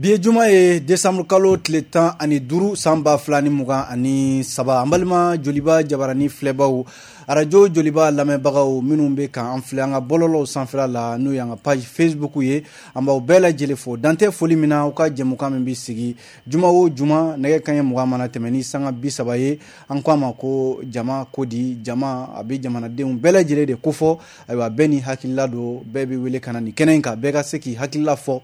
Bi ye juma ye, décembre kalo tile 15, san 2023. An balima Joliba jabarani filɛbaw, arajo Joliba lamɛnbagaw minnu bɛ k'an filɛ an ka bɔlɔlɔw sanfɛla la, n'o y'an ka page Facebook ye, an b'aw bɛɛ lajɛlen fo dantɛ foli min na. Aw ka jɛmukan min bɛ sigi juma o juma, nɛgɛ kanɲɛ 20 mana tɛmɛ ni sanga 30 ye, an ko a ma ko Jama ko di. Jama a bɛ jamanadenw bɛɛ lajɛlen de kofɔ. Ayiwa, bɛɛ ni hakilila don, bɛɛ bɛ wele ka na nin kɛnɛ in kan, bɛɛ ka se k'i hakilila fɔ.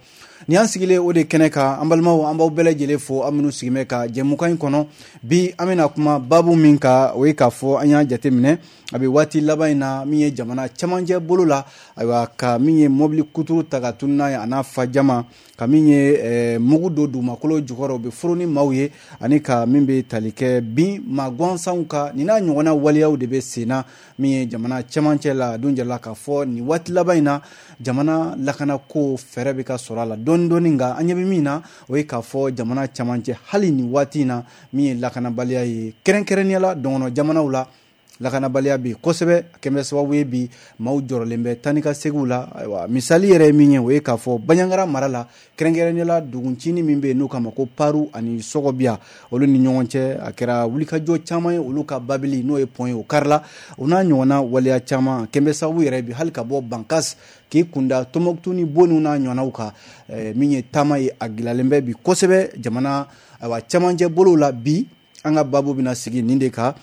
Ni an sigilen o de kɛnɛ kan, an balimaw, an b'aw bɛɛ lajɛlen fo, aw minnu sigilen bɛ ka jɛmukan in kɔnɔ. Bi an bɛna kuma baabu min kan, o ye k'a fɔ an y'a jateminɛ a bɛ waati laban in na, min ye jamana camancɛ bolo la, ayiwa, ka min ye mobili kuturu ta ka tunu n'a ye, a n'a fa jama, ka min ye mugu don dugumakolo jukɔrɔ, u bɛ furu ni maaw ye, ani ka min bɛ tali kɛ bin maa gansanw kan, nin n'a ɲɔgɔnna waleyaw de bɛ sen na min ye jamana camancɛ la. A dun jirala k'a fɔ nin waati laban in na, jamana lakanako fɛɛrɛ bɛ ka sɔrɔ a la dɔɔni dɔɔni, nka an ɲɛ bɛ min na, o ye k'a fɔ jamana camancɛ, hali nin waati in na, min ye lakanabaliya ye, kɛrɛnkɛrɛnnenya la dɔgɔnɔ jamanaw la, lakanabaliya bɛ yen kosɛbɛ. A kɛn bɛ sababu ye bi maaw jɔrɔlen bɛ taa ni ka seginw la. Ayiwa, misali yɛrɛ ye min ye, o ye k'a fɔ Banjagara mara la, kɛrɛnkɛrɛnnenya la duguncinin min bɛ yen n'u k'a ma ko Paru ani Sɔgɔbiya, olu ni ɲɔgɔn cɛ, a kɛra wulikajɔ caman ye. Olu ka babili, n'o ye pont ye, o karila, o n'a ɲɔgɔnna waleya caman kɛn bɛ sababu yɛrɛ bi hali ka bɔ Bankas k'i kunda Tɔnbɔkutu ni Boni n'a ɲɔgɔnnaw kan. Min ye taama ye, a gɛlɛyalen bɛ bi kosɛbɛ jamana, ayiwa, camancɛ bolow la. Bi an ka baabu bɛna sigi nin de kan: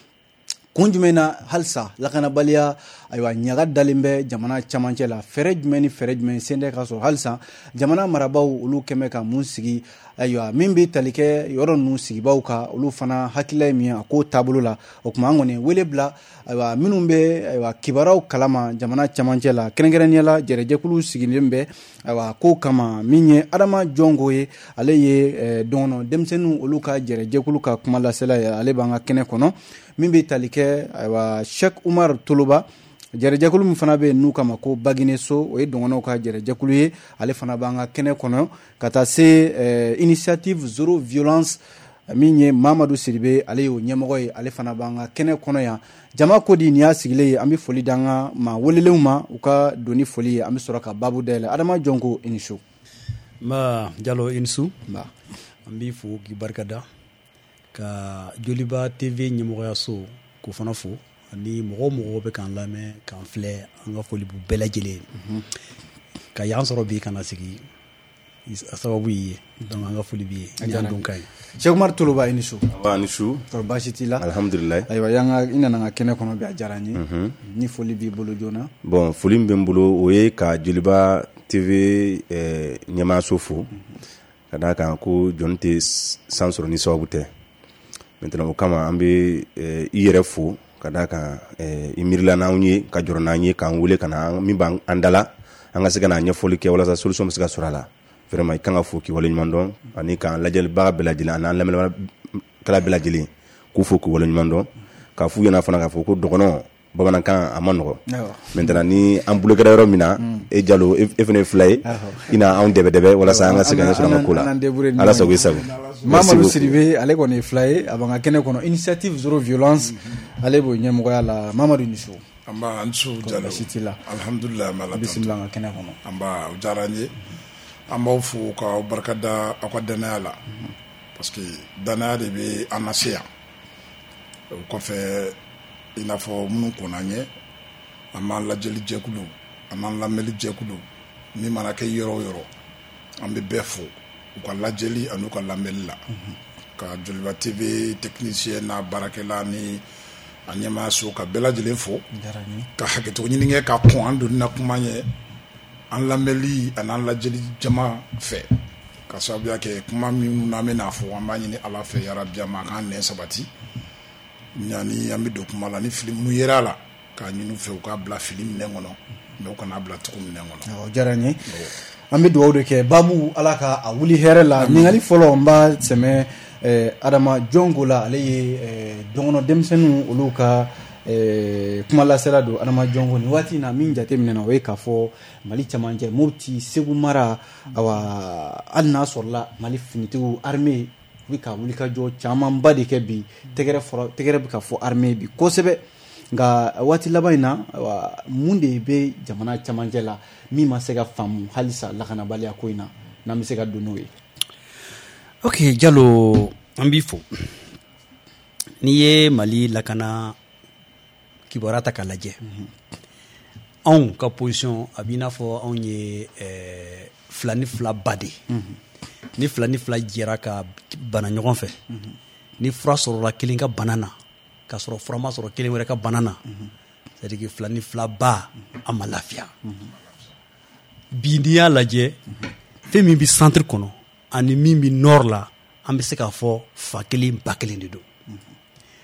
kun jumɛn na halisa lakanabaliya, ayiwa, ɲaga dalen bɛ jamana camancɛ la? Fɛɛrɛ jumɛn ni fɛɛrɛ jumɛn sen tɛ ka sɔrɔ halisa? Jamana marabaaw, olu kɛmɛ ka mun sigi? Ayiwa, min bɛ tali kɛ yɔrɔ ninnu sigibaw kan, olu fana hakilila ye min ye a ko taabolo la? O tuma an kɔni wele bila, ayiwa, minnu bɛ, ayiwa, kibaruyaw kalama jamana camancɛ la, kɛrɛnkɛrɛnnenya la jɛrɛjɛkulu sigilen bɛ, ayiwa, ko kama, min ye Adama Jɔnko ye, ale ye dɔgɔnɔ denmisɛnninw olu ka jɛrɛjɛkulu ka kuma lasela ye, ale b'an ka kɛnɛ kɔnɔ. Min bɛ tali kɛ, ayiwa, Cheikh Umar Toloba, jɛrɛjɛkulu min fana bɛ yen n'u kama ko Bagineso, o ye dɔgɔnɔw ka jɛrɛjɛkulu ye, ale fana b'an ka kɛnɛ kɔnɔ, ka taa se Initiative Zéro Violence, min ye Mamadu Sidibe, ale y'o ɲɛmɔgɔ ye, ale fana b'an ka kɛnɛ kɔnɔ yan. Jama ko di, nin y'a sigilen ye. An bɛ foli d'an ka maa welelenw ma, u ka don ni foli ye, an bɛ sɔrɔ ka baabu dayɛlɛ. Adama Jɔnko, i ni su. Nba Jalo, i ni su. An b'i fo k'i barikada, ka Joliba TV ɲɛmɔgɔyaso k'o fana fo, ani mɔgɔ o mɔgɔ bɛ k'an lamɛn, k'an filɛ, an ka foli b'u bɛɛ lajɛlen. Ka yan sɔrɔ bi ka na sigi, a sababu y'i ye, donc an ka foli b'i ye ni an don ka ye. Cheikh Umar Toloba, i ni su. Nba, ni su. Kɔri baasi t'i la? Alhamdulilayi. Ayiwa, yan ka i nana an ka kɛnɛ kɔnɔ bi, a diyara n ye. Ni foli b'i bolo joona. Bon, foli min bɛ n bolo, o ye ka Joliba TV ɲɛmaayaso fo, ka d'a kan ko jɔnni tɛ san sɔrɔ ni sababu tɛ. Maintenant, o kama an bɛ i yɛrɛ fo, ka d'a kan i miirila n'anw ye, ka jɔrɔ n'an ye, k'an wele ka na min b'an da la, an ka se ka na ɲɛfɔli kɛ walasa solution bɛ se ka sɔrɔ a la. Vraiment, i kan ka fo k'i waleɲuman dɔn, ani k'an lajɛlibaga bɛɛ lajɛlen ani an lamɛnnikɛla bɛɛ lajɛlen k'u fo k'u waleɲuman dɔn, k'a f'u ɲɛna fana k'a fɔ ko dɔgɔnɔ bamanankan a ma nɔgɔ. Maintenant, ni an bolo kɛra yɔrɔ min na, e Jalo, e fana ye fila ye, i na anw dɛbɛ dɛbɛ walasa an ka se ka ɲɛ sɔrɔ an ka ko la. Ala sago i sago. Mamadu Sidibe, ale kɔni ye fila ye, a b'an ka kɛnɛ kɔnɔ, Initiative Zéro Violence, ale b'o ɲɛmɔgɔya la. Mamadu, ni su. Nba, an su Jalo. Baasi t'i la? Alhamdulilayi, an bɛ Ala. Bisimila an ka kɛnɛ kɔnɔ. Nba, o diyara n ye. An b'aw fo k'aw barikada aw ka danaya la, parce que danaya de bɛ an lase yan. O kɔfɛ, i n'a fɔ minnu kɔnna an ɲɛ, an b'an lajɛli jɛkulu, an b'an lamɛnli jɛkulu, min mana kɛ yɔrɔ o yɔrɔ, an bɛ bɛɛ fo u ka lajɛli ani u ka lamɛnli la, ka Joliba TV technicien n'a baarakɛla ni a ɲɛmaayaso ka bɛɛ lajɛlen fo, ka hakɛto ɲini kɛ ka kɔn an donni na kuma ɲɛ an lamɛnli ani an lajɛli jama fɛ, ka sababuya kɛ kuma minnu n'an bɛna fɔ. An b'a ɲini Ala fɛ, yarabi, a ma k'an nɛn sabati. Ɲani an bɛ don kuma la, ni fili minnu yera a la, k'a ɲini u fɛ u k'a bila fili minɛn kɔnɔ, mais u kana bila tugu minɛn kɔnɔ. O diyara n ye. An bɛ dugawu de kɛ, baabu, Ala ka a wuli hɛrɛ la. Ɲininkali fɔlɔ, n b'a sɛmɛ Adama Jɔnko la, ale ye dɔgɔnɔ denmisɛnninw olu ka kuma lasela don. Adama Jɔnko, nin waati in na, min jateminɛ na, o ye k'a fɔ Mali camancɛ, Mopti, Segu mara, awa, hali n'a sɔrɔla Mali finitigiw, armée u bɛ ka wulikajɔ camanba de kɛ bi, tɛgɛrɛ fɔra, tɛgɛrɛ bɛ ka fɔ armée bi kosɛbɛ, nka waati laban in na, ayiwa, mun de bɛ jamana camancɛ la min ma se ka faamu halisa lakanabaliya ko in na, n'an bɛ se ka don n'o ye? Ok Jalo, an b'i fo. N'i ye Mali lakana kibaruya ta k'a lajɛ, anw ka position a b'i n'a fɔ anw ye fila ni fila ba de ye. Ni fila ni fila jɛra ka bana ɲɔgɔn fɛ, ni fura sɔrɔla kelen ka bana na k'a sɔrɔ fura ma sɔrɔ kelen wɛrɛ ka bana na, c'est à dire que fila ni fila ba a ma lafiya. Bi n'i y'a lajɛ, fɛn min bɛ centre kɔnɔ ani min bɛ nord la, an bɛ se k'a fɔ fa kelen ba kelen de don.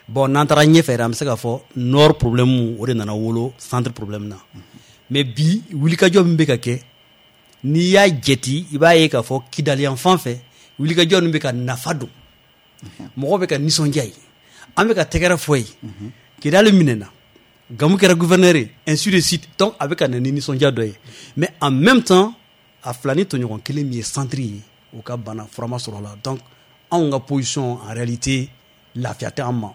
Bon, n'an taara ɲɛfɛ yɛrɛ, an bɛ se k'a fɔ nord problème o de nana wolo centre problème na. Mais bi wulikajɔ min bɛ ka kɛ, n'i y'a jate, i b'a ye k'a fɔ Kidali yan fan fɛ, wulikajɔ ninnu bɛ ka nafa don, mɔgɔw bɛ ka nisɔndiya ye, an bɛ ka tɛgɛrɛ fɔ ye, Kidali minɛna, Gamu kɛra gouverneur ye, ainsi de suite. Donc a bɛ ka na ni nisɔndiya dɔ ye, mais en même temps a fila ni tɔɲɔgɔn kelen min ye centre ye, o ka bana fura ma sɔrɔ la. Donc anw ka position, en réalité lafiya tɛ an ma.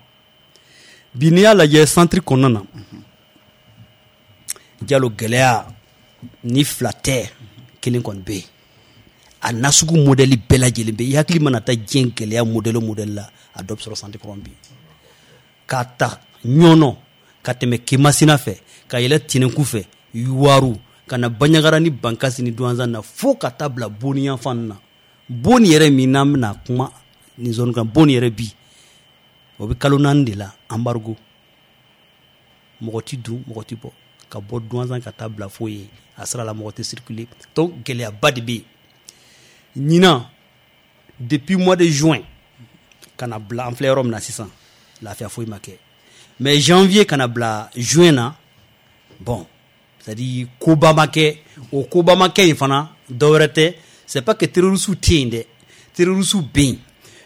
Bi n'i y'a lajɛ centre kɔnɔna na, Jalo, gɛlɛya ni fila tɛ, kelen kɔni bɛ yen. A nasugu modèle bɛɛ lajɛlen bɛ yen. I hakili mana taa diɲɛ gɛlɛya modèle o modèle la, a dɔ bɛ sɔrɔ centre kɔnɔ bi. K'a ta Ɲɔnɔ ka tɛmɛ Kemasina fɛ, ka yɛlɛ Tɛnɛnku fɛ, Yuwaru, ka na Baɲagara ni Bankasi ni Duwanzan na, fo ka taa bila Boni yanfan na. Boni yɛrɛ min n'an bɛna kuma nin zone kan, Boni yɛrɛ bi o bɛ kalo 4 de la, embargo, mɔgɔ ti dun, mɔgɔ ti bɔ, ka bɔ Duwanzan ka taa bila fo yen, a sira la mɔgɔ tɛ circuler. Donc gɛlɛyaba de bɛ yen ɲinan. Depuis mois de juin ka na bila an filɛ yɔrɔ min na sisan, lafiya foyi ma kɛ. Mais janvier ka na bila juin na, bon, c'est à dire koba ma kɛ. O koba ma kɛ in fana, dɔwɛrɛ tɛ, c'est pas que terroristes tɛ yen dɛ, terroristes bɛ yen,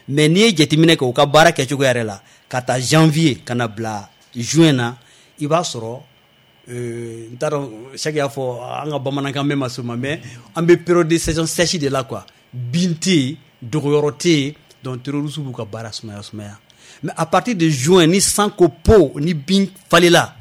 mais n'i ye jateminɛ kɛ u ka baara kɛcogo yɛrɛ la, ka taa janvier ka na bila juin na, i b'a sɔrɔ n t'a dɔn, Sɛki y'a fɔ an ka bamanankan mɛn ma se o ma, mais an bɛ période de saison sèche de la quoi. Bin tɛ yen, dogoyɔrɔ tɛ yen, donc terroristes b'u ka baara sumaya sumaya. Mais à partir de juin, ni san ko po, ni bin falela,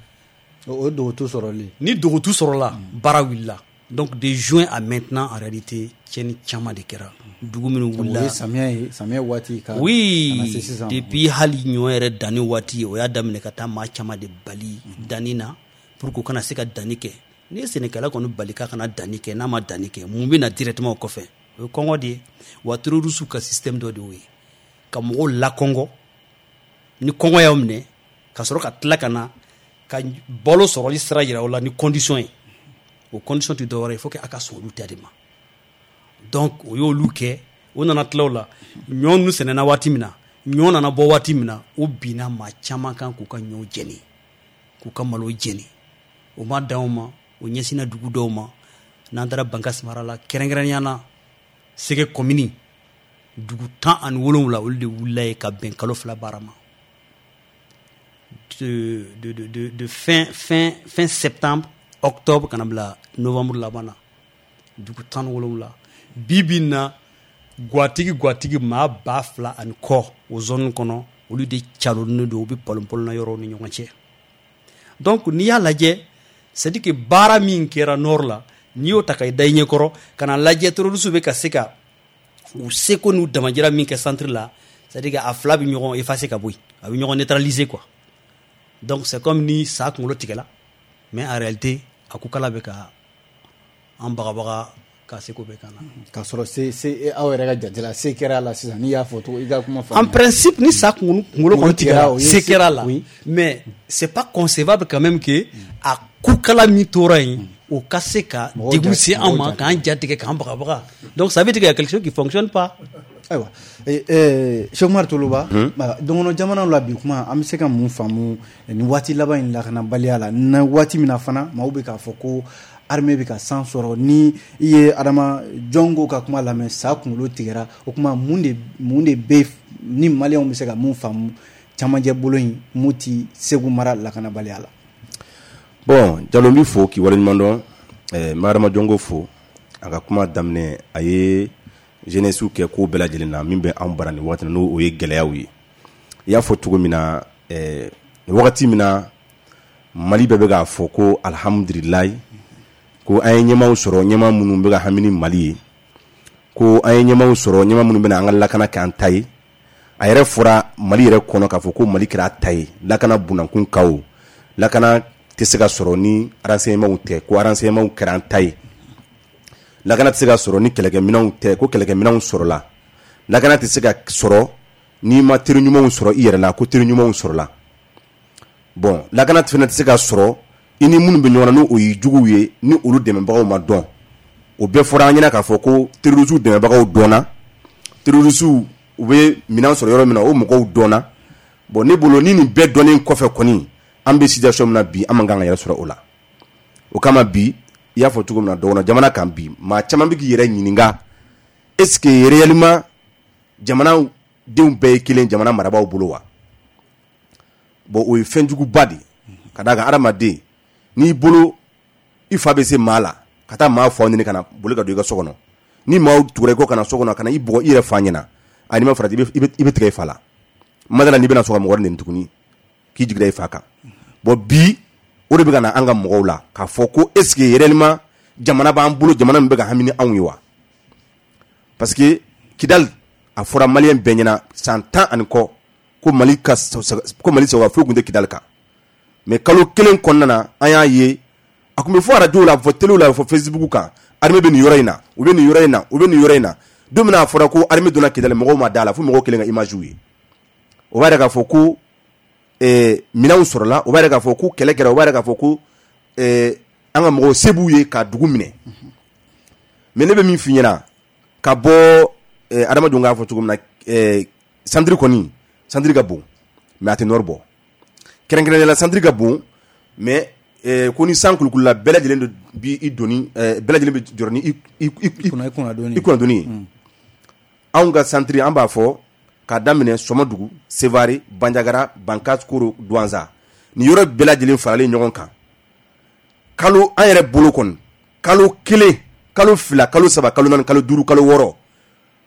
o ye dogotu sɔrɔli, ni dogotu sɔrɔla, baara wulila. Donc de juin à maintenant, en réalité tiɲɛni caman de kɛra dugu minnu wulila. O ye samiya ye, samiya waati ka oui na se sisan. Depuis hali ɲɔ yɛrɛ danni waati, o y'a daminɛ ka taa maa caman de bali danni na pour que u kana se ka danni kɛ. N'i ye sɛnɛkɛla kɔni bali k'a kana danni kɛ, n'a ma danni kɛ, mun bɛ na directement o kɔfɛ? O ye kɔngɔ de ye. Wa terroristes ka système dɔ de y'o ye, ka mɔgɔw lakɔngɔ. Ni kɔngɔ y'aw minɛ, ka sɔrɔ ka tila ka na ka balo sɔrɔli sira yira o la ni condition ye. O condition tɛ dɔwɛrɛ ye, il faut que a ka sɔn olu ta de ma. Donc o y'olu kɛ. O nana tila o la, ɲɔ ninnu sɛnɛna waati min na, ɲɔ nana bɔ waati min na, o binna maa caman kan k'u ka ɲɔw jɛni, k'u ka malo jɛni. O ma dan o ma, o ɲɛsinna dugu dɔw ma. N'an taara Bankasi mara la, kɛrɛnkɛrɛnnenya na Sɛgɛ commune, dugu 17, olu de wulila ye ka bɛn kalo 2 baara ma, de fin septembre, octobre ka na bila novembre laban na, dugu 17. Bi bi in na, gwatigi gwatigi maa 2000 ani kɔ o zone kɔnɔ, olu de calonnen don, u bɛ palon-palon yɔrɔw ni ɲɔgɔn cɛ. Donc n'i y'a lajɛ, c'est à dire que baara min kɛra nord la, n'i y'o ta ka da i ɲɛkɔrɔ ka na lajɛ, terroristes bɛ ka se ka u seko n'u damajira min kɛ centre la, c'est à dire que a fila bɛ ɲɔgɔn effacer ka bɔ yen, a bɛ ɲɔgɔn neutraliser quoi. Donc c'est comme ni sa kunkolo tigɛla, mais en réalité a ko kala bɛ ka an bagabaga ka seko bɛɛ kan na. K'a sɔrɔ se aw yɛrɛ ka jate la, se kɛra a la sisan, n'i y'a fɔ cogo i ka kuma faamuya. En principe, ni sa kunkolo kɔni tigɛra, se kɛra a la, oui. Mais c'est pas concevable quand même que a kukala min tora yen, o ka se ka degun se an ma, k'an ja tigɛ, k'an bagabaga. Donc ça veut dire qu'il y a quelque chose qui fonctionne pas. Ayiwa, Cheikh Umar Toloba, dɔnkɔnɔ jamanaw la bi kuma, an bɛ se ka mun faamu nin waati laban in lakanabaliya la, na waati min na fana maaw bɛ k'a fɔ ko armée bɛ ka san sɔrɔ? Ni i ye Adama Jɔnko ka kuma lamɛn, sa kunkolo tigɛra, o kuma mun de bɛ ni maliyɛnw bɛ se ka mun faamu camancɛ bolo in Moti Segu mara lakanabaliya la? Bon, Jalo, n b'i fo k'i waleɲuman dɔn. N bɛ Adama Jɔnko fo. A ka kuma daminɛ, a ye jeunesse kɛ ko bɛɛ lajɛlen na min bɛ anw bara nin waati, n'o ye gɛlɛyaw ye. I y'a fɔ cogo min na, wagati min na Mali bɛɛ bɛ k'a fɔ ko alihamudulilayi, ko an ye ɲɛmaaw sɔrɔ, ɲɛmaa minnu bɛ ka hami ni Mali ye. Ko an ye ɲɛmaaw sɔrɔ, ɲɛmaa minnu bɛna an ka lakana kɛ an ta ye. A yɛrɛ fɔra Mali yɛrɛ kɔnɔ k'a fɔ ko Mali kɛra a ta ye. Lakana bunankun kaw, lakana tɛ se ka sɔrɔ ni renseignement tɛ, ko renseignement kɛra an ta ye. Lakana tɛ se ka sɔrɔ ni kɛlɛkɛminɛnw tɛ, ko kɛlɛkɛminɛnw sɔrɔla. Lakana tɛ se ka sɔrɔ n'i ma teri ɲumanw sɔrɔ i yɛrɛ la, ko teri ɲumanw sɔrɔla. Bon, lakana fana tɛ se ka sɔrɔ i ni minnu bɛ ɲɔgɔn na, n'o ye juguw ye, ni olu dɛmɛbagaw ma dɔn. O bɛɛ fɔra an ɲɛna k'a fɔ ko terroristew dɛmɛbagaw dɔnna, terroristew u bɛ minɛn sɔrɔ yɔrɔ min na, o mɔgɔw dɔnna. Bon, ne bolo, ni nin bɛɛ dɔnnen kɔfɛ kɔni, an bɛ situation min na bi, an man kan ka yɛrɛ sɔrɔ o la. O kama bi, i y'a fɔ cogo min na, dɔgɔnɔ jamana kan bi, maa caman bɛ k'i yɛrɛ ɲininka: est ce que réellement jamana denw bɛɛ ye kelen jamana marabaaw bolo wa? Bon, o ye fɛnjuguba de ye, ka d'a kan hadamaden n'i bolo i fa bɛ se maa la ka taa maa fa ɲini ka na boli ka don i ka so kɔnɔ, ni maaw tugura i kɔ ka na so kɔnɔ ka na i bugɔ i yɛrɛ fa ɲɛna, a n'i ma farati, i bɛ tigɛ i fa la. Ma n'i bɛna sɔn ka mɔgɔ neni tuguni k'i jiginna i fa kan. Bon, bi o de bɛ ka na an ka mɔgɔw la k'a fɔ ko est ce que réellement jamana b'an bolo, jamana min bɛ ka hami ni anw ye wa? Parce que Kidali, a fɔra maliyɛn bɛɛ ɲɛna san 10 ani kɔ ko Mali ka ko Mali sagoya foyi tun tɛ Kidali kan. Mais kalo kelen kɔnɔna na, an y'a ye, a tun bɛ fɔ arajow la, a bɛ fɔ telew la, a bɛ fɔ Facebook kan: armée bɛ nin yɔrɔ in na, u bɛ nin yɔrɔ in na, u bɛ nin yɔrɔ in na. Don min na a fɔra ko armée donna Kidali, mɔgɔw ma da la, fo mɔgɔw kelen ka image ye. O b'a yira k'a fɔ ko minɛnw sɔrɔla, o b'a yira k'a fɔ ko kɛlɛ kɛra, o b'a yira k'a fɔ ko an ka mɔgɔw se b'u ye ka dugu minɛ. Mais ne bɛ min f'i ɲɛna, ka bɔ adamadenw k'a fɔ cogo min na, centre kɔni, centre ka bon, mais a tɛ nord bɔ. Kɛrɛnkɛrɛnnenya la, centre ka bon, mais ko ni san kulukulula, bɛɛ lajɛlen bi i doni, bɛɛ lajɛlen bɛ jɔrɔ ni i kunnadoni ye. Anw ka centre, an b'a fɔ k'a daminɛ Sɔmɔdugu, Sevare, Banjagara, Bankas, Koro, Duwanza, nin yɔrɔ bɛɛ lajɛlen faralen ɲɔgɔn kan, kalo an yɛrɛ bolo kɔni, kalo 1, kalo 2, kalo 3, kalo 4, kalo 5, kalo 6.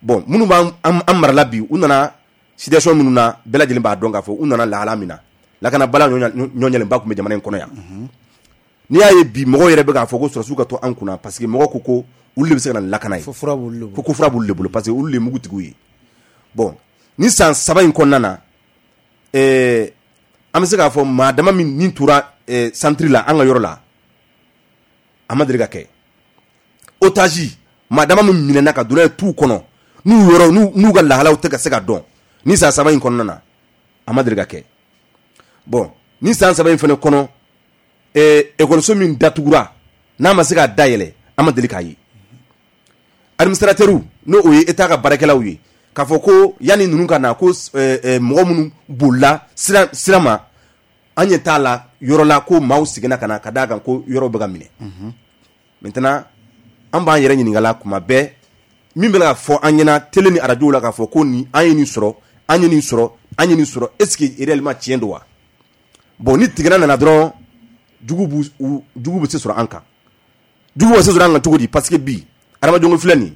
Bon, minnu b'an an marala bi, u nana situation minnu na, bɛɛ lajɛlen b'a dɔn k'a fɔ u nana lahala min na, lakanabaliya ɲɔɲɛlenba tun bɛ jamana in kɔnɔ yan. N'i y'a ye bi mɔgɔw yɛrɛ bɛ k'a fɔ ko sɔrɔdasiw ka to an kunna, parce que mɔgɔw ko olu de bɛ se ka na ni lakana ye, ko fura b'olu de bolo, ko fura b'olu de bolo, parce que olu de ye mugutigiw ye. Bon, ni san 3 in kɔnɔna na, an bɛ se k'a fɔ maa dama min nin tora centre la, an ka yɔrɔ la, a ma deli ka kɛ. Otage maa dama min minɛna ka don n'a ye tu kɔnɔ, n'u yɔrɔ n'u ka lahalaw tɛ ka se ka dɔn, ni san 3 in kɔnɔna na, a ma deli ka kɛ. Bon, ni san 3 in fana kɔnɔ, ekɔliso min datugura n'a ma se k'a dayɛlɛ, an ma deli k'a ye. Administrateur, n'o o ye État ka baarakɛlaw ye, k'a fɔ ko yanni ninnu ka na, ko mɔgɔ minnu bolila sira ma, an ɲɛ t'a la yɔrɔ la ko maaw seginna ka na, ka d'a kan ko yɔrɔw bɛ ka minɛ. Maintenant, an b'an yɛrɛ ɲininka la kuma bɛɛ, min bɛ ka fɔ an ɲɛna télé ni arajo la k'a fɔ ko nin an ye nin sɔrɔ, an ye nin sɔrɔ, an ye nin sɔrɔ, est ce que réellement tiɲɛ don wa? Bon, ni tigɛna nana dɔrɔn, jugu bɛ se sɔrɔ an kan. Jugu bɛ se sɔrɔ an kan cogo di? Parce que bi adamadenw filɛ nin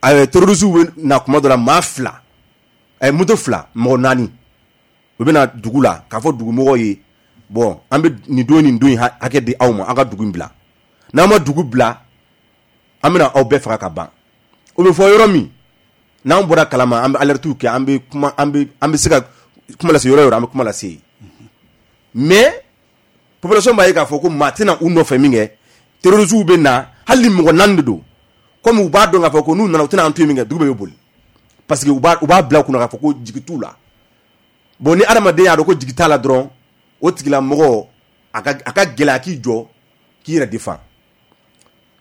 ye, terroristes bɛ na kuma dɔ la, maa 2, moto 2, mɔgɔ 4, u bɛ na dugu la k'a fɔ dugumɔgɔw ye: bon, an bɛ nin don nin don in hakɛ di aw ma, aw ka dugu in bila. N'aw ma dugu bila, an bɛna aw bɛɛ faga ka ban. O bɛ fɔ yɔrɔ min, n'an bɔra kalama, an bɛ alertes kɛ, an bɛ kuma, an bɛ se ka kuma lase yɔrɔ o yɔrɔ, an bɛ kuma lase yen. Mais population b'a ye k'a fɔ ko maa tɛna u nɔfɛ min kɛ, terroristes bɛ na, hali ni mɔgɔ 4 de don, komi u b'a dɔn k'a fɔ ko n'u nana, u tɛna an to yen min kɛ, dugu bɛɛ bɛ boli, parce que u b'a bila u kunna k'a fɔ ko jigi t'u la. Bon, ni adamaden y'a dɔn ko jigi t'a la dɔrɔn, o tigilamɔgɔ a ka gɛlɛya k'i jɔ k'i yɛrɛ défend.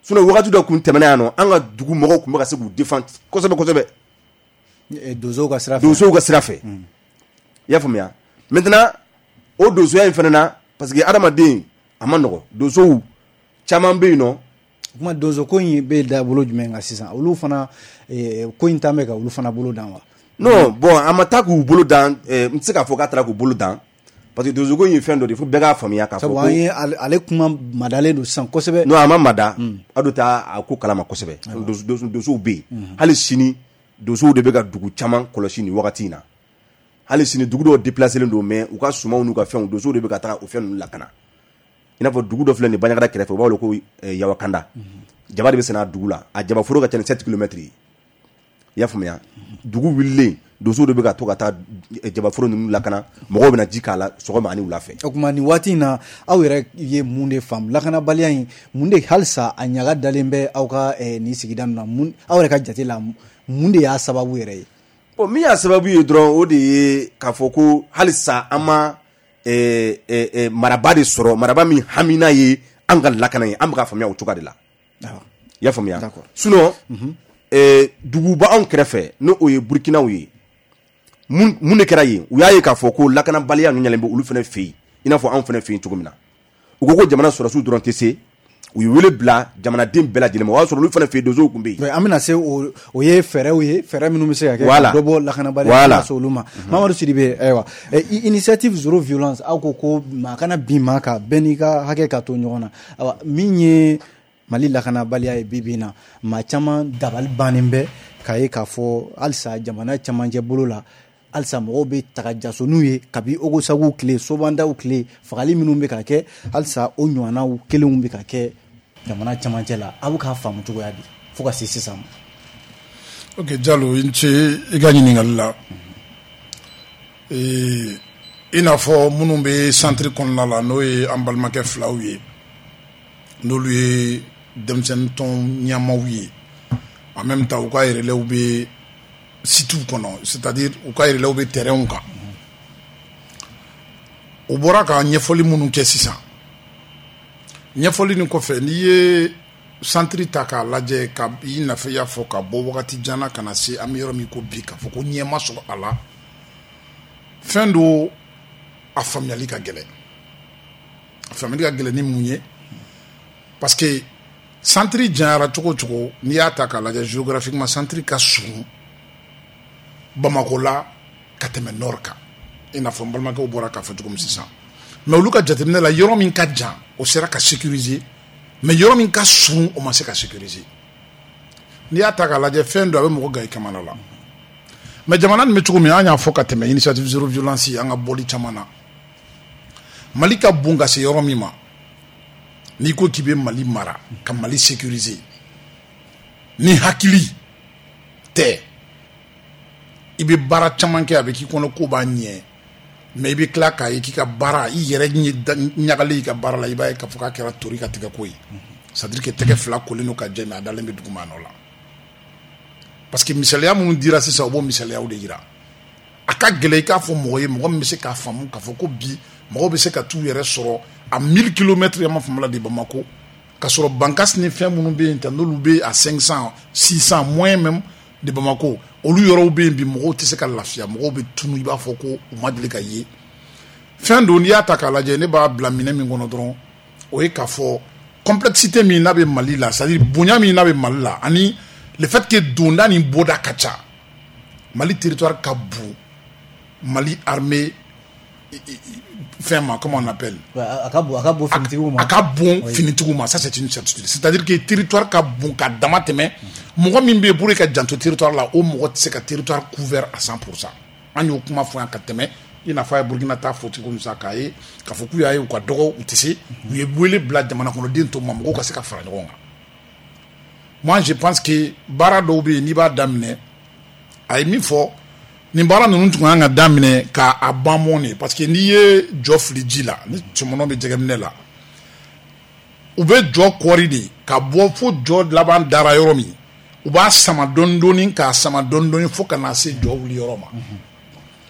Sinon wagati dɔ kun tɛmɛna yan nɔ, an ka dugu mɔgɔw tun bɛ ka se k'u défend kosɛbɛ kosɛbɛ. Donsow ka sira fɛ. Donsow ka sira fɛ. I y'a faamuya? Maintenant, o donsoya in fana na, parce que adamaden a ma nɔgɔ, donsow caman bɛ yen nɔ. O kuma, donso ko in bɛ da bolo jumɛn kan sisan? Olu fana ko in tan bɛ ka olu fana bolo dan wa? Non, bon, a ma taa k'u bolo dan, n tɛ se k'a fɔ k'a taara k'u bolo dan, parce que donso ko in ye fɛn dɔ de ye, fo bɛɛ k'a faamuya k'a fɔ ko sabu an ye ale kuma madalen don sisan kosɛbɛ. Non, a ma mada, a dun t'a a ko kalama kosɛbɛ. Donsow bɛ yen hali sini, donsow de bɛ ka dugu caman kɔlɔsi nin wagati in na. Hali sini dugu dɔw déplacé don, mais u ka sumanw n'u ka fɛnw, donsow de bɛ ka taga o fɛn ninnu lakana. I n'a fɔ dugu dɔ filɛ nin Banjagara kɛrɛfɛ, u b'a wele ko Yawakanda. Jaba de bɛ sɛnɛ a dugu la, a jabaforo ka ca ni 7 kilomètres ye. I y'a faamuya? Dugu wulilen, donsow de bɛ ka to ka taa jabaforo ninnu lakana, mɔgɔw bɛna ji k'a la sɔgɔma ani wula fɛ. O tuma nin waati in na, aw yɛrɛ ye mun de faamu lakanabaliya in, mun de halisa a ɲaga dalen bɛ aw ka nin sigida ninnu na? Mun aw yɛrɛ ka jate la, mun de y'a sababu yɛrɛ ye? Bon, min y'a sababu ye dɔrɔn, o de ye k'a fɔ ko halisa an ma maraba de sɔrɔ, maraba min hamina ye an ka lakana ye. An bɛ ka faamuya o cogoya de la. I y'a faamuya? Sinon duguba anw kɛrɛfɛ, n'o o ye Burukinaw ye, mun de kɛra yen? U y'a ye k'a fɔ ko lakanabaliya ninnu ɲalen bɛ olu fana fɛ yen, i n'a fɔ anw fana fɛ yen cogo min na. U ko ko jamana sɔrɔdasiw dɔrɔn tɛ se, u ye wele bila jamanaden bɛɛ lajɛlen ma. O y'a sɔrɔ olu fana fɛ yen donsow tun bɛ yen. An bɛna se o ye fɛɛrɛw ye, fɛɛrɛ minnu bɛ se ka kɛ ka dɔ bɔ lakanabaliya la se olu ma. Mamadu Sidibe, ayiwa, initiative zéro violence, aw ko ko maa kana bin maa kan, bɛɛ n'i ka hakɛ ka to ɲɔgɔn na. Ayiwa, min ye Mali lakanabaliya ye bi bi in na, maa caman dabali bannen bɛ k'a ye k'a fɔ halisa jamana camancɛ bolo la, halisa mɔgɔw bɛ taga jasoniw ye kabi Ogosagu tile, Sobandaw tile, fagali minnu bɛ ka kɛ, halisa o ɲɔgɔnnaw kelenw bɛ ka kɛ jamana camancɛ la. Aw bɛ k'a faamu cogoya di fo ka se sisan ma? Ok Jalo, i ni ce i ka ɲininkali la. I n'a fɔ minnu bɛ centre kɔnɔna la, n'o ye an balimakɛ filaw ye, n'olu ye denmisɛnnin tɔn ɲɛmaaw ye, en même temps u ka relais bɛ sitew kɔnɔ, c'est-à-dire u ka relais bɛ terrainw kan. U bɔra ka ɲɛfɔli minnu kɛ sisan, ɲɛfɔli nin kɔfɛ, n'i ye centre ta k'a lajɛ, ka i n'a fɔ i y'a fɔ, ka bɔ wagati jan na ka na se an bɛ yɔrɔ min ko bi, k'a fɔ ko ɲɛ ma sɔrɔ a la, fɛn do a faamuyali ka gɛlɛn. A faamuyali ka gɛlɛn ni mun ye? Parce que centre janyara cogo o cogo, n'i y'a ta k'a lajɛ géographiquement, centre ka surun Bamako la ka tɛmɛ nord kan, i n'a fɔ n balimakɛw bɔra k'a fɔ cogo min sisan. Mais olu ka jateminɛ la, yɔrɔ min ka jan, o sera ka sécuriser, mais yɔrɔ min ka surun, o ma se ka sécuriser. N'i y'a ta k'a lajɛ, fɛn dɔ a bɛ mɔgɔ gan i kamana la. Mais jamana nin bɛ cogo min, an y'a fɔ ka tɛmɛ, initiative zéro violence, an ka bɔli caman na, Mali ka bon ka se yɔrɔ min ma, n'i ko k'i bɛ Mali mara ka Mali sécuriser ni hakili tɛ, i bɛ baara caman kɛ, a bɛ k'i kɔnɔ ko b'a ɲɛ, mais i bɛ tila k'a ye k'i ka baara, i yɛrɛ ɲagalen i ka baara la, i b'a ye k'a fɔ k'a kɛra tori ka tɛgɛ ko ye, c'est à dire que tɛgɛ fila kolen don ka jɛ, mais a dalen bɛ duguma nɔ la. Parce que misaliya minnu dira sisan, o b'o misaliyaw de yira. A ka gɛlɛn i k'a fɔ mɔgɔ ye, mɔgɔ min bɛ se k'a faamu k'a fɔ ko bi mɔgɔw bɛ se ka t'u yɛrɛ sɔrɔ à 1000 kilomètres, ma faamu la, de Bamako, ka sɔrɔ Bankas ni fɛn minnu bɛ yen tan, n'olu bɛ à 500, 600, moins même de Bamako, olu yɔrɔw bɛ yen bi, mɔgɔw tɛ se ka lafiya, mɔgɔw bɛ tunu i b'a fɔ ko u ma deli ka ye. Fɛn don, n'i y'a ta k'a lajɛ, ne b'a bila minɛ min kɔnɔ dɔrɔn, o ye k'a fɔ complexité min n'a bɛ Mali la, c'est à dire bonya min n'a bɛ Mali la, ani le fait que donda ni bɔda ka ca, Mali territoire ka bon, Mali armée fɛn ma, comment on appelle? A ka bon, a ka bon finitigiw ma. A ka bon finitigiw ma, ça c'est une certitude. C'est-à-dire que territoire ka bon ka dama tɛmɛ. Mɔgɔ min bɛ yen pour ka janto territoire la, o mɔgɔ tɛ se ka territoire couvert à 100%. An y'o kuma fɔ yan ka tɛmɛ, i n'a fɔ a ye Burukina ta fɔ cogo min sisan, k'a ye k'a fɔ k'u y'a ye u ka dɔgɔ, u tɛ se, u ye wele bila jamana kɔnɔden tɔw ma, mɔgɔw ka se ka fara ɲɔgɔn kan. Moi je pense que baara dɔw bɛ yen, n'i b'a daminɛ, a ye min fɔ, nin baara ninnu tun kan ka daminɛ k'a ban mɔn de, parce que n'i ye jɔ fili ji la, ni cɛmɔnɔ bɛ jɛgɛminɛ la, u bɛ jɔ kɔri de ka bɔ fo jɔ laban dara yɔrɔ min, u b'a sama dɔɔni dɔɔni, k'a sama dɔɔni dɔɔni fo ka na se jɔ wuli yɔrɔ ma.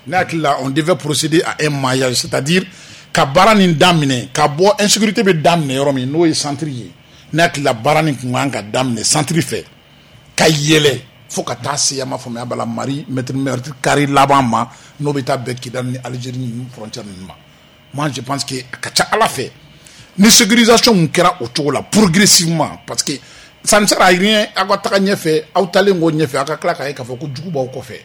Ne hakili la, on devait procéder à un maillage, c'est-à-dire ka baara nin daminɛ ka bɔ insécurité bɛ daminɛ yɔrɔ min, n'o ye centre ye. Ne hakili la, baara nin tun kan ka daminɛ centre fɛ ka yɛlɛ fo ka taa se, a ma faamuya bala, mari mètre carré laban ma, n'o bɛ taa bɛn Kidali ni Algérie ni frontière ninnu ma. Moi je pense que a ka ca Ala fɛ, ni sécurisation mun kɛra o cogo la progressivement, parce que ça ne sert à rien aw ka taga ɲɛfɛ, aw talen kɔ ɲɛfɛ, aw ka tila k'a ye k'a fɔ ko jugu b'aw kɔfɛ.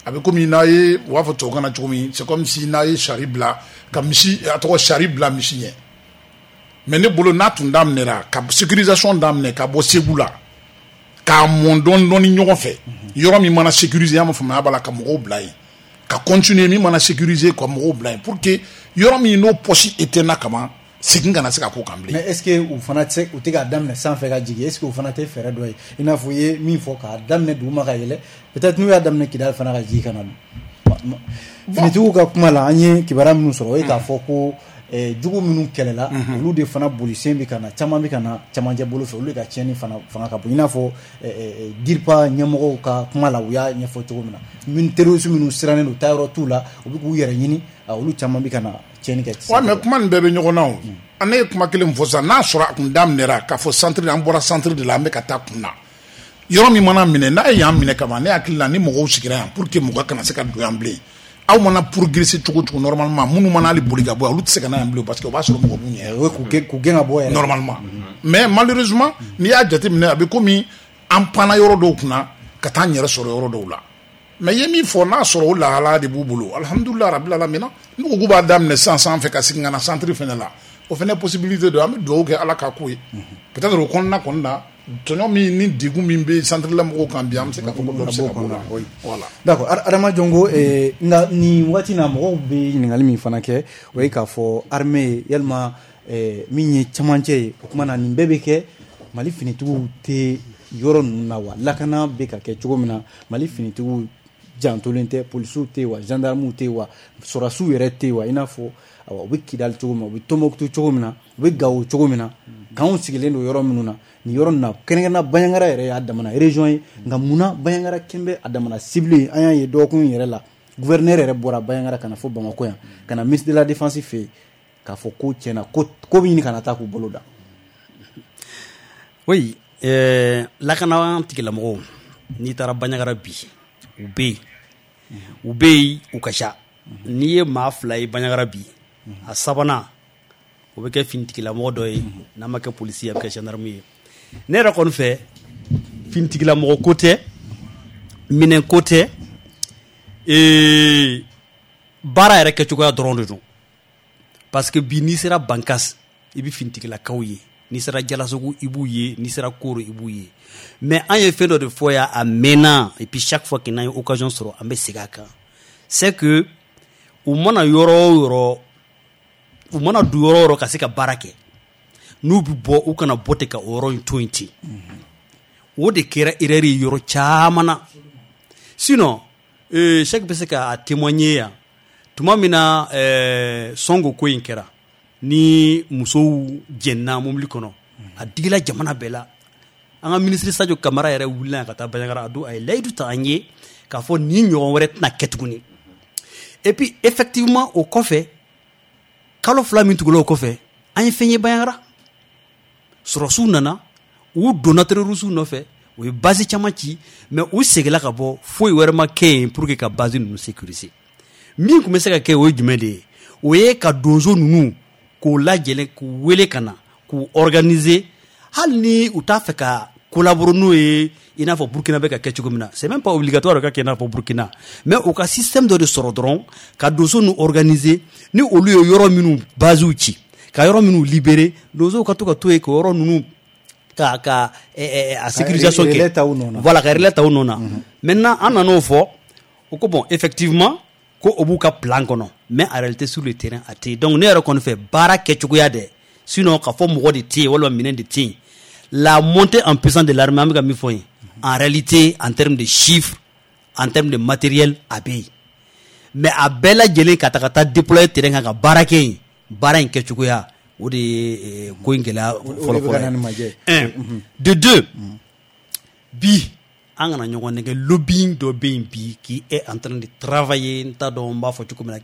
A bɛ komi n'a ye, u b'a fɔ tubabukan na cogo min, c'est comme si n'a ye sari bila ka misi, a tɔgɔ, sari bila misi ɲɛ. Mais ne bolo, n'a tun daminɛra ka sécurisation daminɛ ka bɔ Segu la k'a mɔn dɔɔni dɔɔni ɲɔgɔn fɛ, yɔrɔ min mana sécuriser, an b'a faamuya b'a la, ka mɔgɔw bila yen, ka continuer, min mana sécuriser, ka mɔgɔw bila yen, pour que yɔrɔ min n'o poche éteint kaban. Segin kana se ka k'o kan bilen. Mais est ce que u fana tɛ u tɛ k'a daminɛ sanfɛ ka jigin, est ce que o fana tɛ fɛɛrɛ dɔ ye, i n'a fɔ i ye min fɔ k'a daminɛ duguma ka yɛlɛ, peut-être n'u y'a daminɛ Kidali fana ka jigin ka na? Finitigiw ka kuma la, an ye kibaruya minnu sɔrɔ, o ye k'a fɔ ko jugu minnu kɛlɛla, olu de fana bolisen bɛ ka na, caman bɛ ka na camancɛ bolo fɛ, olu de ka tiɲɛni fana fanga ka bon, i n'a fɔ DIRPA ɲɛmɔgɔw ka kuma la, u y'a ɲɛfɔ cogo min na, min terroriste minnu sirannen don, taayɔrɔ t'u la, u bɛ k'u yɛrɛ ɲini, olu caman bɛ ka na tiɲɛni kɛ. Ouais, mais kuma nin bɛɛ bɛ ɲɔgɔn na o. Ne ye kuma kelen fɔ sisan, n'a sɔrɔ a kun daminɛra k'a fɔ centre, an bɔra centre de la, an bɛ ka taa kun na. Yɔrɔ min mana minɛ, n'a ye yan minɛ kaban, ne hakili la ni mɔgɔw sigira yan pour que mɔgɔ kana se ka don yan bilen. Aw mana progresser cogo cogo, normalement minnu mana hali boli ka bɔ yan, olu tɛ se ka na yan bilen, parce que o b'a sɔrɔ mɔgɔ b'u ɲɛ. O ye k'u gɛn ka bɔ yɛrɛ. Normalement. Mais malheureusement, n'i y'a jateminɛ, a bɛ komi an panna yɔrɔ dɔw kunna ka taa an yɛrɛ sɔrɔ yɔrɔ dɔw la. Mais i ye min fɔ, n'a sɔrɔ o lahalaya de b'u bolo, alhamdulilah rabil alamina, n'u ko k'u b'a daminɛ sisan sanfɛ ka segin ka na centre fɛnɛ la, o fɛnɛ possibilité don, an bɛ dugawu kɛ Ala k'a k'o ye. Peut-être o kɔnɔna kɔni na, tɔɲɔ min ni degun min bɛ centre la mɔgɔw kan bi, an bɛ se k'a fɔ ko dɔ bɛ se ka bɔ o la. Voilà. D'accord, Adama Jongo, nka nin waati na, mɔgɔw bɛ ɲininkali min fana kɛ, o ye k'a fɔ armée yalima min ye camancɛ ye, o kuma na nin bɛɛ bɛ kɛ, Mali finitigiw tɛ yɔrɔ ninnu na wa? Lakana bɛ ka kɛ cogo min na, Mali finitigiw jantolen tɛ, polisiw tɛ yen wa, gendarmew tɛ yen wa, sɔrɔdasiw yɛrɛ tɛ yen wa? I n'a fɔ u bɛ Kidali cogo min na, u bɛ Tombouctou cogo min na, u bɛ Gawo cogo min na, k'anw sigilen don yɔrɔ minnu na, nin yɔrɔ nin na, kɛrɛnkɛrɛnnenya Bandiagara yɛrɛ y'a damana région ye, nka munna Bandiagara kɛn bɛ a damana cible ye? An y'a ye dɔgɔkun yɛrɛ la, gouverneur yɛrɛ bɔra Bandiagara ka na fo Bamakɔ yan, ka na ministre de la défense fɛ yen, k'a fɔ ko tiɲɛna ko bɛ ɲini ka na taa k'u bolo da. Oui, lakana tigilamɔgɔw, n'i taara Bandiagara bi, u bɛ yen, u bɛ yen, u ka ca. N'i ye maa fila ye Bandiagara bi, a sabanan o bɛ kɛ finitigilamɔgɔ dɔ ye, n'a ma kɛ polisi ye, a bɛ kɛ gendarme ye. Ne yɛrɛ kɔni fɛ, finitigilamɔgɔ ko tɛ, minɛn ko tɛ, baara yɛrɛ kɛcogoya dɔrɔn de don. Parce que bi n'i sera Bankas, i bɛ finitigilakaw ye, n'i sera Jalasogo i b'u ye, n'i sera Koro i b'u ye. Mais an ye fɛn dɔ de fɔ yan a mɛnna, et puis chaque fois que n'an ye occasion sɔrɔ, an bɛ segin a kan, c'est que u mana yɔrɔ o yɔrɔ, u mana don yɔrɔ o yɔrɔ ka se ka baara kɛ, n'u bɛ bɔ, u kana bɔ ten ka o yɔrɔ in to yen ten. O de kɛra erreur ye yɔrɔ caman na. Sinon Cheikh bɛ se ka témoigner yan, tuma min na Sɔngo ko in kɛra, ni musow jɛnna mobili kɔnɔ, a digila jamana bɛɛ la. An ka ministre Sadio Kamara yɛrɛ wulila yan ka taa Bandiagara, a don a ye layidu ta an ye k'a fɔ nin ɲɔgɔn wɛrɛ tɛna kɛ tuguni. Et puis effectivement, o kɔfɛ, kalo 2 min tugula o kɔfɛ, an ye fɛn ye Bandiagara, sɔrɔsiw nana, u donna terroriste nɔfɛ, u ye base caman ci, mais u seginna ka bɔ, foyi wɛrɛ ma kɛ yen pour que ka base ninnu sécuriser. Min tun bɛ se ka kɛ, o ye jumɛn de ye? O ye ka donso ninnu k'u lajɛlen, k'u wele ka na, k'u organiser, hali ni u t'a fɛ ka collaborer n'o ye, i n'a fɔ Burkina bɛ ka kɛ cogo min na. C'est même pas obligatoire ka kɛ i n'a fɔ Burkina, mais u ka système dɔ de sɔrɔ dɔrɔn ka donso ninnu organiser, ni olu ye yɔrɔ minnu basew ci, ka yɔrɔ minnu libérer, donsow ka to ka to yen ka yɔrɔ ninnu ka a sécurisation kɛ, voilà, ka relais ta u nɔ na. Maintenant an nan'o fɔ, o ko bon, effectivement ko o b'u ka plan kɔnɔ, mais en réalité sur le terrain a tɛ yen. Donc ne yɛrɛ kɔni fɛ, baara kɛcogoya dɛ, sinon k'a fɔ mɔgɔ de tɛ yen walima minɛn de tɛ yen. La montée en puissance de l'armée, an bɛ ka min fɔ yen, en réalité en termes de chiffres, en termes de matériel, a bɛ yen, mais a bɛɛ lajɛlen ka ta ka taa déployer terrain kan ka baara kɛ yen, baara in kɛcogoya, o de ye ko in gɛlɛya fɔlɔ fɔlɔ ye. Un de deux, bi an kana ɲɔgɔn nɛgɛ, lobbying dɔ bɛ yen bi qui est en train de travailler, n t'a dɔn n b'a fɔ cogo min na,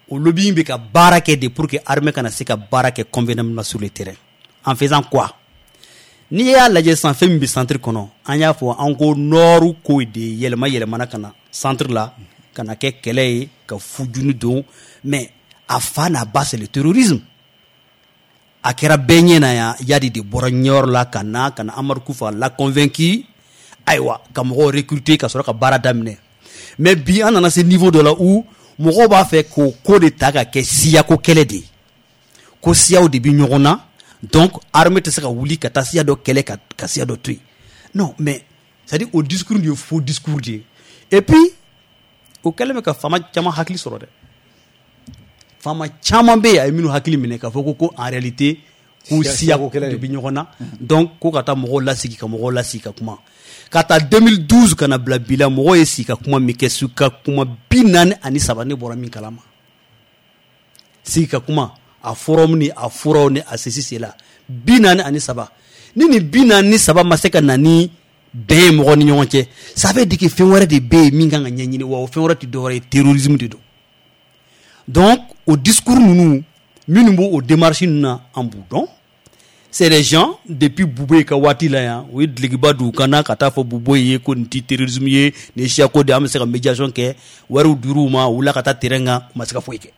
o lobbying bɛ ka baara kɛ de pour que armée kana se ka baara kɛ convenablement sur le terrain. En faisant quoi? N'i y'a lajɛ sisan, fɛn min bɛ centre kɔnɔ, an y'a fɔ, an ko nord ko de yɛlɛma yɛlɛmana ka na centre la, ka na kɛ kɛlɛ ye, ka fujuni don, mais a fa n'a ba, c'est le terrorisme. A kɛra bɛɛ ɲɛ na yan, Yadi de bɔra ɲɛyɔrɔ la ka na Amadu Kufa la convaincu, ayiwa, ka mɔgɔw recruter ka sɔrɔ ka baara daminɛ. Mais bi an nana se niveau dɔ la où mɔgɔw b'a fɛ k'o ko de ta ka kɛ siyako kɛlɛ de ye, ko siyaw de bɛ ɲɔgɔn na, donc armée tɛ se ka wuli ka taa siya dɔ kɛlɛ ka siya dɔ to yen. Non, mais c'est à dire o discours de ye faux discours de ye. Et puis o kɛlen bɛ ka faama caman hakili sɔrɔ dɛ. Faama caman bɛ yen a ye minnu hakili minɛ k'a fɔ ko en réalité k'u siya de bɛ ɲɔgɔn na. Donc ko ka taa mɔgɔw lasigi ka mɔgɔw lasigi ka kuma. Ka taa 2012 ka na bila bi la, mɔgɔw ye sigi ka kuma min kɛ, su ka kuma 43, ne bɔra min kalama. Sigi ka kuma, a forum ni a furaw ni a ceci cela, 43. Ni nin 43 ma se ka na ni bɛn ye mɔgɔ ni ɲɔgɔn cɛ, ça veut dire que fɛn wɛrɛ de bɛ yen min kan ka ɲɛɲini, wa o fɛn wɛrɛ tɛ dɔwɛrɛ ye, terrorisme de don. Donc o discours ninnu minnu b'o démarche ninnu na, an b'u dɔn. C'est des gens depuis Boubèye ka waati la yan, u ye dulokiba don u kan na ka taa fɔ Boubèye ye ko nin ti terrorisme ye, nin ye siyako de ye, an bɛ se ka médiation kɛ. Wariw dir'u ma, u wulila ka taa terrain kan, u ma se ka foyi kɛ.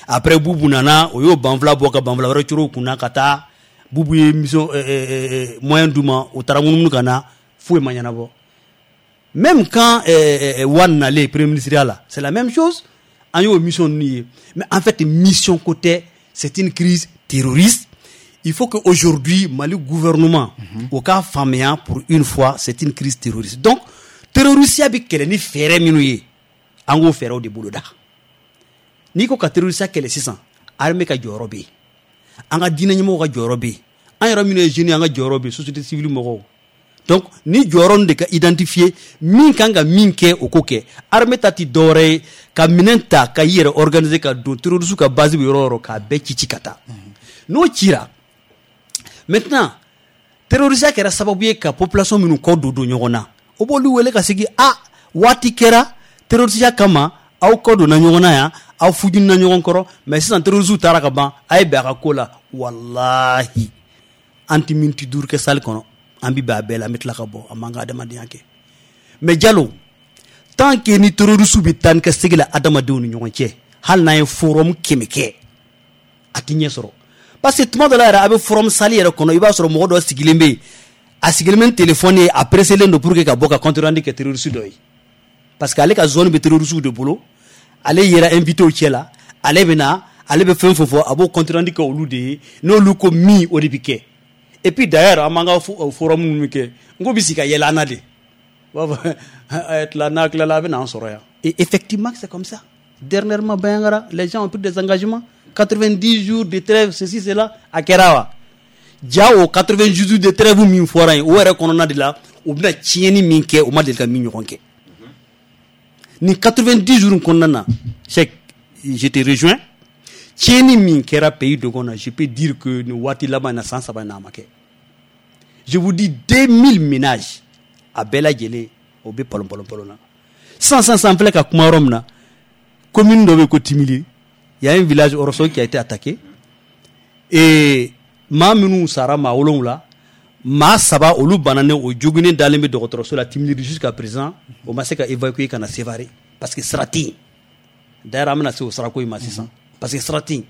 Après Boubou nana, o y'o banfula bɔ ka banfula wɛrɛ coro u kunna ka taa. Boubou ye mission moyen d'u ma, u taara munumunu ka na, foyi ma ɲɛnabɔ. Même quand Wane nalen premier ministre la, c'est la même chose. An y'o mission ninnu ye, mais en fait mission ko tɛ, c'est une crise terroriste. Il faut que aujourd'hui Mali gouvernement o k'a faamuya pour une fois, c'est une crise terroriste. Donc terroriste bɛ kɛlɛ ni fɛɛrɛ minnu ye, an k'o fɛɛrɛw de boloda. N'i ko ka terroriste kɛlɛ sisan, armée ka jɔyɔrɔ bɛ yen, an ka diinɛ ɲɛmɔgɔw ka jɔyɔrɔ bɛ yen, an yɛrɛ minnu ye jeunes, an ka jɔyɔrɔ bɛ yen, société civile mɔgɔw. Donc ni jɔyɔrɔ ninnu de ka identifier, min kan ka min kɛ, o k'o kɛ. Armée ta ti dɔwɛrɛ ye ka minɛn ta ka i yɛrɛ organiser ka don terroriste ka base bɛ yɔrɔ o yɔrɔ, k'a bɛɛ ci ci ka taa. N'o cira, maintenant terroriste kɛra sababu ye ka population minnu kɔ don don ɲɔgɔn na, o b'olu wele ka sigi. A waati kɛra terroriste kama, aw kɔ donna ɲɔgɔn na yan, aw fujunna ɲɔgɔn kɔrɔ, mais sisan terroriste taara ka ban, a ye bɛn a ka ko la. Walahi, an tɛ miniti 5 kɛ salle kɔnɔ, an bɛ bɛn a bɛɛ la, an bɛ tila ka bɔ, an b'an ka adamadenya kɛ. Mais Jalo, tant que ni terroriste bɛ taa ni ka segin la adamadenw ni ɲɔgɔn cɛ, hali n'an ye forum 100 kɛ, a tɛ ɲɛ sɔrɔ. Parce que tuma dɔ la yɛrɛ, a bɛ forum salle yɛrɛ kɔnɔ, i b'a sɔrɔ mɔgɔ dɔ sigilen bɛ yen, a sigilen bɛ ni téléphone ye, a pressé len don pour que ka bɔ ka compte rendu kɛ terroriste dɔ ye, parce que ale ka zone bɛ terroriste de bolo, ale yera invité cɛ la, ale bɛ na, ale bɛ fɛn fɛn fɔ, a b'o compte rendu kɛ olu de ye. N'olu ko min, o de bɛ kɛ. Et puis d'ailleurs, an b'an ka forum minnu kɛ, n ko bɛ sigi ka yɛlɛ an na de, u b'a fɔ a ye tila, n'a tilala a bɛ n'an sɔrɔ yan. Et effectivement, c'est comme ça. Dernièrement, Bandiagara, les gens ont pris des engagements, 90 jours de trêve, ceci cela, a kɛra wa? Ja, o 90 jours de trêve min fɔra yen, o yɛrɛ kɔnɔna de la, u bɛna tiɲɛni min kɛ, u ma deli ka min ɲɔgɔn kɛ nin 90 jours kɔnɔna na. Cheikh, je te rejoins, tiɲɛni min kɛra pays dogon na, je peux dire que nin waati laban in na, san 3 in na, a ma kɛ. Je vous dis, 2000 ménages a bɛɛ lajɛlen o bɛ palon palon palon na sisan. Sisan sisan filɛ ka kuma yɔrɔ min na, commune dɔ bɛ yen ko Timili, il y a un village Orosso qui a été attaqué et maa minnu sara, maa 7, maa 3 olu bananen, o joginnen dalen bɛ dɔgɔtɔrɔso la Timili jusqu'à présent, o ma se ka évacuer ka na Sévaré parce que sira tɛ yen. D'ailleurs, an bɛna se o sirako in ma sisan, parce que sira tɛ yen.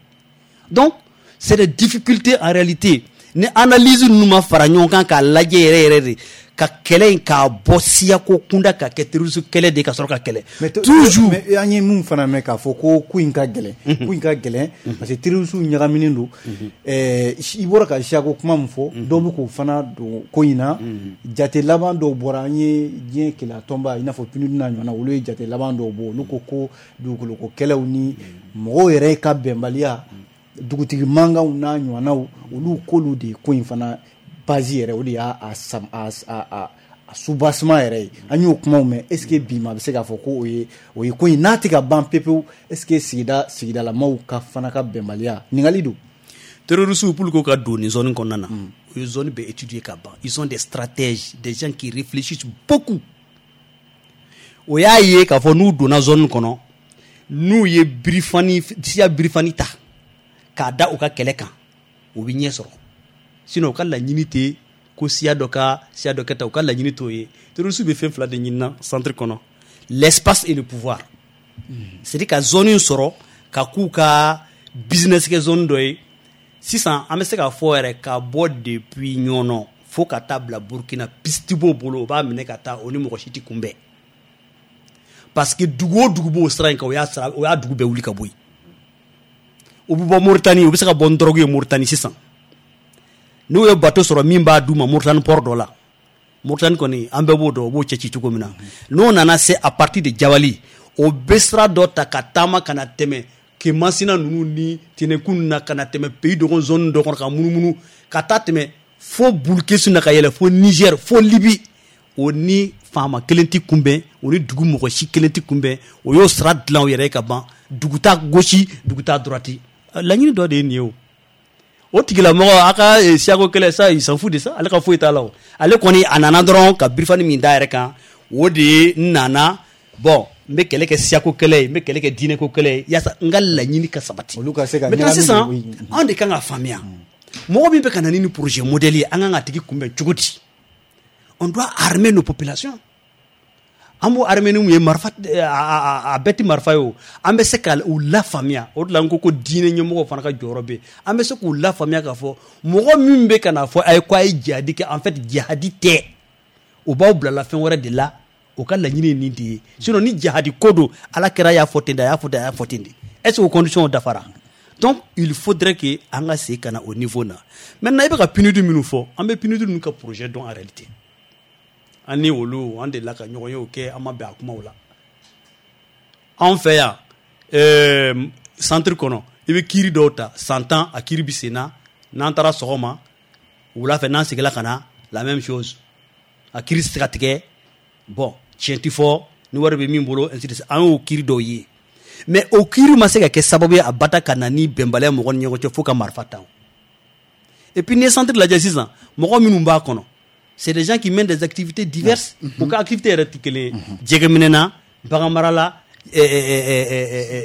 Donc c'est des difficultés en réalité. Ni analyse ninnu ma fara ɲɔgɔn kan k'a lajɛ yɛrɛ yɛrɛ de, ka kɛlɛ in k'a bɔ siyako kunda ka kɛ terrorisme kɛlɛ de, ka sɔrɔ ka kɛlɛ toujours. Mais an ye mun fana mɛn k'a fɔ ko in ka gɛlɛn, ko in ka gɛlɛn parce que terrorisme ɲagaminen don. I bɔra ka siyako kuma min fɔ, dɔw bɛ k'o fana don ko in na. Jate laban dɔw bɔra, an ye diɲɛ keleya tɔnba, i n'a fɔ PNUD n'a ɲɔgɔnna, olu ye jate laban dɔw bɔ. Olu ko ko dugukoloko kɛlɛw ni mɔgɔw yɛrɛ ka bɛnbaliya, dugutigi mankanw n'a ɲɔgɔnnaw, olu k'olu de ye ko in fana base yɛrɛ, o de y'a a soubassement yɛrɛ ye. An y'o kumaw mɛn. Est ce que bi ma bɛ se k'a fɔ ko o ye ko in n'a tɛ ka ban pepewu? Est ce que sigidalamaw ka fana ka bɛnbaliya ɲininkali don? Terroristes, pour que ka don nin zone kɔnɔna na, u ye zone bɛɛ étudier ka ban. Ils ont des stratèges, des gens qui réfléchissent beaucoup. O y'a ye k'a fɔ n'u donna zone kɔnɔ, n'u ye birifani siya birifani ta k'a da u ka kɛlɛ kan, u bɛ ɲɛ sɔrɔ. Sinon u ka laɲini tɛ ko siya dɔ ka siya dɔ kɛ tan, u ka laɲini t'o ye. Terroristes bɛ fɛn fila de ɲini centre kɔnɔ: l'espace et le pouvoir. C'est à dire ka zone in sɔrɔ ka k'u ka business kɛ zone dɔ ye. Sisan an bɛ se k'a fɔ yɛrɛ, ka bɔ depuis Ɲɔnɔ fo ka taa bila Burukina, piste b'o bolo, o b'a minɛ ka taa, o ni mɔgɔ si tɛ kunbɛn, parce que dugu o dugu b'o sira in kan, o y'a sira, o y'a dugu bɛɛ wuli ka bɔ yen. U bɛ bɔ Moritani, u bɛ se ka bɔ ni drogue ye Moritani sisan, n'u ye bateau sɔrɔ min b'a d'u ma Moritani port dɔ la. Moritani kɔni, an bɛɛ b'o dɔn, u b'o cɛ ci cogo min na. N'o nana se à partir de Jabali, o bɛ sira dɔ ta ka taama ka na tɛmɛ Ke Masina ninnu ni Tɛnɛkun na ka na tɛmɛ pays dɔgɔn zone dɔ kɔnɔ ka munumunu ka taa tɛmɛ fo Burkina ka yɛlɛ fo Niger, fo Libye. O ni faama kelen tɛ kunbɛn, o ni dugu mɔgɔ si kelen tɛ kunbɛn. O y'o sira dilan o yɛrɛ ye ka ban. Dugu t'a gauche, dugu t'a droite. Laɲini dɔ de ye nin ye. O tigilamɔgɔ a ka siyako kɛlɛ ça, il s'en fout de ça. Ale ka foyi t'a la. O ale kɔni, a nana dɔrɔn ka birifani min da yɛrɛ kan, o de ye n nana. Bon, n bɛ kɛlɛ kɛ siyako kɛlɛ ye, n bɛ kɛlɛ kɛ diinɛko kɛlɛ ye, yaasa n ka laɲini ka sabati. Olu ka se ka Maintenant, ɲagami. sisan anw de kan ka faamuya, mɔgɔ min bɛ ka na ni nin projet modèle ye, an kan ka tigi kunbɛn cogo di? On doit armer nos populations. An b'o armer ni mun ye? Marifa? A bɛɛ tɛ marifa ye. O an bɛ se ka u lafaamuya. O de la n ko ko diinɛ ɲɛmɔgɔw fana ka jɔyɔrɔ bɛ yen. An bɛ se k'u lafaamuya k'a fɔ mɔgɔ min bɛ ka na fɔ a ye ko a ye jihadi kɛ, en fait jihadi tɛ, o b'aw bilala fɛn wɛrɛ de la. O ka laɲini ye nin de ye. Sinon ni jihadi ko don, Ala kɛra y'a fɔ ten de, a y'a fɔ ten, a y'a fɔ ten de. Est ce que o condition dafara? Donc il faudrait que an ka segin ka na o niveau na. Maintenant, i bɛ ka PNUD minnu fɔ, an bɛ PNUD ninnu ka projet dɔn. En réalité, an ni olu, an delila ka ɲɔgɔn ye o kɛ, an ma bɛn a kumaw la. Anw fɛ yan, centre kɔnɔ, i bɛ kiiri dɔw ta, san 10 a kiiri bɛ sen na. N'an taara sɔgɔma, wula fɛ n'an seginna ka na, la même chose. A kiiri tɛ se ka tigɛ. Bon, tiɲɛ ti fɔ ni wari bɛ min bolo, ainsi de suite. An y'o kiiri dɔw ye, mais o kiiri ma se ka kɛ sababu ye a bata ka na ni bɛnbaliya mɔgɔ ni ɲɔgɔn cɛ fo ka marifa ta. Et puis n'i ye centre lajɛ sisan, mɔgɔ minnu b'a kɔnɔ, c'est des gens qui mènent des activités diverses. U ka activité yɛrɛ tɛ kelen ye: jɛgɛminɛ na, baganmara la,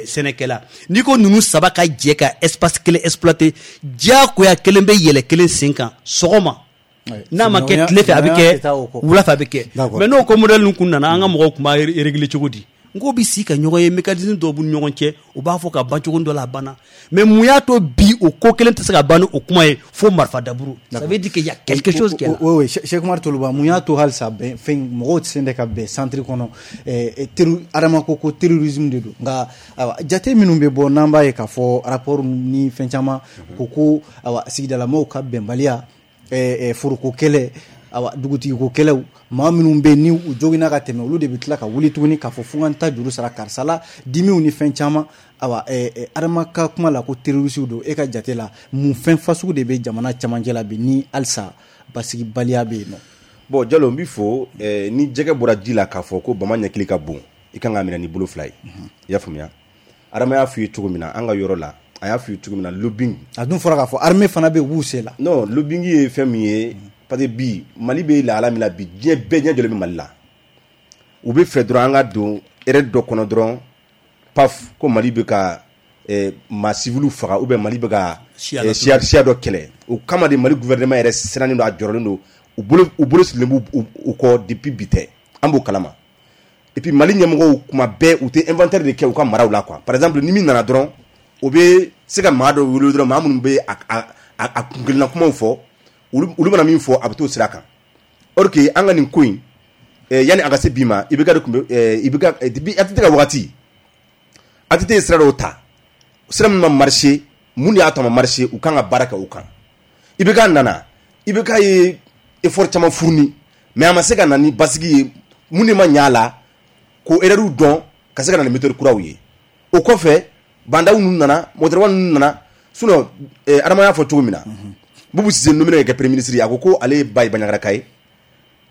sɛnɛkɛla. N'i ko ninnu saba ka jɛ ka espace kelen exploiter, diyagoya kelen bɛ yɛlɛ kelen sen kan sɔgɔma. N'a ma kɛ tile fɛ, a bɛ kɛ wula fɛ, a bɛ kɛ. Mais n'o ko modèle ninnu kun nana, an ka mɔgɔw tun b'a régler cogo di? N ko bɛ si ka ɲɔgɔn ye, mécanisme dɔw b'u ni ɲɔgɔn cɛ, u b'a fɔ ka ban cogo dɔ la, a banna. Mais mun y'a to bi o ko kelen tɛ se ka ban ni o kuma ye fo marifa daburu? Ça veut dire qu'il y a quelque chose qui est là. Oui, Cheikh Umar Toloba, mun y'a to halisa bɛn fɛn mɔgɔw tɛ se ka bɛn centre kɔnɔ? Adama ko ko terrorisme de don, nka ayiwa, jate minnu bɛ bɔ, n'an b'a ye k'a fɔ rapport ni fɛn caman ko ayiwa, sigidalamɔgɔw ka bɛnbaliya, foroko kɛlɛ, awa, dugutigiko kɛlɛw, maa minnu bɛ ni u joginna ka tɛmɛ, olu de bɛ tila ka wuli tuguni k'a fɔ fo ka n ta juru sara karisa la, dimiw ni fɛn caman. Awa, Adama ka kuma la ko terroriste don. E ka jate la, mun fɛn fasugu de bɛ jamana camancɛ la bi ni halisa basigibaliya bɛ yen nɔ? Bon Jalo, n b'i fo. Ni jɛgɛ bɔra ji la k'a fɔ ko bama ɲɛkili ka bon, i kan k'a minɛ ni bolo fila ye. I y'a faamuya? Adama y'a f'i ye cogo min na, an ka yɔrɔ la, a y'a f'i ye cogo min na, lobbying. A dun fɔra k'a fɔ armée fana bɛ yen, u b'u se la. Non, lobbying ye fɛn min ye, parce que bi Mali bɛ lahala min na bi, diɲɛ bɛɛ ɲɛ jɔlen bɛ Mali la. U bɛ fɛ dɔrɔn an ka don erreur dɔ kɔnɔ dɔrɔn, paf, ko Mali bɛ ka maa civil faga ou bien Mali bɛ ka siya dɔ kɛlɛ. O kama de Mali gouvernement yɛrɛ sirannen don, a jɔrɔlen don, u bolo sirilen b'u u kɔ depuis bi tɛ, an b'o kalama. Et puis Mali ɲɛmɔgɔw, kuma bɛɛ u tɛ inventaire de kɛ u ka maraw la quoi. Par exemple, ni min nana dɔrɔn, o bɛ se ka maa dɔ wele dɔrɔn, maa minnu bɛ a kunkelenna kumaw fɔ, olu mana min fɔ, a bɛ t'o sira kan. Or que an ka nin ko in, yanni a ka se bi ma, IBK de tun bɛ, IBK depuis ATT ka wagati, ATT ye sira dɔw ta, sira min ma marché. Mun de y'a to a ma marché? U kan ka baara kɛ o kan. IBK nana, IBK ye effort caman fourni, mais a ma se ka na ni basigi ye. Mun de ma ɲɛ a la? K'o erreur dɔn ka se ka na ni méthode kuraw ye. O kɔfɛ, Bah N'Daw ninnu nana, Mɔgɔtɔrɔba ninnu nana. Sinon Adama y'a fɔ cogo min na, Boubou Cissé nommé ka kɛ premier ministre ye, a ko ko ale ye ba ye Bandiagaraka ye,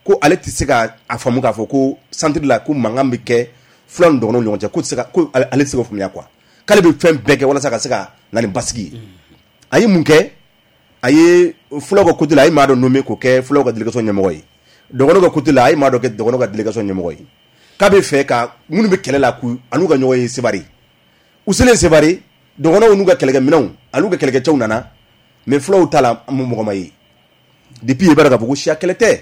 ko ale tɛ se ka a faamu k'a fɔ ko centre la ko mankan bɛ kɛ fulaw ni dɔgɔnɔw ni ɲɔgɔn cɛ, ko tɛ se ka ko ale tɛ se k'o faamuya quoi, k'ale bɛ fɛn bɛɛ kɛ walasa ka se ka na ni basigi ye. A ye mun kɛ? A ye fulaw ka côté la, a ye maa dɔ nommé k'o kɛ fulaw ka délégation ɲɛmɔgɔ ye. Dɔgɔnɔw ka côté la, a ye maa dɔ kɛ dɔgɔnɔw ka délégation ɲɛmɔgɔ ye, k'a bɛ fɛ ka minnu bɛ kɛlɛ la, k'u an'u ka ɲɔgɔn ye Sévaré. U selen Sévaré, dɔgɔnɔw n'u ka kɛlɛkɛminɛnw an'u ka kɛlɛkɛcɛw nana, mais fulaw ta la, mɔgɔ ma ye. Depuis i b'a dɔn k'a fɔ ko siya kɛlɛ tɛ.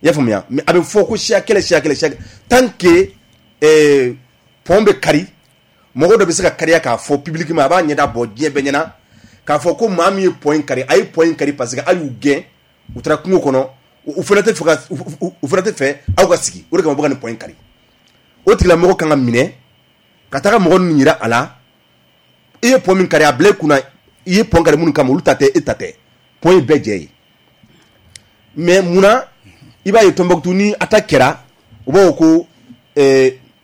I y'a faamuya? Mais a bɛ fɔ ko siya kɛlɛ, siya kɛlɛ, siya kɛlɛ, tant que pont bɛ kari, mɔgɔ dɔ bɛ se ka kariya k'a fɔ publiquement, a b'a ɲɛda bɔ diɲɛ bɛɛ ɲɛna k'a fɔ ko maa min ye pont in kari, a ye pont in kari parce que a y'u gɛn, u taara kungo kɔnɔ, u fana tɛ fɛ ka u fana tɛ fɛ aw ka sigi, o de kama u bɛ ka nin pont in kari. O tigilamɔgɔ kan ka minɛ ka taga mɔgɔ ninnu yira a la: i ye pont min kari, a bila i kunna, i ye pont kari minnu kama, olu ta tɛ, e ta tɛ, pont ye bɛɛ jɛ ye. Mais munna i b'a ye Tombouctou ni attaque kɛra, u b'a fɔ ko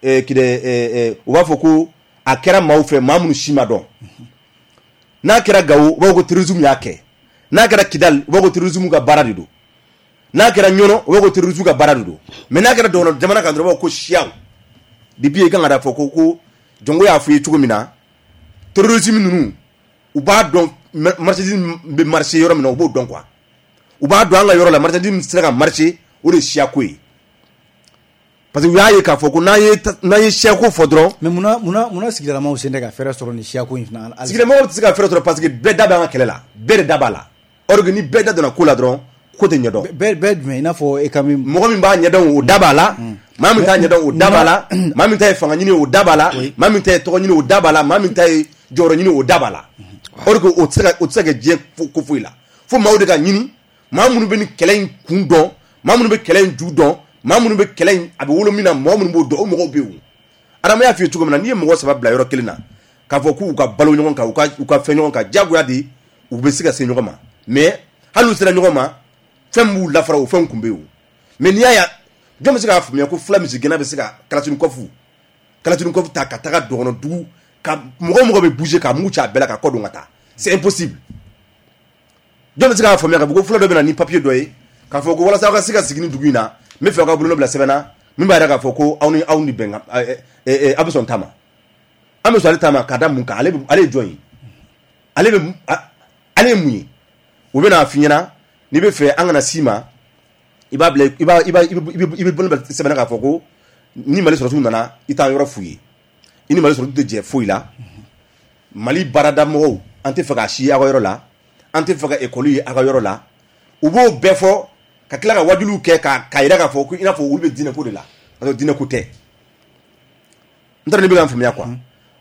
kidɛ, u b'a fɔ ko A kɛra maaw fɛ, maa minnu si ma dɔn. N'a kɛra Gawo, u b'a fɔ ko terrorisme y'a kɛ. N'a kɛra Kidali, u b'a fɔ ko terrorisme ka baara de don. N'a kɛra Ɲɔnɔ, u b'a fɔ ko terrorisme ka baara de don. Mais n'a kɛra dɔgɔnɔ jamana kan dɔrɔn, u b'a fɔ ko siyaw. Depuis i kan ka da fɔ ko Jɔnko y'a fɔ i ye cogo min na, terrorisme ninnu, u b'a dɔn marchandise bɛ marché yɔrɔ min na, u b'o dɔn quoi. U b'a dɔn an ka yɔrɔ la, marchandise min sera ka marché, o de ye siyako ye. Parce que u y'a ye k'a fɔ ko n'an ye siyako fɔ dɔrɔn. Mais munna sigidalamaw sen tɛ ka fɛɛrɛ sɔrɔ nin siyako in fana? Sigidamɔgɔw tɛ se ka fɛɛrɛ sɔrɔ parce que bɛɛ da bɛ an ka kɛlɛ la, bɛɛ de da b'a la. Or que ni bɛɛ da donna ko la dɔrɔn, ko tɛ ɲɛdɔn. Bɛɛ jumɛn? I n'a fɔ e ka min. Mɔgɔ min b'a ɲɛdɔn, o da b'a la. Maa min t'a ɲɛdɔn, o da b'a la. Maa min ta ye fanga ɲini, o da b'a la. Maa min ta ye tɔgɔ ɲini, o da b'a la. Maa min ta ye jɔyɔrɔ ɲini, o da b'a la. Or que o tɛ se ka kɛ diɲɛ ko foyi la. Fo maaw de ka ɲini, maa minnu bɛ nin kɛlɛ in kun dɔn, maa minnu bɛ kɛlɛ in ju dɔn, maa minnu bɛ kɛlɛ in a bɛ wolo min na, mɔgɔ minnu b'o dɔn, o mɔgɔw bɛ yen. Adama y'a f'i ye cogo min na, n'i ye mɔgɔ 3 bila yɔrɔ kelen na, k'a fɔ k'u ka balo ɲɔgɔn kan, u ka fɛn ɲɔgɔn kan, diyagoya de u bɛ se ka se ɲɔgɔn ma. Mais hali n'u sera ɲɔgɔn ma, fɛn b'u lafara, o fɛn kun bɛ yen. Mais n'i y'a ye, jɔn bɛ se k'a faamuya ko fula misigɛnna bɛ se ka Kalachnikov ta ka taga dɔgɔnɔ dugu ka mɔgɔ bɛ bouger ka mugu ci a bɛɛ la ka kɔ don ka taa, c'est impossible. Jɔn bɛ se k'a faamuya k'a fɔ ko fula dɔ bɛ na ni papier dɔ ye k'a fɔ ko walasa aw ka se ka sigi ni dugu in na, n bɛ fɛ aw ka bolonɔ bila sɛbɛn na min b'a jira k'a fɔ ko aw ni aw ni bɛnkan, aw bɛ sɔn ta ma, an bɛ sɔn ale ta ma ka da mun kan? Ale ye jɔn ye? Ale ye mun ye? U bɛ n'a f'i ɲɛna n'i bɛ fɛ an kana s'i ma, i b'a bila, i b'a i b'a i bɛ bolonɔ bila sɛbɛn na k'a fɔ ko ni Mali sɔrɔdasiw nana, i t'an yɔrɔ f'u ye, i ni Mali sɔrɔdasiw tɛ jɛ foyi la. Mali baarada mɔgɔw, an tɛ fɛ k'a si aw ka yɔrɔ la, an tɛ fɛ ka ekɔli ye aw ka yɔrɔ la. U b'o bɛɛ fɔ ka tila ka wajuliw kɛ k'a yira k'a fɔ ko i n'a fɔ olu bɛ diinɛ ko de la, ka sɔrɔ diinɛ ko tɛ. N t'a dɔn n'i bɛ ka n faamuya quoi.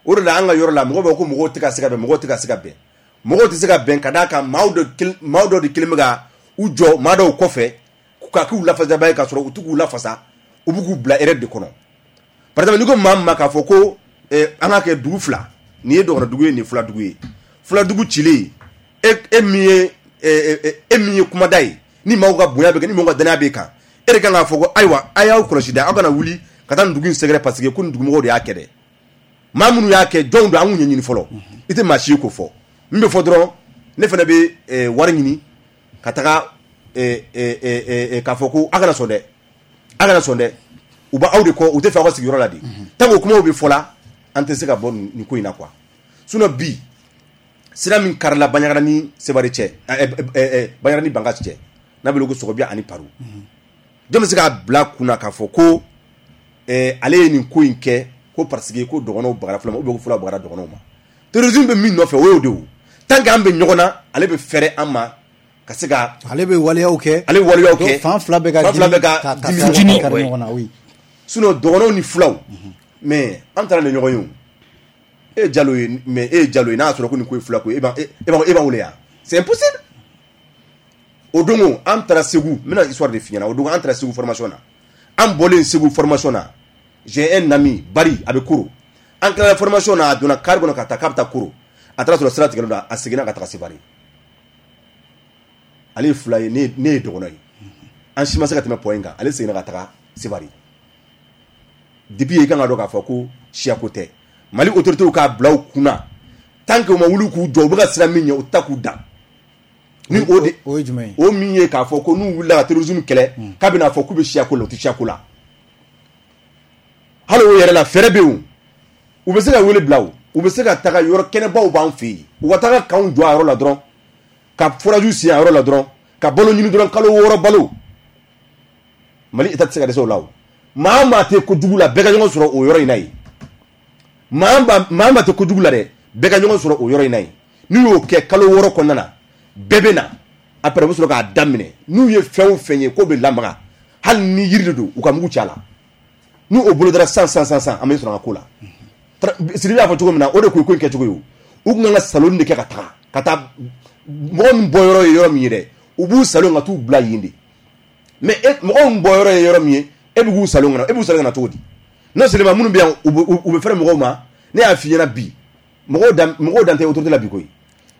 O de la an ka yɔrɔ la, mɔgɔw b'a fɔ ko mɔgɔw tɛ ka se ka bɛn, mɔgɔw tɛ ka se ka bɛn, mɔgɔw tɛ se ka bɛn ka d'a kan maaw dɔ de kelen bɛ ka u jɔ maa dɔw kɔfɛ ka k'u lafasaba ye, k'a sɔrɔ u t'u k'u lafasa, u b'u k'u bila erreur de kɔnɔ. Par exemple, n'i ko maa min ma k'a fɔ ko an ka kɛ dugu fila, nin ye dɔgɔnɔ dugu ye, nin ye fula dugu ye, fula dugu cilen, e min ye kumada ye, ni maaw ka bonya bɛ kɛ, ni maaw ka danaya bɛ kan, e de kan k'a fɔ ko ayiwa, a y'aw kɔlɔsi dɛ, aw kana wuli ka taa nin dugu in sɛgɛrɛ parce que ko nin dugumɔgɔw de y'a kɛ dɛ. Maa minnu y'a kɛ, jɔnw don, an k'u ɲɛɲini fɔlɔ. I tɛ maa si ye k'o fɔ. Min bɛ fɔ dɔrɔn, ne fana bɛ wari ɲini ka taga k'a fɔ ko a kana sɔn dɛ, a kana sɔn dɛ, u b'aw de kɔ, u tɛ fɛ aw ka sigiyɔrɔ la de. Tant que o kumaw bɛ fɔ la, an tɛ se ka bɔ nin ko in na quoi. Sinon bi sira min karila Bandiagara ni Sevare cɛ, Bandiagara ni Bankass cɛ, n'a bɛ wele ko Sɔgɔbiya ani Paru, jɔn bɛ se k'a bila kunna k'a fɔ ko ale ye nin ko in kɛ ko parce que ko dɔgɔnɔw bagara fula ma, ou bien ko fulaw bagara dɔgɔnɔw ma? Terrorisme bɛ min nɔfɛ, o y'o de ye. Tant que an bɛ ɲɔgɔn na, ale bɛ fɛrɛ an ma ka se ka. Ale bɛ waleyaw kɛ. Ale bɛ waleyaw kɛ. Fan fila bɛ ka. Fan fila bɛ ka dimi kari ɲɔgɔn na, oui. Sinon dɔgɔnɔw ni fulaw, mais an taara ni ɲɔgɔn ye o. E ye Jalo ye, mais e ye Jalo ye, n'a y'a sɔrɔ ko nin ko ye fula ko ye, e b'an wele yan, c'est impossible. O don an taara Segu, n bɛna histoire de f'i ɲɛna. O don an taara Segu formation na, an bɔlen Segu formation na, j'ai un ami Bari, a bɛ Koro. An tilala formation na, a donna car kɔnɔ ka taa k'a bɛ taa Koro, a taara sɔrɔ sira tigɛlen don, a seginna ka taga Sevare. Ale ye fula ye, ne ye dɔgɔnɔ ye, an si ma se ka tɛmɛ point kan, ale seginna ka taga Sevare. Depuis i kan ka dɔn k'a fɔ ko siyako tɛ. Mali autorités k'a bila u kunna, tant que u ma wuli k'u jɔ, u bɛ ka sira min ɲɛ, u ta k'u dan ni o de. O ye jumɛn ye? O min ye k'a fɔ ko n'u wulila ka terrorisme kɛlɛ, k'a bɛna fɔ k'u bɛ siyako la, u tɛ siyako la. Hali o yɛrɛ la, fɛɛrɛ bɛ yen, u bɛ se ka wele bila, o u bɛ se ka taga yɔrɔ kɛnɛbaw b'an fɛ yen, u ka taga kanw jɔ a yɔrɔ la dɔrɔn, ka forage sen a yɔrɔ la dɔrɔn, ka balo ɲini dɔrɔn, kalo 6 balo. Mali État tɛ se ka dɛsɛ o la. O maa o maa tɛ kojugu la, bɛɛ ka ɲɔgɔn sɔrɔ o yɔrɔ in na yen. Maa maa tɛ kojugu la dɛ, bɛɛ ka ɲɔgɔn sɔrɔ o yɔrɔ in na yen. N'u y'o kɛ kalo 6 kɔnɔna na, bɛɛ bɛ na. Après u bɛ sɔrɔ k'a daminɛ. N'u ye fɛn o fɛn ye k'o bɛ lamaga, hali ni yiri de don, u ka mugu ci a la. N'u o bolodara san san san san, an bɛ sɔrɔ an ka ko la. Sidibe y'a fɔ cogo min na, o de kun ye ko in kɛcogo ye. O u kun kan ka salon de kɛ ka taga ka taa mɔgɔ min bɔ yɔrɔ ye yɔrɔ min ye dɛ, u b'u salon ka t'u bila yen de. Mais e mɔgɔ min bɔ yɔrɔ ye yɔrɔ min ye, e bɛ k'u salon ka na, e b'u salon ka na cogo di? Non seulement minnu bɛ yan, u bɛ fɛrɛ mɔgɔw ma. Ne y'a f'i ɲɛna bi, mɔgɔw dan tɛ autorité la bi koyi.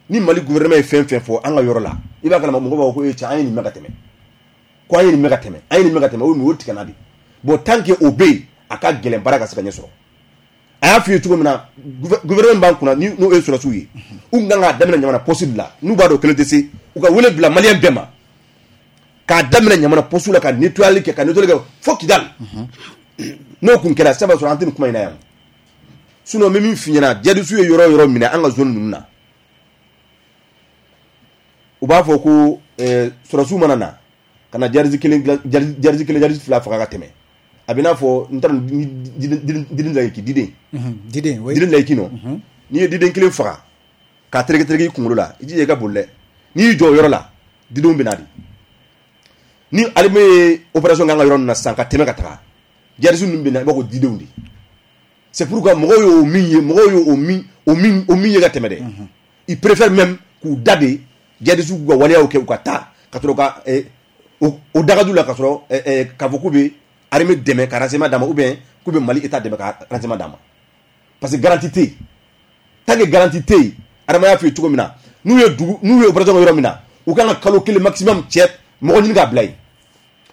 Ni Mali gouvernement ye fɛn fɛn fɔ an ka yɔrɔ la, i b'a kalama mɔgɔw b'a fɔ ko e cɛ, an ye nin mɛn ka tɛmɛ, ko an ye nin mɛn ka tɛmɛ, an ye nin mɛn ka tɛmɛ, o tigɛ na de. Bon, tant que o bɛ yen, a ka gɛlɛn baara ka se ka ɲɛ sɔrɔ. A y'a f'i ye cogo min na, gouvernement b'an kunna, n'o ye sɔrɔdasiw ye, u kun kan k'a daminɛ Ɲamana poste de la. N'u b'a dɔn kelen tɛ se, u ka wele bila maliyɛn bɛɛ ma k'a daminɛ Ɲamana poste la, ka nettoyali kɛ, ka nettoyali kɛ fo Kidal. N'o kun kɛra sisan, b'a sɔrɔ an tɛ nin kuma in na yan. Sinon n bɛ min f'i ɲɛna, djihadistes ye yɔrɔ o yɔrɔ minɛ an ka zone ninnu na, u b'a fɔ ko sɔrɔdasiw mana na ka na djihadiste kelen, djihadiste kelen, djihadiste fila faga ka tɛmɛ, a bɛ n'a fɔ n t'a dɔn diden layiki diden. Diden, oui. Diden layiki nɔ, n'i ye diden kelen faga k'a tereke tereke i kunkolo la, i jija i ka boli dɛ. N'i y'i jɔ o yɔrɔ la, didenw bɛ na de. Ni armée ye opération kɛ an ka yɔrɔ ninnu na sisan ka tɛmɛ ka taga, djihadiste ninnu bɛ na, i b'a fɔ ko didenw de. C'est pourquoi mɔgɔw y'o min ye, mɔgɔw y'o o min ye ka tɛmɛ dɛ, ils préfèrent même k'u da de djihadiste k'u ka waleyaw kɛ, u ka taa ka sɔrɔ ka o dagaju la, ka sɔrɔ k'a fɔ k'u bɛ armée dɛmɛ ka renseignement d'a ma, ou bien k'u bɛ Mali état dɛmɛ ka renseignement d'a ma, parce que garantie tɛ yen. Tant que garantie tɛ yen, Adama y'a f'i ye cogo min na, n'u ye dugu, n'u ye opération kɛ yɔrɔ min na, u kan ka kalo kelen maximum cɛ mɔgɔ ɲini k'a bila yen.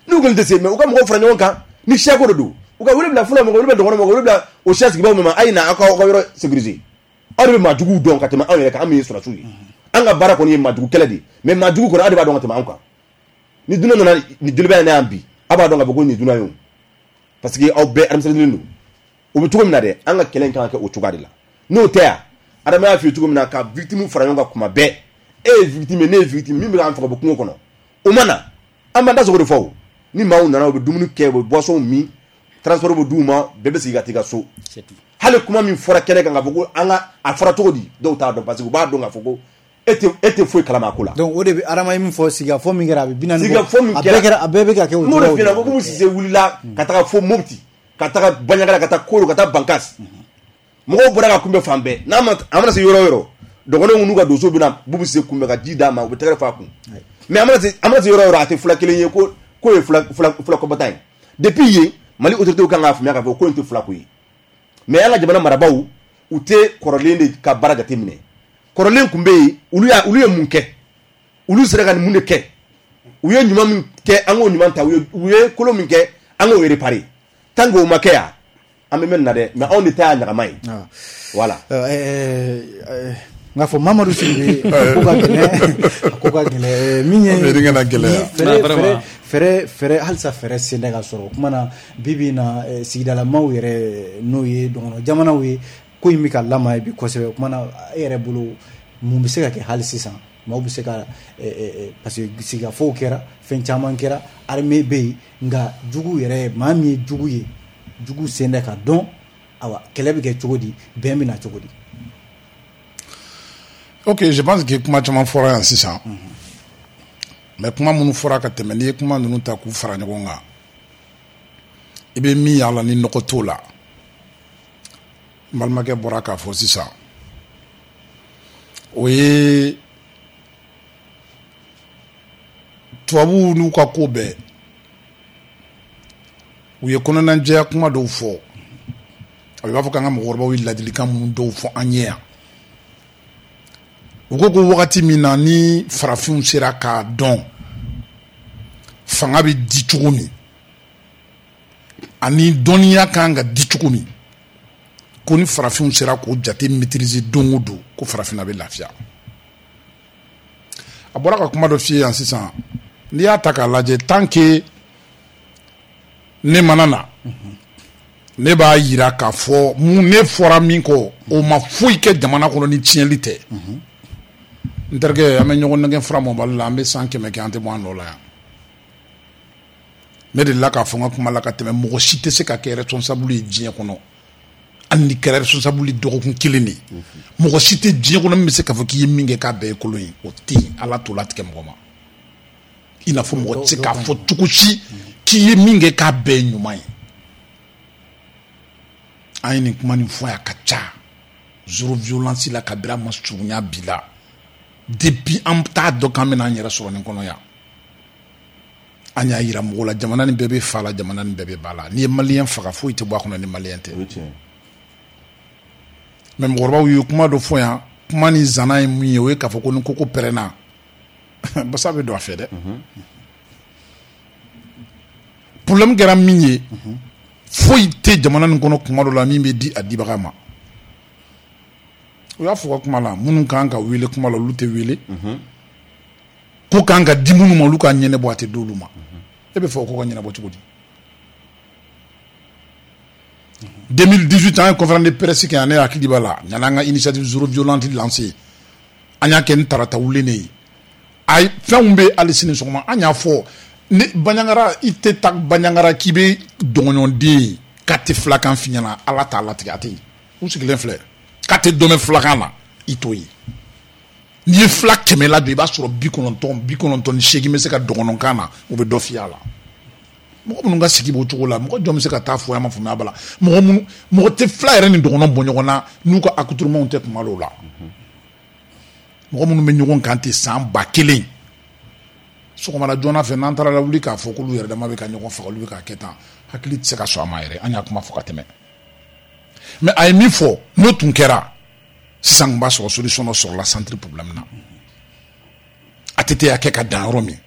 N'u kɔni tɛ se, mais u ka mɔgɔw fara ɲɔgɔn kan. Ni siyako de don, u ka wele bila fɔlɔ, mɔgɔ wele bila dɔgɔnɔ, mɔgɔ wele bila o siya sigibaaw min ma, a ye na aw ka aw ka yɔrɔ sécuriser. Aw de bɛ maajuguw dɔn ka tɛmɛ anw yɛrɛ kan. An min ye sɔrɔdasiw ye, an ka baara kɔni ye maajugu kɛlɛ de ye, mais maajugu kɔni, aw de b'a dɔn ka tɛmɛ anw kan. Ni dunan nana ni Joliba in na yan bi, aw b'a dɔn k'a fɔ ko nin dunan ye o, parce que aw bɛɛ administrateur don. O bɛ cogo min na dɛ, an ka kɛlɛ in kan ka kɛ o cogoya de la. N'o tɛ yan, Adama y'a f'i ye cogo min na, ka victime fara ɲɔgɔn kan kuma bɛɛ, e ye victime ye, ne ye victime, min bɛ k'an faga bɔ kungo kɔnɔ, o ma na, an b'an da sogo de fɔ. O ni maaw nana, u bɛ dumuni kɛ, u bɛ boisson min, transport bɛ d'u ma, bɛɛ bɛ sigi ka t'i ka so. Hali kuma min fɔra kɛnɛ kan k'a fɔ ko an ka a fɔra cogo di, dɔw t'a dɔn, parce que u b'a dɔn k'a fɔ ko e tɛ foyi kalama a ko la. Donc o de bɛ Adama ye min fɔ, sigikafɔ min kɛra, a bɛ 40 bɔ. Sigikafɔ min a bɛɛ kɛra, a bɛɛ bɛ ka kɛ o N'o de cogoyaw f'i ɲɛna de ko Boubou Cissé wulila ka taga fo Mopti, ka taga Bandiagara, ka taa Koro, ka taa Bankass, mɔgɔw bɔra ka kunbɛn fan bɛɛ. N'a ma, a mana se yɔrɔ o yɔrɔ, dɔgɔnɔw n'u ka donso bɛna Boubou Cissé kunbɛn ka ji d'a ma, u bɛ tɛgɛrɛ fɔ a kun. Mais a mana se yɔrɔ o yɔrɔ, a tɛ fula kelen ye ko ye fula kɔbɔta ye. Depuis yen, Mali autorités kan k'a faamuya k'a fɔ ko in tɛ fula ko ye. Mais an ka jamana marabaaw, u tɛ kɔrɔlen de ka baara jateminɛ. Kɔrɔlen tun bɛ yen, olu ye mun kɛ? Olu sera ka mun de kɛ? U ye ɲuman min kɛ, an k'o ɲuman ta. U ye kolon min kɛ, an k'o réparer. Tant que o ma kɛ yan, an bɛ mɛn nin na dɛ. Mais anw de ta y'a ɲagama ye, voilà. N k'a fɔ Mamadu Sidibe, a ko ka gɛlɛn, a ko ka gɛlɛn. Min ye An bɛ ka na gɛlɛya. Fɛɛrɛ Non, vraiment. fɛɛrɛ halisa fɛɛrɛ sen tɛ ka sɔrɔ. O kuma na, bi bi in na, sigidalamaw yɛrɛ, n'o ye dɔgɔnɔ jamanaw ye, ko in bɛ ka lamaga bi kosɛbɛ. O kuma na, e yɛrɛ bolo, mun bɛ se ka kɛ hali sisan? Maaw bɛ se ka parce que sigikafɔw kɛra, fɛn caman kɛra, armée bɛ yen, nka jugu yɛrɛ, maa min ye jugu ye, jugu sen tɛ ka dɔn. Awa, kɛlɛ bɛ kɛ cogo di? Bɛn bɛ na cogo di? Ok, je pense que kuma caman fɔra yan sisan, mais kuma minnu fɔra ka tɛmɛ, n'i ye kuma ninnu ta k'u fara ɲɔgɔn kan, i bɛ min y'a la ni nɔgɔ t'o la, n balimakɛ bɔra k'a fɔ sisan, o ye tubabuw n'u ka ko bɛɛ, u ye kɔnɔnajɛya kuma dɔw fɔ. A b'a fɔ k'an ka mɔgɔkɔrɔbaw ye ladilikan minnu dɔw fɔ an ye yan, u ko ko wagati min na ni farafinw sera k'a dɔn fanga bɛ di cogo min ani dɔnniya kan ka di cogo min, ko ni farafinw sera k'o jate maîtriser don o don, ko farafinna bɛ lafiya. A bɔra ka kuma dɔ f'i ye yan sisan, n'i y'a ta k'a lajɛ, tant que ne mana na, ne b'a yira k'a fɔ mun ne fɔra min kɔ, o ma foyi kɛ jamana kɔnɔ ni tiɲɛli tɛ. N terikɛ, an bɛ ɲɔgɔn nɛgɛ fura mɔbali la, an bɛ san 100 kɛ, an tɛ bɔ an nɔ la yan. Ne delila k'a fɔ n ka kuma la ka tɛmɛ, mɔgɔ si tɛ se ka kɛ responsable ye diɲɛ kɔnɔ, hali ni kɛra responsable ye dɔgɔkun kelen de, mɔgɔ si tɛ diɲɛ kɔnɔ min bɛ se k'a fɔ k'i ye min kɛ k'a bɛɛ ye kolon ye. O tɛ yen, Ala t'o latigɛ mɔgɔ ma. I n'a fɔ mɔgɔ tɛ se k'a fɔ cogo si k'i ye min kɛ k'a bɛɛ ye ɲuman ye. An ye nin kuma nin fɔ yan ka ca, zéro violence la, kabini a ma surunya bi la. Depuis an t'a dɔn k'an bɛna an yɛrɛ sɔrɔ nin kɔnɔ yan, an y'a yira mɔgɔw la, jamana nin bɛɛ bɛ fa la, jamana nin bɛɛ bɛ ba la. N'i ye maliyɛn faga, foyi tɛ bɔ a kɔnɔ ni maliyɛn tɛ. O ye tiɲɛ ye. Mais mɔgɔkɔrɔbaw ye kuma dɔ fɔ yan, kuma ni zana ye mun ye? O ye k'a fɔ ko ni koko pɛrɛnna, basa bɛ don a fɛ dɛ. Problème kɛra min ye, Foyi tɛ jamana nin kɔnɔ kuma dɔ la min bɛ di a dibaga ma. U y'a fɔ ka kuma la, minnu kan ka wele kuma la, olu tɛ wele. Ko kan ka di minnu ma, olu k'a ɲɛnabɔ, a tɛ d'olu ma. E bɛ fɛ o ko ka ɲɛnabɔ cogo di? 2018, an ye conférence de presse kɛ yan, ne hakili b'a la, yanni an ka initiative zéro violente lancé. An y'a kɛ ni tarata wulen de ye. Ayi, fɛnw bɛ hali sini sɔgɔma, an y'a fɔ ni Bandiagara, i tɛ taa Bandiagara k'i bɛ dɔgɔɲɔden ye k'a tɛ filakan f'i ɲɛna, Ala t'a latigɛ, a tɛ yen. U sigilen filɛ k'a tɛ dɔn filakan na, i t'o ye. N'i ye fila 100 ladon, i b'a sɔrɔ 90, 98 bɛ se ka dɔgɔnɔkan na, u bɛ dɔ f'i a la. Mɔgɔ minnu ka sigi b'o cogo la, mɔgɔ jɔn bɛ se ka taa fɔ an ma faamuya b'a la? Mɔgɔ minnu, mɔgɔ tɛ fila yɛrɛ ni dɔgɔnɔ bɔ ɲɔgɔn na n'u ka accoutrement tɛ kuma dɔw la. Mɔgɔ minnu bɛ ɲɔgɔn kan ten san 1000, sɔgɔmada joona fɛ, n'an taara lawuli k'a fɔ k'olu yɛrɛ dama bɛ ka ɲɔgɔn faga, olu bɛ k'a kɛ tan, hakili tɛ se ka sɔn a ma yɛrɛ. An y'a kuma fɔ ka tɛmɛ, mais a ye min fɔ, n'o tun kɛra sisan, tun b'a sɔrɔ solution dɔ sɔrɔla centre problème na. ATT y'a kɛ ka dan yɔrɔ min,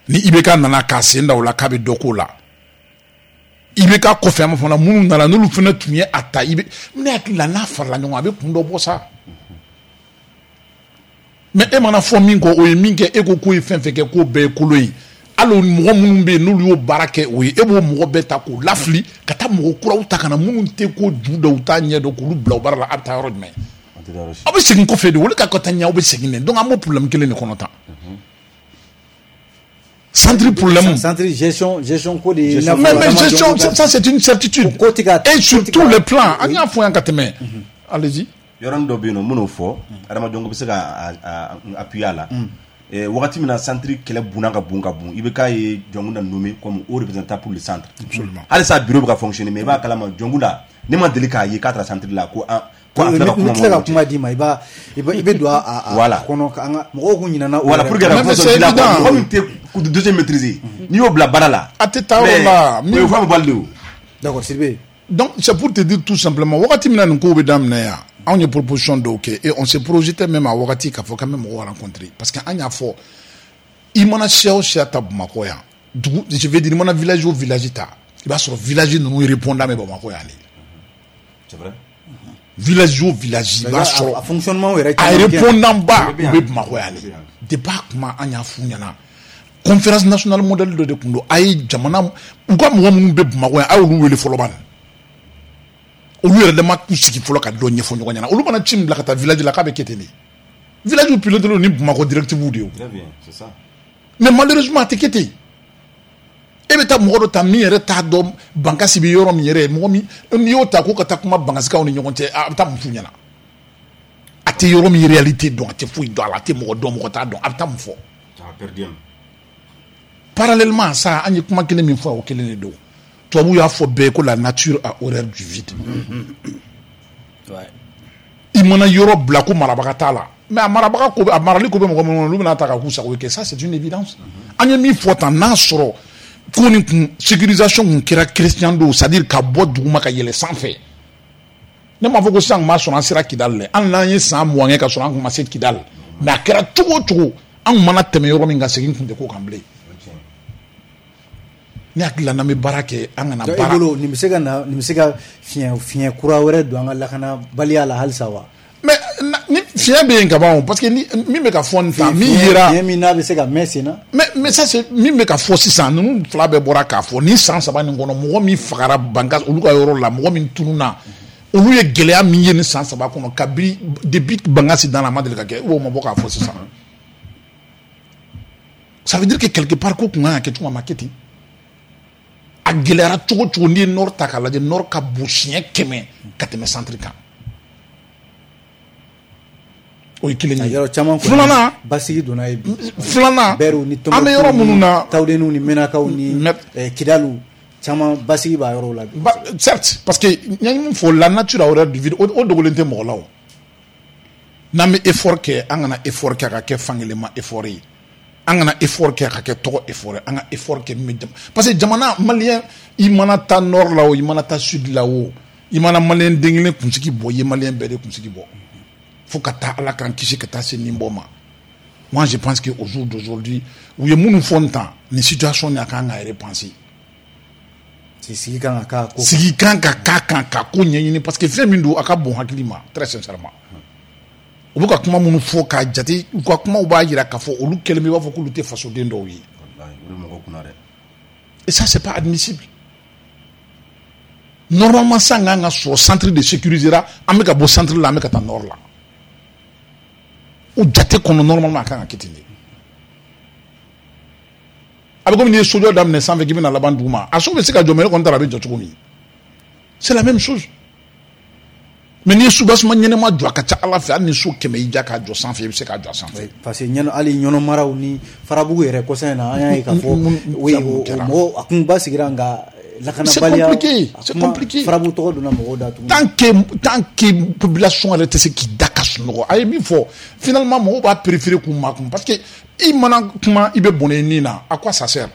ni IBK nana k'a sen da o la k'a bɛ dɔ k'o la, IBK kɔfɛ, an b'a fɔ minnu nana, n'olu fana tun ye a ta, i bɛ ne hakili la, n'a farala ɲɔgɔn kan, a bɛ kun dɔ bɔ sa. Mais e mana fɔ min kɔ, o ye min kɛ, e ko k'o ye fɛn fɛn kɛ, k'o bɛɛ ye kolon ye. Hali mɔgɔ minnu bɛ yen, n'olu y'o baara kɛ, o ye e b'o mɔgɔ bɛɛ ta k'o lafili ka taa mɔgɔ kuraw ta ka na, minnu tɛ ko ju dɔn, u t'a ɲɛ dɔn, k'olu bila o baara la, a bɛ taa yɔrɔ jumɛn? Aw bɛ segin kɔfɛ de, olu ka taa ɲɛ, aw bɛ segin de. Donc an b'o problème kelen de kɔnɔ tan. Centre problème. Centre gestion ko de. Mais gestion, ça c'est une certitude. Et sur tous les plans, an y'a fɔ yan ka tɛmɛ. Allez-y. Yɔrɔnin dɔ bɛ yen nɔ, minnu fɔ, adamadenw bɛ se ka appuyer a la. Wagati min na centre kɛlɛ bunna ka bon ka bon, i bɛ k'a ye Dioncounda nommé comme haut représentant pour le centre. Halisa bureau bɛ ka fonctionner, mais i b'a kalama, Dioncounda, ne ma deli k'a ye k'a taara centre la ko an ko a filɛ ka kuma. N tila ka kuma d'i ma, i b'a i bɛ don a kɔnɔ, an ka mɔgɔw kun ɲinɛna o. Voilà, pour que ka kuma sɔrɔ ji la, mɔgɔ min tɛ dossier maîtriser, n'i y'o bila baara la. A tɛ taa yɔrɔ la. O ye fɛn bɛ bali de o. D'accord, Sidibe. Donc c'est pour te dire tout simplement, wagati min na nin kow bɛ daminɛ yan, anw ye proposition dɔw kɛ et on se projetait même a wagati k'a fɔ k'an bɛ mɔgɔw rencontrer, parce que an y'a fɔ, i mana siya o siya ta Bamakɔ yan, dugu, je veux dire, i mana village o village ta, i b'a sɔrɔ village ninnu répondant bɛ Bamakɔ yan de. C'est vrai. Village o village, i b'a sɔrɔ a fonctionnement yɛrɛ a répondant ba u bɛ Bamakɔ yan de. Depuis a kuma, an y'a f'u ɲɛna, conférence nationale modèle dɔ de tun don. A ye jamana u ka mɔgɔ minnu bɛ Bamakɔ yan, a y'olu wele fɔlɔ ban, olu yɛrɛ dama k'u sigi fɔlɔ ka dɔ ɲɛfɔ ɲɔgɔn ɲɛna. Olu mana ci min bila ka taa village la, k'a bɛ kɛ ten de. Village piloté ni Bamakɔ directive de ye o. Très bien, c'est ça. Mais malheureusement, a tɛ kɛ ten. E bɛ taa mɔgɔ dɔ ta min yɛrɛ t'a dɔn Bankasi bɛ yɔrɔ min yɛrɛ, mɔgɔ min n'i y'o ta ko ka taa kuma Bankasikaw ni ɲɔgɔn cɛ, a bɛ taa mun f'u ɲɛna? A tɛ yɔrɔ min réalité dɔn, a tɛ foyi dɔn a la, a tɛ mɔgɔ dɔn, mɔgɔ t'a dɔn, a bɛ taa mun fɔ? Parallèlement à ça, an ye kuma kelen min fɔ, o kelen de don. Tubabu y'a fɔ bɛɛ ko la nature a horreur du vide. I mana yɔrɔ bila ko marabaga t'a la, mais a marabaga ko, a marali ko bɛ mɔgɔ minnu kɔnɔ, olu bɛna ta ka k'u sago ye kɛ. Ça c'est une évidence. An ye min fɔ tan, n'a sɔrɔ ko nin kun sécurisation kun kɛra crescendo, c'est à dire ka bɔ duguma ka yɛlɛ sanfɛ. Ne m'a fɔ ko sisan kun b'a sɔrɔ an sera Kidali dɛ, hali n'an ye san 20 kɛ ka sɔrɔ an kun ma se Kidali, mais a kɛra cogo o cogo, an kun mana tɛmɛ yɔrɔ min ka segin kun tɛ k'o kan bilen. Ne hakili la, n'an bɛ baara kɛ, an kana baara. E bolo, nin bɛ se ka na, nin bɛ se ka fiɲɛ kura wɛrɛ don an ka lakanabaliya la halisa wa? Mais ni fiɲɛ bɛ yen ka ban o, parce que ni min bɛ ka fɔ nin tan, min yera. Fiɲɛ min n'a bɛ se ka mɛn sen na. Mais ça c'est min bɛ ka fɔ sisan, ninnu fila bɛɛ bɔra k'a fɔ nin san 3 nin kɔnɔ, mɔgɔ min fagara Bankas olu ka yɔrɔ la, mɔgɔ min tununna, olu ye gɛlɛya min ye nin san 3 kɔnɔ, kabi depuis Bankasi danna, a ma deli ka kɛ, o ma bɔ k'a fɔ sisan. Ça veut dire que quelque part, ko kun kan ka kɛ cogo min, a ma kɛ ten. A gɛlɛyara cogo o cogo, n'i ye nord ta k'a lajɛ, nord ka bon siɲɛ 100 ka tɛmɛ centre kan. O ye kelen ye. Yɔrɔ caman. Filanan. Basigi donna yen bi. Filanan. Bɛriw ni an bɛ yɔrɔ minnu na. Tawudeniw ni Menakaw ni Kidaliw caman, basigi b'a yɔrɔw la bi. Certes, parce que n ye min fɔ, la nature a horreur du vide, o dogolen tɛ mɔgɔ la o. N'an bɛ effort kɛ, an kana effort kɛ a ka kɛ fankelen effort ye. An kana effort kɛ a ka kɛ tɔgɔ effort ye. An ka effort kɛ min bɛ, parce que jamana malien, i mana taa nord la o, i mana taa sud la o, i mana malien den kelen kunsigi bɔ, i ye malien bɛɛ de kunsigi bɔ. Fo ka taa Ala k'an kisi ka taa se nin bɔ ma. Moi je pense que au jour d'aujourd'hui, u ye minnu fɔ nin tan, nin situation nin, a kan ka repenser. Sigi kan ka k'a sigi kan ka k'a kan ka ko ɲɛɲini, parce que fɛn min don, a ka bon hakili ma, très sincèrement. U bɛ ka kuma minnu fɔ k'a jate, u ka kumaw b'a jira k'a fɔ olu kɛlen bɛ i b'a fɔ k'olu tɛ fasoden dɔw ye. Et ça, c'est pas admissible. Normalement, san kan ka sɔrɔ centre de sécurisera, an bɛ ka bɔ centre la, an bɛ ka taa nord la. O jate kɔnɔ, normalement, a kan ka kɛ ten de. A bɛ komi n'i ye sojɔ daminɛ sanfɛ k'i bɛna laban duguma, a so bɛ se ka jɔ, mais ne kɔni taara a bɛ jɔ cogo min, c'est la même chose. Mais n'i ye soubassement ɲɛnama jɔ, a ka ca Ala fɛ, hali ni so 100 y'i ja k'a jɔ sanfɛ, i bɛ se k'a jɔ a sanfɛ. Parce que ɲɛnɔ, hali ɲɔnɔ maraw ni Farabugu yɛrɛ kɔsa in na, an y'a ye k'a fɔ mɔgɔ a kun ba sigira, nka lakanabaliya. C'est compliqué, c'est compliqué. Farabugu tɔgɔ donna mɔgɔw da tuguni. Tant que population yɛrɛ tɛ se k'i da ka sunɔgɔ, a ye min fɔ, finalement mɔgɔw b'a préférer k'u makun, parce que i mana kuma, i bɛ bɔnɛ i nin na. À quoi ça sert?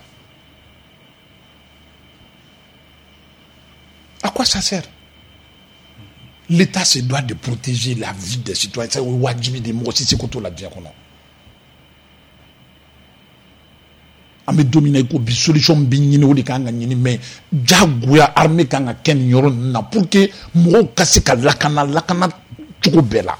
À quoi ça sert? L'État se doit de protéger la vie des citoyens. C'est wajibi de, mɔgɔ si seko t'o la diɲɛ kɔnɔ. An bɛ don min na i ko bi, solution bɛ ɲini, o de kan ka ɲini, mais diyagoya armée kan ka kɛ nin yɔrɔ ninnu na pour que mɔgɔw ka se ka lakana cogo bɛɛ la.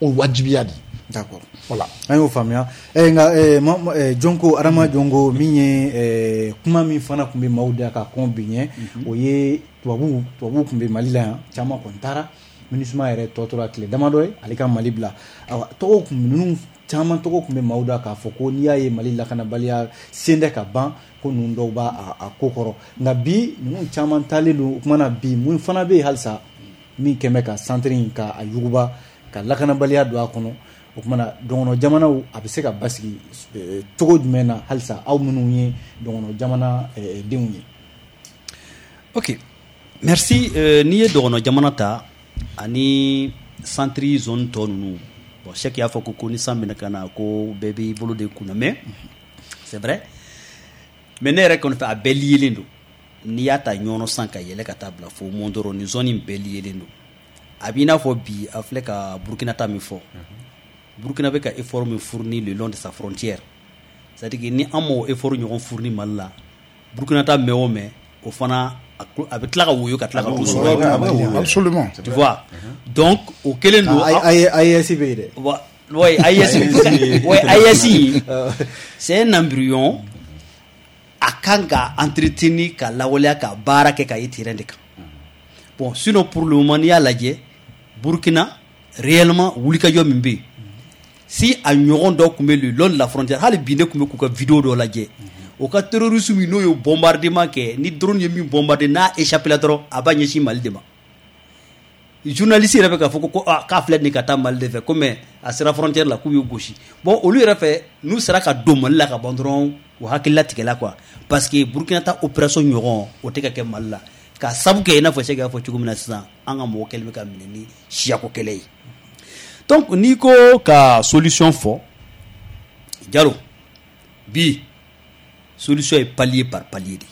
O ye wajibiya de ye. D'accord. Voilà. An y'o faamuya. Nka Jɔnko, Adama Jɔnko, min ye kuma min fana tun bɛ maaw da ka kɔn bi ɲɛ, o ye tubabuw tun bɛ Mali la yan, caman kɔni taara. MINUSMA yɛrɛ tɔ tora tile damadɔ ye ale ka Mali bila. Awa, tɔgɔw tun ninnu caman tɔgɔ tun bɛ maaw da k'a fɔ ko n'i y'a ye Mali lakanabaliya sen tɛ ka ban, ko ninnu dɔw b'a a ko kɔrɔ. Nka bi ninnu caman taalen don. O kuma na bi, mun fana bɛ yen halisa min kɛn bɛ ka centre in ka a yuguba, ka lakanabaliya don a kɔnɔ? O kuma na dɔgɔnɔ jamanaw, a bɛ se ka basigi cogo jumɛn na halisa, aw minnu ye dɔgɔnɔ jamana denw ye? Ok, merci. N'i ye dɔgɔnɔ jamana ta ani centre zone tɔ ninnu, bon, Cheikh y'a fɔ ko ni san bɛna ka na, ko bɛɛ b'i bolo de kunna, mais c'est vrai, mais ne yɛrɛ kɔni fɛ, a bɛɛ liélen don. N'i y'a ta ɲɔnɔ san ka yɛlɛ ka taa bila fo Mondoro, ni zone in bɛɛ liélen don. A b'i n'a fɔ bi a filɛ ka Burkina ta min fɔ, Burkina bɛ ka effort min fourni le long de sa frontière, c'est à dire que ni an m'o effort ɲɔgɔn fourni Mali la, Burkina ta mɛn o mɛn, o fana a bɛ tila ka woyo ka tila ka to sɔrɔ. Absolument. Tu vois, donc o kelen don. AES bɛ yen dɛ. Oui, AES, oui, AES, c'est un embryon, a kan ka entretenir, ka lawaleya, ka baara kɛ ka ye terrain de kan. Bon, sinon pour le moment, n'i y'a lajɛ, Burkina réellement wulikajɔ min bɛ yen, si a ɲɔgɔn dɔ tun bɛ le long de la frontière, hali bi ne tun bɛ k'u ka vidéo dɔ lajɛ, o ka terroriste min n'o ye bombardement kɛ, ni drone ye min bombarder, n'a échappé la dɔrɔn, a b'a ɲɛsin Mali de ma. Journaliste yɛrɛ bɛ k'a fɔ ko k'a filɛ nin ka taa Mali de fɛ, ko mais a sera frontière la k'u y'u gosi. Bon, olu yɛrɛ fɛ, n'u sera ka don Mali la ka ban dɔrɔn, u hakilila tigɛla quoi, parce que Burkina ta opération ɲɔgɔn o tɛ ka kɛ Mali la, ka sabu kɛ i n'a fɔ Cheikh y'a fɔ cogo min na sisan, an ka mɔgɔ kɛlen bɛ ka minɛ ni siyako kɛlɛ ye. Donc n'i ko ka solution fɔ, Jalo, bi solution ye palier par palier de.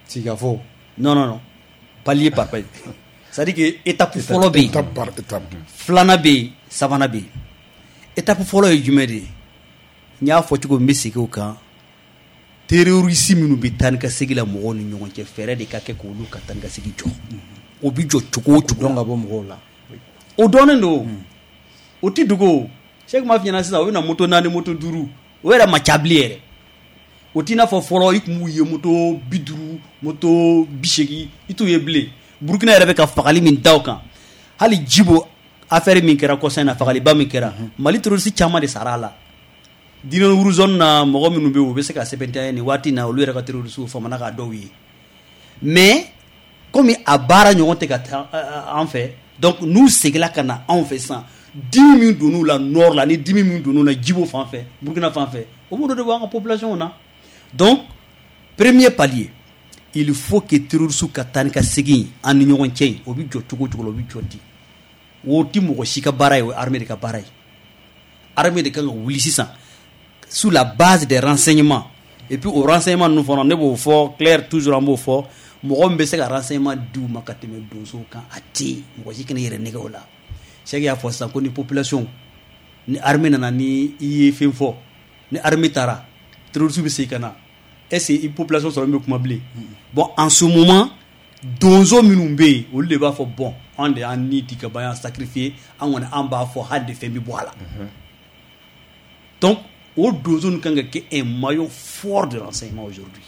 Sigafo. Non, non, non, palier par palier. C'est-à-dire que étape fɔlɔ bɛ yen. Étape par étape. Filanan bɛ yen, sabanan bɛ yen. Étape fɔlɔ ye jumɛn de ye? N y'a fɔ cogo min, n bɛ segin o kan. Terroriste minnu bɛ taa ni ka segin la mɔgɔw ni ɲɔgɔn cɛ, fɛɛrɛ de ka kɛ k'olu ka taa ni ka segin jɔ. O bɛ jɔ cogo o cogo. Dɔn ka bɔ mɔgɔw la. O dɔnnen don. O ti dogo. Cheikh m'a f'i ɲɛna sisan, o bɛ na moto 4, moto 5, o yɛrɛ ma ca bilen yɛrɛ. O t'i n'a fɔ fɔlɔ i tun b'u ye moto 50, moto 80, i t'u ye bilen. Burkina yɛrɛ bɛ ka fagali min da o kan, hali Jibo affaire min kɛra kɔsa in na, fagaliba min kɛra, Mali terroriste caman de sara a la. Dinɛwuru zone na mɔgɔ minnu bɛ yen, u bɛ se ka sɛbɛntiya nin waati in na, olu yɛrɛ ka terroriste famana k'a dɔw ye. Mais komi a baara ɲɔgɔn tɛ ka taa an fɛ, donc n'u seginna ka na anw fɛ sisan, dimi min donn'u la nord la, ni dimi min donn'u la Jibo fan fɛ, Burkina fan fɛ, o b'o de bɔ an ka population na. Donc premier palier, il faut que terroriste ka taa ni ka segin an ni ɲɔgɔn cɛ, o bɛ jɔ cogo o cogo la, o bɛ jɔ di. O ti mɔgɔ si ka baara ye, o ye armée de ka baara ye. Armée de kan ka wuli sisan sur la base des renseignements. Et puis o renseignement ninnu fana, ne b'o fɔ clair toujours, an b'o fɔ, mɔgɔ min bɛ se ka renseignement di u ma ka tɛmɛ donsow kan, a tɛ yen. Mɔgɔ si kana i yɛrɛ nɛgɛ o la. Cheikh y'a fɔ sisan ko ni population, ni armée nana, ni i ye fɛn fɔ, ni armée taara, terroriste bɛ segin ka na. Est-ce que population sɔrɔ min bɛ kuma bilen? Bon, en ce moment, donso minnu bɛ yen, olu de b'a fɔ bon, an de y'an ni di ka ban, y'an sacrifier, an kɔni an b'a fɔ hali de fɛn bɛ bɔ a la. Donc o donso ninnu kan ka kɛ un maillon fort de renseignement aujourd'hui.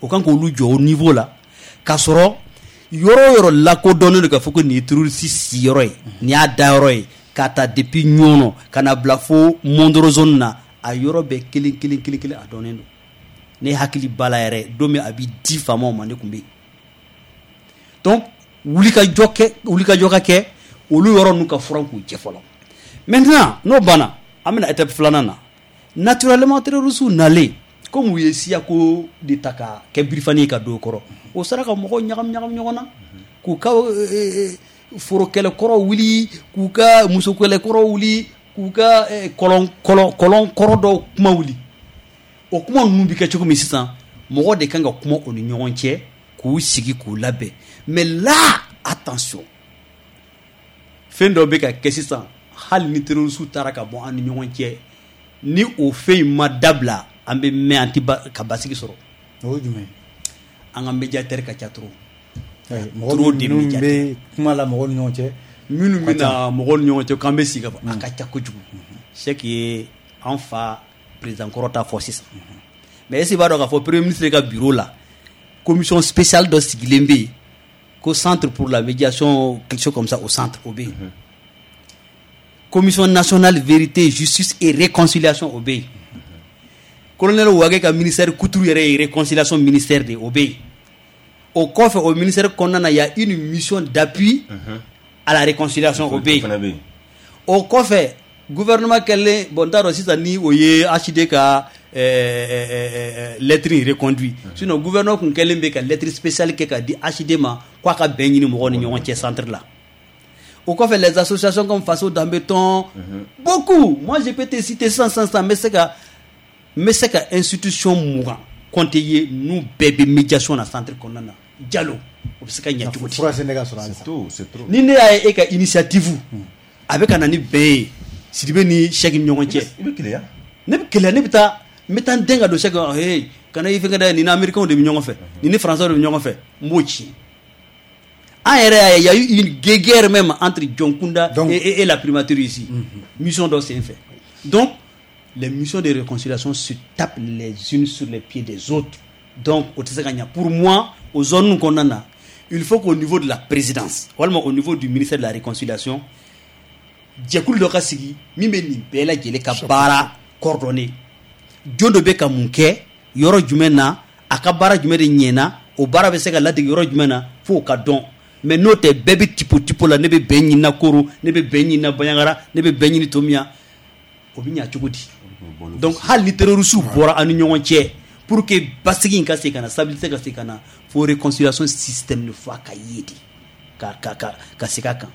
O kan k'olu jɔ o niveau la, k'a sɔrɔ yɔrɔ o yɔrɔ lakodɔnnen don k'a fɔ ko nin ye terroriste siyɔrɔ ye, nin y'a dayɔrɔ ye, k'a ta depuis Ɲɔnɔ ka na bila fo Mondoro zone na, a yɔrɔ bɛɛ kelen kelen kelen kelen a dɔnnen don. Ne hakili b'a la yɛrɛ, don min a bɛ di faamaw ma, ne tun bɛ yen. Donc wulikajɔ kɛ, wulikajɔ ka kɛ olu yɔrɔ ninnu ka furan k'u jɛ fɔlɔ. Maintenant n'o banna, an bɛna étape filanan na. Naturellement, terroristes nalen, comme u ye siyako de ta ka kɛ birifani ye ka don o kɔrɔ, o sera ka mɔgɔw ɲagami ɲagami ɲɔgɔn na, k'u ka foro kɛlɛkɔrɔ wuli, k'u ka muso kɛlɛkɔrɔ wuli, k'u ka kɔlɔn kɔlɔn kɔlɔn kɔrɔ dɔw kuma wuli. O kuma ninnu bɛ kɛ cogo min sisan, mɔgɔ de kan ka kuma o ni ɲɔgɔn cɛ, k'u sigi k'u labɛn. Mais là, attention, fɛn dɔ bɛ ka kɛ sisan, hali ni terroristes taara ka bɔ an ni ɲɔgɔn cɛ, ni o fɛn in ma dabila, an bɛ mɛn an tɛ ka basigi sɔrɔ. O ye jumɛn? An ka médiateur ka ca trop. Mɔgɔ minnu bɛ kuma la mɔgɔw ni ɲɔgɔn cɛ. Minnu bɛ na mɔgɔw ni ɲɔgɔn cɛ k'an bɛ sigi ka fɔ, a ka ca kojugu. Cheikh ye an fa président kɔrɔ ta fɔ sisan. Mais est-ce que i b'a dɔn k'a fɔ premier ministre ka bureau la, commission spéciale dɔ sigilen bɛ yen ko centre pour la médiation, quelque chose comme ça, au centre o bɛ yen. Commission nationale vérité, justice et réconciliation o bɛ yen. Colonel Wage ka ministère Kuturu yɛrɛ ye réconciliation ministère de, o bɛ yen. O kɔfɛ, o ministère kɔnɔna na, y a une mission d'appui à la réconciliation, o bɛ yen. O kɔfɛ, gouvernement kɛlen, bon, n t'a dɔn sisan ni o ye HD ka lettre in reconduit, sinon gouvernement kun kɛlen bɛ ka lettre spéciale kɛ ka di HD ma k'a ka bɛn ɲini mɔgɔw ni ɲɔgɔn cɛ centre la. O kɔfɛ, les associations comme Faso Danbeton, beaucoup, moi je peux te citer 100 100 100, n bɛ se ka institution 20 compter ye, n'u bɛɛ bɛ médiation na centre kɔnɔna na. Jalo, o bɛ se ka ɲɛ cogo di? Fura sen ka sɔrɔ halisa. Ni ne y'a ye e ka initiative a bɛ ka na ni bɛn ye Sidibe ni Cheikh ni ɲɔgɔn cɛ, i bɛ keleya. Ne bɛ keleya, ne bɛ taa, n bɛ taa n den ka don Cheikh, hey, kana i fɛnkɛ dɛ, nin ni américains de bɛ ɲɔgɔn fɛ, nin ni français de bɛ ɲɔgɔn fɛ, n b'o ci. An yɛrɛ y'a ye, il y a eu une guerre même entre Dioncounda et la primature ici, mission dɔ sen fɛ. Donc les missions de réconciliation se tapent les unes sur les pieds des autres, donc o tɛ se ka ɲɛ. Pour moi, o zone kɔnɔna na, il faut qu'au niveau de la présidence walima au niveau du ministère de la réconciliation, jɛkulu dɔ ka sigi min bɛ nin bɛɛ lajɛlen ka baara coordonner. Jɔn dɔ bɛ ka mun kɛ yɔrɔ jumɛn na, a ka baara jumɛn de ɲɛna, o baara bɛ se ka ladege yɔrɔ jumɛn na, f'o ka dɔn. Mais n'o tɛ, bɛɛ bɛ tipo tipo la, ne bɛ bɛn ɲini na Koro, ne bɛ bɛn ɲini na Bandiagara, ne bɛ bɛn ɲini Tominian, o bɛ ɲɛ cogo di? Donc hali ni terroristes bɔra an ni ɲɔgɔn cɛ, pour que basigi in ka segin ka na, stabilité ka segin ka na, fo réconciliation système de fo a ka ye de ka segin a kan.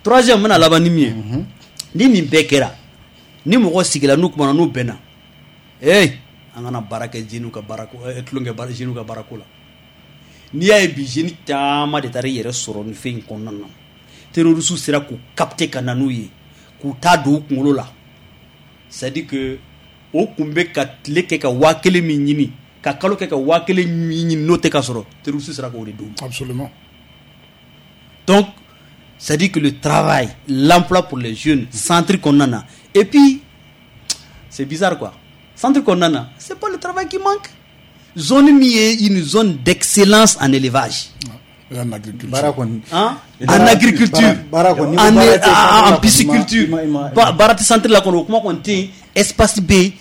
Troisième, n bɛna laban ni min ye, ni nin bɛɛ kɛra, ni mɔgɔ sigila n'u kumana, n'u bɛnna, ee, an kana baara kɛ jeunes ka baara ko, tulon kɛ baara jeunes ka baarako la. N'i y'a ye bi, jeunes caman de taara i yɛrɛ sɔrɔ nin fɛn in kɔnɔna na, terroristes sera k'u capter ka na n'u ye, k'u taa don u kunkolo la. C'est à dire que o kun bɛ ka tile kɛ ka 1000 min ɲini, ka kalo kɛ ka 1000 min ɲini, n'o tɛ ka sɔrɔ, terroriste sera k'o de d'u ma. Absolument. Donc c'est à dire que le travail, l'emploi pour les jeunes, centre kɔnɔna na, et puis c'est bizarre quoi, centre kɔnɔna na, c'est pas le travail qui manque. Zone min ye une zone d'excellence en élevage. Et en agriculture. Baara kɔni. Hein? En agriculture, baara kɔni, en pisciculture, baara tɛ centre la kɔnɔ, o kuma kɔni tɛ yen. Espace bɛ yen,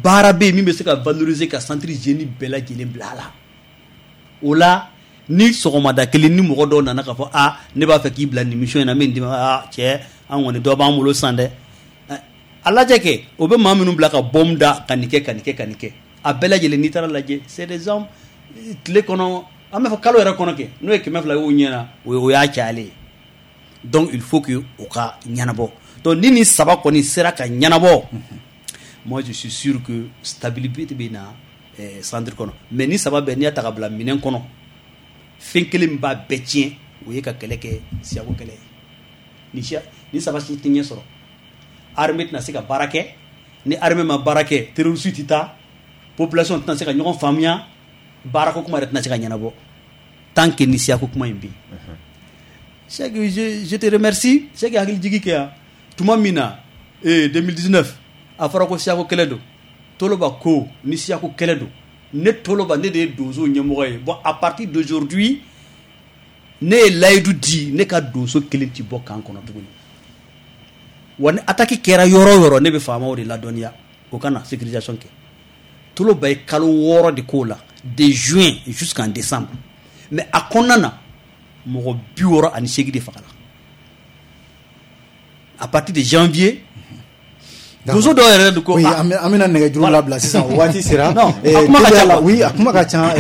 baara bɛ yen min bɛ se ka valoriser ka centre jeune bɛɛ lajɛlen bila a la. O la, ni sɔgɔmada kelen ni mɔgɔ dɔw nana k'a fɔ a ne b'a fɛ k'i bila nin mission in na, min d'i ma, aa cɛ, an kɔni dɔ b'an bolo sisan dɛ, a lajɛ kɛ, o bɛ maa minnu bila ka bombe da ka nin kɛ, ka nin kɛ, ka nin kɛ, a bɛɛ lajɛlen n'i taara lajɛ, c'est des hommes, tile kɔnɔ, an b'a fɔ kalo yɛrɛ kɔnɔ kɛ, n'o ye 200 y'o ɲɛna, o y'a cayalen ye. Donc il faut que o ka ɲɛnabɔ. Donc ni nin saba kɔni sera ka ɲɛnabɔ, moi je suis sûr que stabilité bɛ na centre kɔnɔ. Mais ni saba bɛɛ, n'i y'a ta ka bila minɛn kɔnɔ, fɛn kelen min b'a bɛɛ tiɲɛ, o ye ka kɛlɛ kɛ siyako kɛlɛ ye. Ni siya ni saba si tɛ ɲɛ sɔrɔ, armée tɛna se ka baara kɛ. Ni armée ma baara kɛ, terroriste tɛ taa. Population tɛna se ka ɲɔgɔn faamuya, baarako kuma yɛrɛ tɛna se ka ɲɛnabɔ tant que ni siyako kuma in bɛ yen. Cheikh, je te remercie. Cheikh hakili jigi kɛ yan tuma min na 2019 a fɔra ko siyako kɛlɛ don. Toloba ko ni siyako kɛlɛ don, ne Toloba, ne de ye donso ɲɛmɔgɔ ye. Bon, à partir d'aujourd'hui, ne ye layidu di, ne ka donso kelen ti bɔ camp kɔnɔ tuguni. Wa ni attaque kɛra yɔrɔ o yɔrɔ, ne bɛ faamaw de ladɔnniya o ka na sécurisation kɛ. Toloba ye kalo 6 de k'o la, de juin jusqu'en décembre. Mais a kɔnɔna na, mɔgɔ 68 de fagala. À partir de janvier, donso dɔw yɛrɛ de ko. Oui, an bɛna nɛgɛjuru labila sisan, o waati sera. Non, a kuma ka ca. Oui, a kuma ka ca.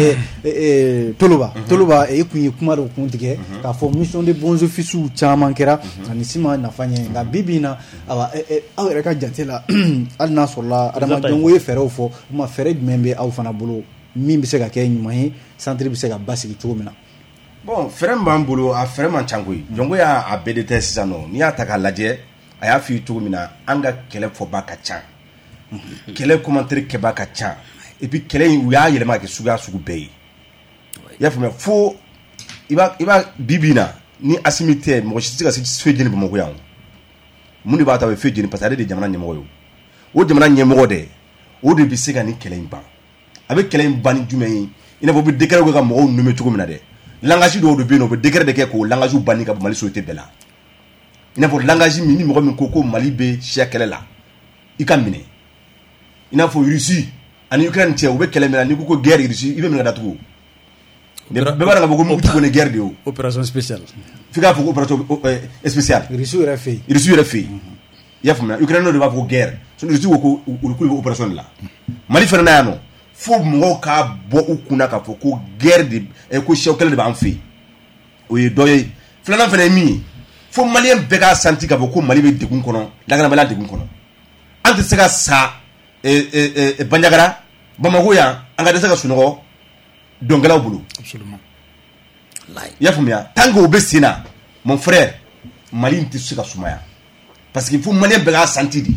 Toloba, Toloba, e kun ye kuma dɔ kun tigɛ k'a fɔ mission de bons offices caman kɛra ani si ma nafa ɲɛ. Nka bi bi in na, awa, aw yɛrɛ ka jate la, hali n'a sɔrɔla adamadenw ye fɛɛrɛw fɔ, o ma fɛɛrɛ jumɛn bɛ aw fana bolo min bɛ se ka kɛ ɲuman ye, centre bɛ se ka basigi cogo min na? Bon, fɛɛrɛ min b'an bolo, a fɛɛrɛ man ca koyi. Jɔnko y'a a bɛɛ de tɛ sisan nɔ. N'i y'a ta k'a lajɛ, a y'a f'i ye cogo min na, an ka kɛlɛ fɔba ka ca, kɛlɛ commentaire kɛba ka ca, et puis kɛlɛ in, u y'a yɛlɛma ka kɛ suguya sugu bɛɛ ye. I y'a faamuya? Fo i b'a bi bi in na, ni Asimi tɛ, mɔgɔ si tɛ se ka se feu jeni Bamakɔ yan. Mun de b'a to a bɛ feu jeni? Parce que ale de ye jamana ɲɛmɔgɔ ye. O jamana ɲɛmɔgɔ dɛ, o de bɛ se ka nin kɛlɛ in ban. A bɛ kɛlɛ in ban ni jumɛn ye? I n'a fɔ u bɛ décret kɛ ka mɔgɔw nommer cogo min na dɛ, langage dɔw de bɛ yen nɔ, u bɛ décret de kɛ k'o langage banni ka bɔ Mali société bɛɛ la. I n'a fɔ langage min ni mɔgɔ min ko ko Mali bɛ siya kɛlɛ la, i ka minɛ. I n'a fɔ Russie ani Ukraine cɛ, u bɛ kɛlɛ min na, n'i ko ko guerre Russie, i bɛ minɛ ka datugu. Bɛɛ b'a dɔn k'a fɔ ko mugu ci kɔni guerre de ye o. Opération spéciale. F'i k'a fɔ ko opération spéciale. Russie yɛrɛ fɛ yen. Russie yɛrɛ fɛ yen, i y'a faamuya? Ukraine de b'a fɔ ko guerre, sinon Russie ko ko olu k'olu bɛ opération de la. Mali fana na yan nɔ, fo mɔgɔw k'a bɔ u kunna k'a fɔ ko guerre de, ko siya kɛlɛ de b'an fɛ yen. O ye dɔ ye. Filanan fana ye min ye, fo maliyɛn bɛɛ k'a santi k'a fɔ ko Mali bɛ degun kɔnɔ, lakanabaliya degun kɔnɔ. An tɛ se ka sa Bandiagara, Bamako yan, an ka dɛsɛ ka sunɔgɔ dɔnkɛlaw bolo. Absolument. I y'a faamuya? Tant que o bɛ sen na, mon frère, Mali in tɛ se ka sumaya, parce que fo maliyɛn bɛɛ k'a santi de.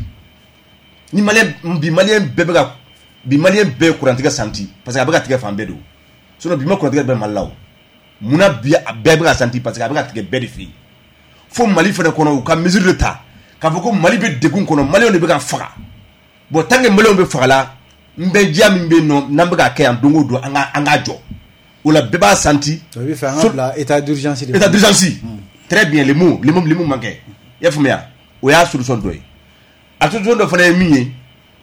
Ni maliyɛn bi, maliyɛn bɛɛ bɛ ka bi, maliyɛn bɛɛ ye kurantigɛ santi, parce que a bɛ ka tigɛ fan bɛɛ don. Sinon bi ma kurantigɛ bɛ Mali la. O munna bi a bɛɛ bɛ ka santi? Parce que a bɛ ka tigɛ bɛɛ de fɛ yen. Fo Mali fana kɔnɔ, u ka mesure de ta k'a fɔ ko Mali bɛ degun kɔnɔ, maliyɛnw de bɛ ka faga. Bon, tant que maliyɛnw bɛ faga la, n bɛ diya min bɛ yen nɔ, n'an bɛ ka kɛ yan don o don, an k'a jɔ o la, bɛɛ b'a santi. O bɛ fɛ an ka bila état d'urgence de. État d'urgence, très bien, le mot manquait. I y'a faamuya? O y'a solution dɔ ye. A solution dɔ fana ye min ye,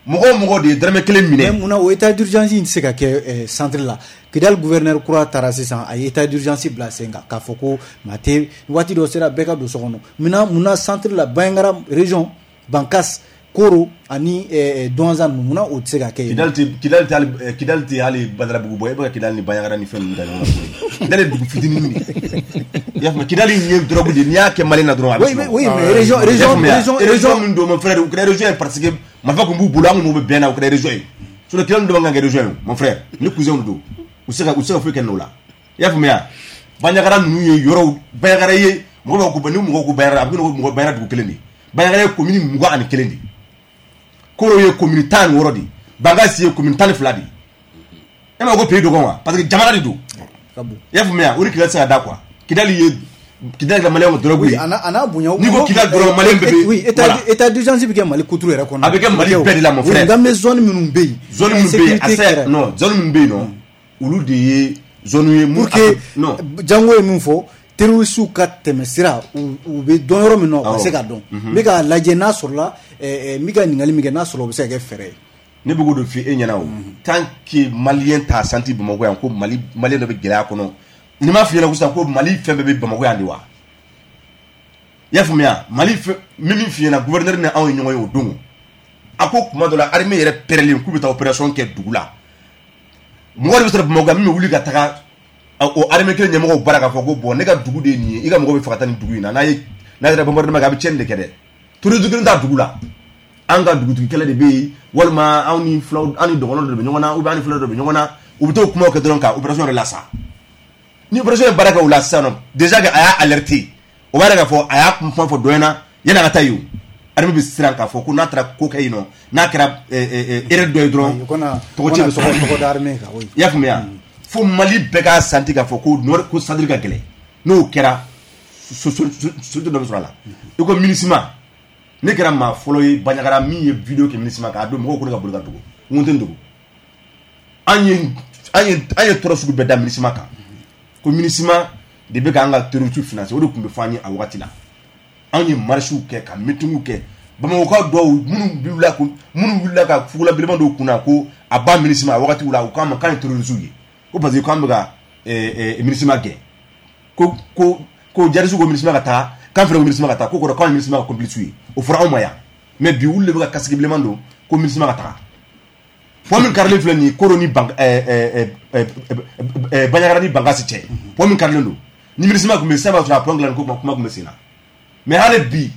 mɔgɔ o mɔgɔ de ye dɔrɔmɛ kelen minɛ. Mais munna o état d'urgence in tɛ se ka kɛ centre la? Kidali gouverneur kura taara sisan, a ye état d'urgence bila sen kan k'a fɔ ko maa tɛ, waati dɔ sera, bɛɛ ka don so kɔnɔ. Munna centre la, Bandiagara région, Bankas, Koro ani Douentza ninnu, munna o tɛ se ka kɛ yen? Kidali tɛ hali Badalabugu bɔ. E bɛ ka Kidali ni Bandiagara ni fɛn ninnu ta ɲɔgɔn na. Kidali ye dugu fitinin de ye, i y'a faamu? Kidali ye drogue de ye, n'i y'a kɛ Mali la dɔrɔn, a bɛ sunɔgɔ. Oui, mais région région min don, mon frère, u kɛra région ye parce que marifa tun b'u bolo, an kun bɛ bɛn na, u kɛra région ye. Sinon Kidali dɔ man kan ka kɛ région ye, mon frère. Ni cousin don, u tɛ se ka foyi kɛ n'o la. I y'a faamuya? Bandiagara ninnu ye yɔrɔw, Bandiagara ye mɔgɔ b'a ko ni mɔgɔw ko Bandiagara, a bɛ ko mɔgɔ Bandiagara dugu kelen de ye. Bandiagara ye commune 21 de ye, Koro ye commune 16 de ye, Bankasi ye commune 12 de ye. E ma ko pays dɔgɔn wa? Parce que jamana de don. I y'a faamuya? O de Kidali tɛ se ka da quoi. Kidali ye, Kidali ka maliyɛnw ka drogue ye. A n'a bonya. N'i ko Kidali dɔrɔn, maliyɛn bɛɛ bɛ. Oui, état d'urgence bɛ kɛ Mali kuturu yɛrɛ kɔnɔ. A bɛ kɛ Mali bɛɛ de la, mon frère. Nka bɛ zone minnu bɛ yen. Zone minnu bɛ yen, a sɛ non, zone minnu bɛ yen nɔ, olu de ye zone ye. Pour que non. Jango ye min fɔ, terroriste ka tɛmɛ sira, u bɛ dɔn yɔrɔ min na, u ka se ka dɔn. N bɛ k'a lajɛ n'a sɔrɔla, n bɛ ka ɲininkali min kɛ, n'a sɔrɔ o bɛ se ka kɛ fɛɛrɛ ye. Ne bɛ k'o de f'i e ɲɛna o. Tant que maliyɛn t'a santi Bamakɔ yan ko Mali, maliyɛn dɔ bɛ gɛlɛya kɔnɔ, ni m'a f'i ɲɛna ko sisan ko Mali fɛn bɛɛ bɛ Bamakɔ yan de wa? I y'a faamuya? Mali fɛn n bɛ min f'i ɲɛna, gouverneur ni anw ye ɲɔgɔn ye o don, a ko kuma dɔ la, armée yɛrɛ pɛrɛlen k'u bɛ taa opération kɛ dugu la, mɔgɔ de bɛ sɔrɔ Bamakɔ yan min bɛ wuli ka taga o armée kelen ɲɛmɔgɔw bara k'a fɔ ko bon, ne ka dugu de ye nin ye, i ka mɔgɔ bɛ fɛ ka taa nin dugu in na, n'a ye n'a yɛrɛ bombardement kɛ, a bɛ tiɲɛni de kɛ dɛ. Terroriste kelen t'a dugu la, an ka dugutigi kɛlɛ de bɛ yen, walima anw ni filaw, an ni dɔgɔnɔ dɔ de bɛ ɲɔgɔn na, ou bien an ni fila dɔ de bɛ ɲɔgɔn na. U bɛ t'o kumaw kɛ dɔrɔn ka opération yɛrɛ lasa. Ni opération ye baara kɛ o la sisan nɔ, déjà que a y'a alerter, o b'a yira k'a fɔ a y'a kuma fɔ dɔ ɲɛna yanni a ka taa yen. O Armée bɛ siran k'a fɔ ko n'a taara ko kɛ yen nɔ, n'a kɛra erreur dɔ ye dɔrɔn, tɔgɔ tiɲɛ bɛ sɔrɔ. Tɔgɔ da armée kan, oui. I y'a faamuya? Fo Mali bɛɛ k'a santi k'a fɔ ko nord, ko centre ka gɛlɛn. N'o kɛra, solution dɔ bɛ sɔrɔ a la. I ko MINUSMA, ne kɛra maa fɔlɔ ye Bandiagara min ye vidéo kɛ MINUSMA kan. A don, mɔgɔw ko ne ka boli ka dogo, n ko n tɛ n dogo. An ye tɔɔrɔ sugu bɛɛ da MINUSMA kan, ko MINUSMA de bɛ k'an ka terroriste financer. O de tun bɛ fɔ an ye a wagati la. Anw ye marches kɛ, ka meeting kɛ. Bamakɔkaw dɔw minnu wulila ka fugula bilenman dɔw kunna ko a ba MINUSMA a wagati la, u k'an ma k'an ye terroriste ye, ko parce que k'an bɛ ka MINUSMA gɛn, ko djihadiste ko MINUSMA ka taa, k'an fana ko MINUSMA ka taa, ko kɔrɔ k'anw ye MINUSMA ka complice ye. O fɔra anw ma yan. Mais bi, olu de bɛ ka casque bilenman don ko MINUSMA ka taga. Pont min karilen filɛ nin ye, Koro ni Bandiagara ni Bankasi cɛ, pont min karilen don, ni MINUSMA tun bɛ sisan, b'a sɔrɔ a pont dilanni ko kuma tun bɛ sen na. Mais hali bi,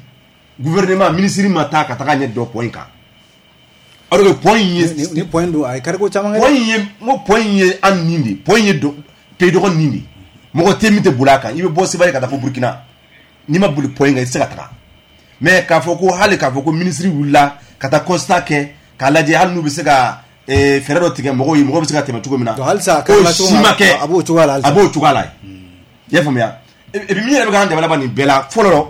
gouvernement, ministre ma taa ka taga ɲɛ dɔ pont in kan, alors que pont in ye Ni pont don, a ye kariko caman kɛ. Pont in ye, n ko pont in ye an nin de, pont in ye pays dɔgɔ nin de. Mɔgɔ tɛ min tɛ boli a kan. I bɛ bɔ Sevare ka taa fo Burukina, n'i ma boli pont in kan, i tɛ se ka taga. Mais k'a fɔ ko hali k'a fɔ ko ministre wulila ka taa constat kɛ k'a lajɛ, hali n'u bɛ se ka fɛɛrɛ dɔ tigɛ mɔgɔw ye, mɔgɔw bɛ se ka tɛmɛ cogo min na. Donc halisa a o kɛra si ma kɛ. A b'o cogoya la halisa. A b'o cogoya la, i y'a faamuya? Et puis min yɛrɛ bɛ k'an dɛmɛ laban nin bɛɛ la fɔlɔ,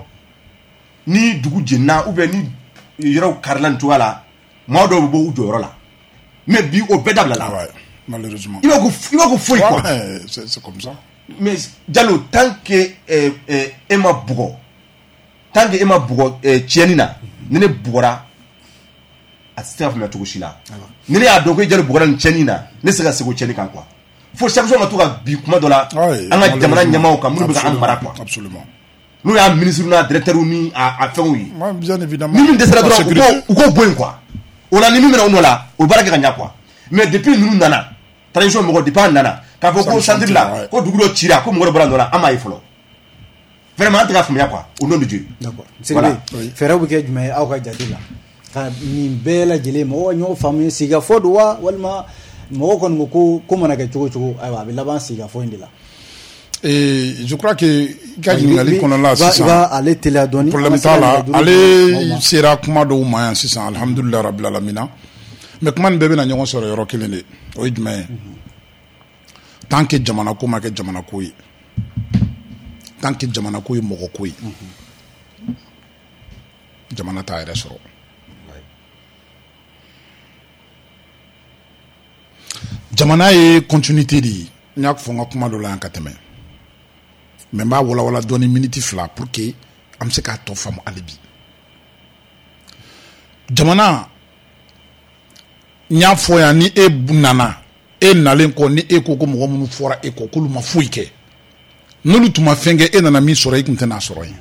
ni dugu jenina ou bien ni yɔrɔw karila nin cogoya la, maa dɔw bɛ bɔ u jɔyɔrɔ la. Mais bi, o bɛɛ dabila la. Ouais, malheureusement. I b'a ko foyi quoi. Ouais, c'est comme ça. Mais Jalo, tant que e ma bugɔ, tant que e ma bugɔ tiɲɛni na, ni ne bugɔra, a tɛ se ka faamuya cogo si la. Ni ne y'a dɔn ko i Jalo bugɔra nin tiɲɛni na, ne tɛ se ka segin o tiɲɛni kan quoi. Fo sanction ka to ka bi kuma dɔ la an ka jamana ɲɛmaaw kan, minnu bɛ ka an mara quoi. Absolument. N'o y'a ministre n'a directeur ni a fɛnw ye. Ouais, bien évidemment. Ni min dɛsɛra La dɔrɔn, sécurité. u k'o bɔ yen quoi. O la, ni min bɛna o nɔ la, o baara kɛ ka ɲa quoi. Mais depuis ninnu nana, transition mɔgɔ, depuis an nana k'a fɔ ko Sanction centre la, ko dugu dɔ cira, ko mɔgɔ dɔ bɔra nɔ la, an m'a ye fɔlɔ. Vraiment, an tɛ ka faamuya quoi, au nom de Dieu. D'accord. Voilà. Sidibe, fɛɛrɛw bɛ kɛ jumɛn ye aw ka jate la ka nin bɛɛ lajɛlen mɔgɔw ka ɲɔgɔn faamu? Sigikafɔ don wa, walima mɔgɔw kɔni ko ko ko mana kɛ cogo o cogo, ayiwa, a bɛ laban sigikafɔ in de la? Et je crois que i ka ɲininkali kɔnɔna la I sisan, b'a ale teliya dɔɔni. Problème An ka t'a la. se ka nɛgɛjuru di mɔgɔw ma. Ale sera kuma dɔw ma yan sisan, alhamdulilayi rabil alamina. Mais kuma nin bɛɛ bɛna ɲɔgɔn sɔrɔ yɔrɔ kelen de. O ye jumɛn ye? Tant que jamana ko ma kɛ jamana ko ye, tant que jamana ko ye mɔgɔ ko ye, jamana t'a yɛrɛ sɔrɔ. Jamana ye continuité de ye. N y'a fɔ n ka kuma dɔ la yan ka tɛmɛ, mais n b'a walawala dɔɔni miniti 2 pour que an bɛ se k'a tɔ faamu hali bi. Jamana, n y'a fɔ yan, ni e nana, e nalen kɔ, ni e ko ko mɔgɔ minnu fɔra e kɔ k'olu ma foyi kɛ, n'olu tun ma fɛn kɛ, e nana min sɔrɔ, e tun tɛna sɔrɔ yen.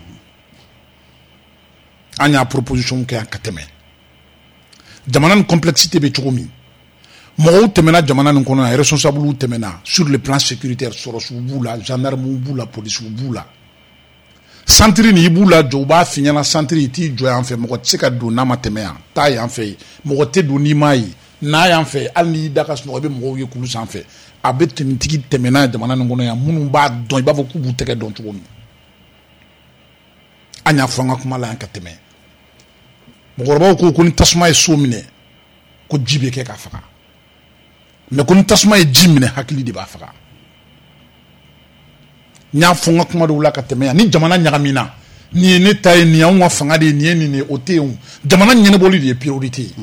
An y'a proposition kɛ yan ka tɛmɛ. Jamana nin complexité bɛ cogo min, mɔgɔw tɛmɛna jamana nin kɔnɔ yan, responsable tɛmɛna sur le plan sécuritaire, sɔrɔsiw b'u la, gendarmew b'u la, polisiw b'u la. Centre nin, i b'u la jɔ, u b'a f'i ɲɛna: centre, i t'i jɔ yan fɛ, mɔgɔ tɛ se ka don n'a ma tɛmɛ yan, taa yan fɛ yen, mɔgɔ tɛ don n'i m'a ye, n'a yan fɛ, hali n'i da ka sunɔgɔ, i bɛ mɔgɔw ye kulu sanfɛ. A bɛ tenitigi tɛmɛna jamana nin kɔnɔ yan, minnu b'a dɔn, i b'a fɔ k'u b'u tɛgɛ dɔn cogo min. An y'a fɔ an ka kuma la yan ka tɛmɛ, mɔgɔkɔrɔbaw ko ko ni tasuma ye so minɛ, ko ji bɛ kɛ k'a faga, mais ko ni tasuma ye ji minɛ, hakili de b'a faga. N y'a fɔ n ka kuma dɔw la ka tɛmɛ yan, ni jamana ɲagamina, nin ye ne ta ye, nin y'anw ka fanga de ye, nin ye nin ye, o tɛ yen o. Jamana ɲɛnabɔli de ye priorité ye.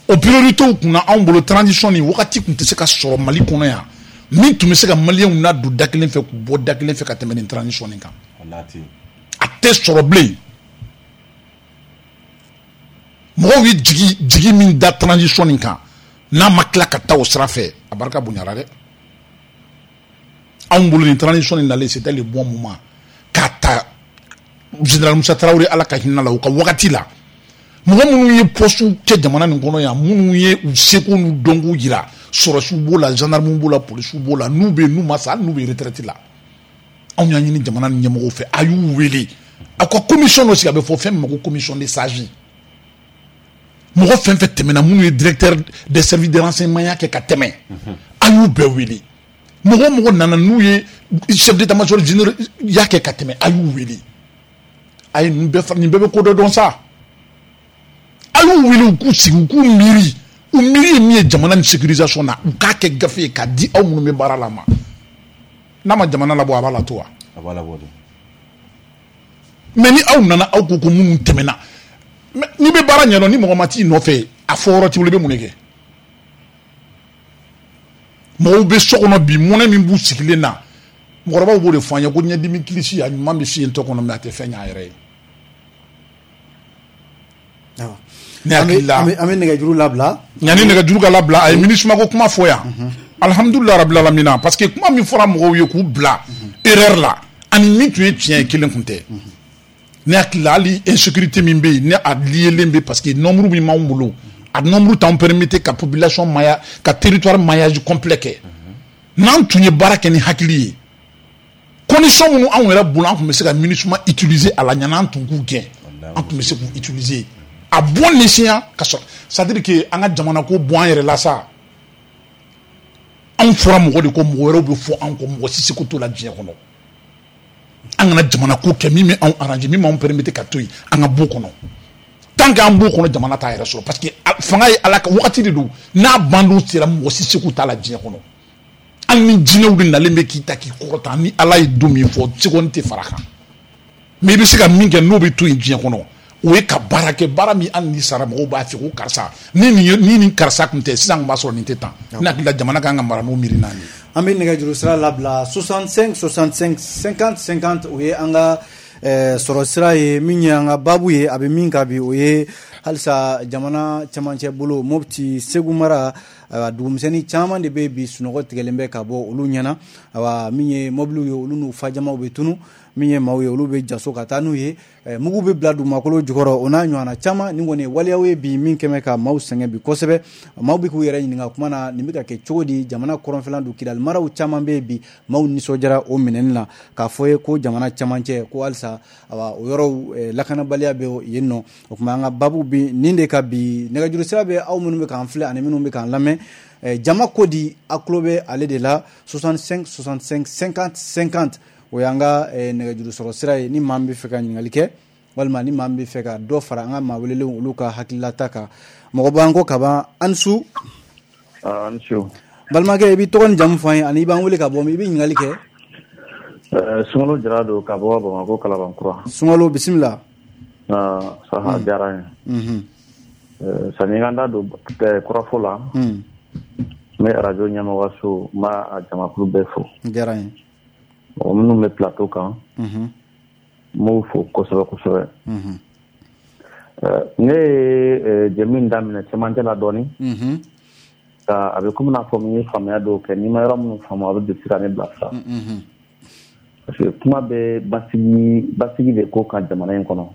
O priorité kunna, anw bolo, transition nin wagati tun tɛ se ka sɔrɔ Mali kɔnɔ yan min tun bɛ se ka maliyɛnw ladon da kelen fɛ k'u bɔ da kelen fɛ ka tɛmɛ nin transition nin kan. A tɛ sɔrɔ bilen. Mɔgɔw ye jigi min da transition nin kan, n'a ma tila ka taa o sira fɛ, a barika bonyara dɛ. Anw bolo, nin transition nin nalen, c'était le bon moment k'a ta général Musa Tarawele, Ala ka hinɛ la, u ka wagati la, mɔgɔ minnu ye poste kɛ jamana nin kɔnɔ yan, minnu ye u seko n'u dɔnko yira, sɔrɔsiw b'o la, gendarmew b'o la, polisiw b'o la, n'u bɛ yen, n'u ma sa, hali n'u bɛ retraite la, anw y'a ɲini jamana nin ɲɛmɔgɔw fɛ, a y'u wele, aw ka commission dɔ sigi, a bɛ fɔ fɛn min ma ko commission de sages. Mɔgɔ fɛn fɛn tɛmɛna, minnu ye directeur des services de renseignement ya kɛ ka tɛmɛ, a y'u bɛɛ wele. Mɔgɔ o mɔgɔ nana, n'u ye chef d'état-major général ya kɛ ka tɛmɛ, a y'u wele. A ye nin bɛɛ, nin bɛɛ bɛ ko dɔ dɔn sa. A y'u wele, u k'u sigi, u k'u miiri, u miiri ye min ye jamana ni sécurisation na, u k'a kɛ gafe ye k'a di aw minnu bɛ baara la ma. N'a ma jamana labɔ, a b'a la to wa? A b'a labɔ de. Mais ni aw nana, aw ko ko minnu tɛmɛna, n'i bɛ baara ɲɛdɔn, ni mɔgɔ ma t'i nɔfɛ, a fɔ yɔrɔ t'i bolo, i bɛ mun de kɛ? Mɔgɔw bɛ so kɔnɔ bi, mɔnɛ min b'u sigilen na, mɔgɔkɔrɔbaw b'o de fɔ an ye ko ɲɛdimi kilisi, a ɲuman bɛ fiyentɔ kɔnɔ, mais a tɛ fɛn ɲɛ a yɛrɛ ye. Ne hakili la, an bɛ nɛgɛjuru labila. Yanni nɛgɛjuru ka labila, a ye MINUSMA ko kuma fɔ yan. Alhamdulilah rabil alamina, parce que kuma min fɔra mɔgɔw ye k'u bila erreur la, ani min tun ye tiɲɛ ye, kelen tun tɛ. Ne hakili la, hali insécurité min bɛ yen, ne a liélen bɛ, parce que nombre min b'anw bolo, a nombre t'anw permettre ka population maya, ka territoire maillage complet kɛ. N'an tun ye baara kɛ ni hakili ye, condition minnu anw yɛrɛ bolo, an tun bɛ se ka MINUSMA utiliser a la ɲan'an tun k'u gɛn, an tun bɛ se k'u utiliser à bon escient ka sɔrɔ, c'est à dire que an ka jamana ko bɔ an yɛrɛ la sa. Anw fɔra mɔgɔ de ko, mɔgɔ wɛrɛw bɛ fɔ anw kɔ, mɔgɔ si seko t'o la diɲɛ kɔnɔ. An kana jamana ko kɛ min bɛ anw arranger, min b'anw permettre ka to yen, an ka b'o kɔnɔ. Tant que an b'o kɔnɔ, jamana t'a yɛrɛ sɔrɔ, parce que fanga ye Ala ka wagati de don, n'a bandon sera, mɔgɔ si seko t'a la diɲɛ kɔnɔ. Hali ni jinɛw de nalen bɛ k'i ta k'i kɔrɔta, ni Ala ye don min fɔ, seconde tɛ fara kan. Mais i bɛ se ka min kɛ n'o bɛ to yen diɲɛ kɔnɔ, o ye ka baara kɛ, baara min hali ni sara, mɔgɔw b'a fɛ ko karisa ni karisa tun tɛ, sisan tun b'a sɔrɔ nin tɛ tan. Ne hakili la, jamana kan ka mara n'o miiri naani. An bɛ nɛgɛjuru sira labila, 65 65 50 50, o ye an ka sɔrɔ sira ye. Min ye an ka baabu ye, a bɛ min kan bi, o ye halisa jamana cɛmancɛ bolo, Mopti, Segu mara, dugumisɛnnin caman de bɛ bi, sunɔgɔ tigɛlen bɛ ka bɔ olu ɲɛna. Awa, min ye mɔbiliw ye, olu n'u fajamaw bɛ tunu, min ye maaw ye, olu bɛ jaso ka taa n'u ye, mugu bɛ bila dugumakolo jukɔrɔ, o n'a ɲɔgɔnna caman. Nin kɔni ye waleyaw ye bi min kɛmɛ ka maaw sɛgɛn bi kosɛbɛ. Maaw bɛ k'u yɛrɛ ɲininka kuma na, nin bɛ ka kɛ cogo di? Jamana kɔrɔnfɛla don, Kidali maraw caman bɛ yen bi, maaw nisɔndiyara o minɛni la, k'a fɔ ye ko jamana cɛmancɛ ko halisa, awa, o yɔrɔw lakanabaliya bɛ yen nɔ. O tuma, an ka baabu bi nin de ka bi. Nɛgɛjuru sira bɛ aw minnu bɛ k'an filɛ ani minnu bɛ k'an lamɛn, jama ko di, a tulo bɛ ale de la, 65 65 50 50, o y'an ka nɛgɛjuru sɔrɔ sira ye. Ni maa min bɛ fɛ ka ɲininkali kɛ, walima ni maa min bɛ fɛ ka dɔ fara an ka maa welelenw olu ka hakililata kan. Mɔgɔ b'an kɔ kaban. An su. An su. Balimakɛ, i b'i tɔgɔ ni jamu fɔ an ye, ani i b'an wele ka bɔ min, i bɛ ɲininkali kɛ. Sunkalo Jara don ka bɔ Bamakɔ Kalabankura. Sunkalo, bisimila. Saha, diyara n ye. Sani n ka n da don kɔrɔfɔ la, n bɛ arajo ɲɛmɔgɔso, n b'a a jamakulu bɛɛ fo. Diyara n ye. Mɔgɔ minnu bɛ plateau kan, n b'u fo kosɛbɛ kosɛbɛ. Ne ye jɛmu in daminɛ cɛmancɛ la dɔɔnin, a bɛ komi n'a fɔ n ye faamuya dɔw kɛ, n'i ma yɔrɔ minnu faamu, a bɛ se ka ne bilasira, parce que kuma bɛ basigi de ko kan jamana in kɔnɔ.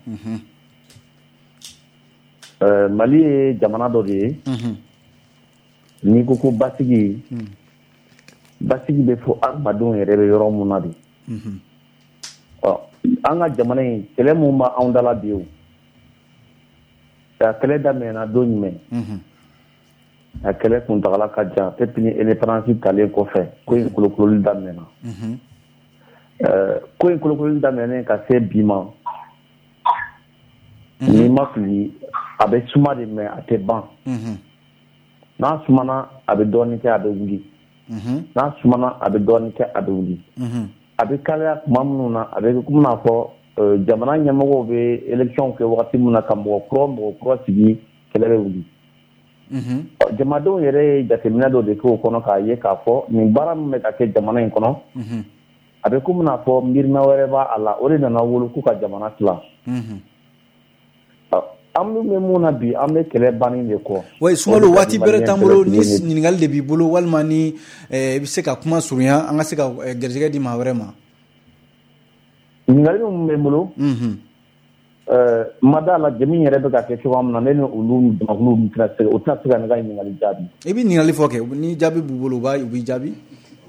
Mali ye jamana dɔ de ye, n'i ko ko basigi, basigi bɛ fɔ adamadenw yɛrɛ bɛ yɔrɔ mun na de. Ɔ, an ka jamana in, kɛlɛ mun b'anw da la bi, o a kɛlɛ daminɛna don jumɛn? A kɛlɛ kuntagala ka jan. Depuis ni indépendance talen kɔfɛ, ko in kolokololi daminɛna. Ko in kolokololi daminɛnen ka se bi ma, n'i ma fili, a bɛ suma de, mais a tɛ ban. N'a sumana, a bɛ dɔɔnin kɛ, a bɛ wuli. N'a sumana, a bɛ dɔɔnin kɛ, a bɛ wuli. A bɛ kalaya tuma minnu na, a bɛ komi n'a fɔ jamana ɲɛmɔgɔw bɛ élection kɛ wagati min na, ka mɔgɔ kura sigi, kɛlɛ bɛ wuli. Jamadenw yɛrɛ ye jateminɛ dɔ de kɛ o kɔnɔ, k'a ye k'a fɔ nin baara min bɛ ka kɛ jamana in kɔnɔ, a bɛ komi n'a fɔ miirina wɛrɛ b'a la. O de nana wolo k'u ka jamana tila. An bɛ mun na bi? An bɛ kɛlɛ banni de kɔ. Oui, Sunkalo, waati bɛrɛ t'an bolo. Ni ɲininkali de b'i bolo, walima ni i bɛ se ka kuma surunya, an ka se ka garijɛgɛ di maa wɛrɛ ma. Ɲininkali min bɛ n bolo, ma da la jɛmu yɛrɛ bɛ ka kɛ cogoya min na, ne ni olu jamakulu tɛna se, o tɛna se ka ne ka ɲininkali jaabi. I bɛ ɲininkali fɔ kɛ, ni jaabi b'u bolo, u b'i jaabi.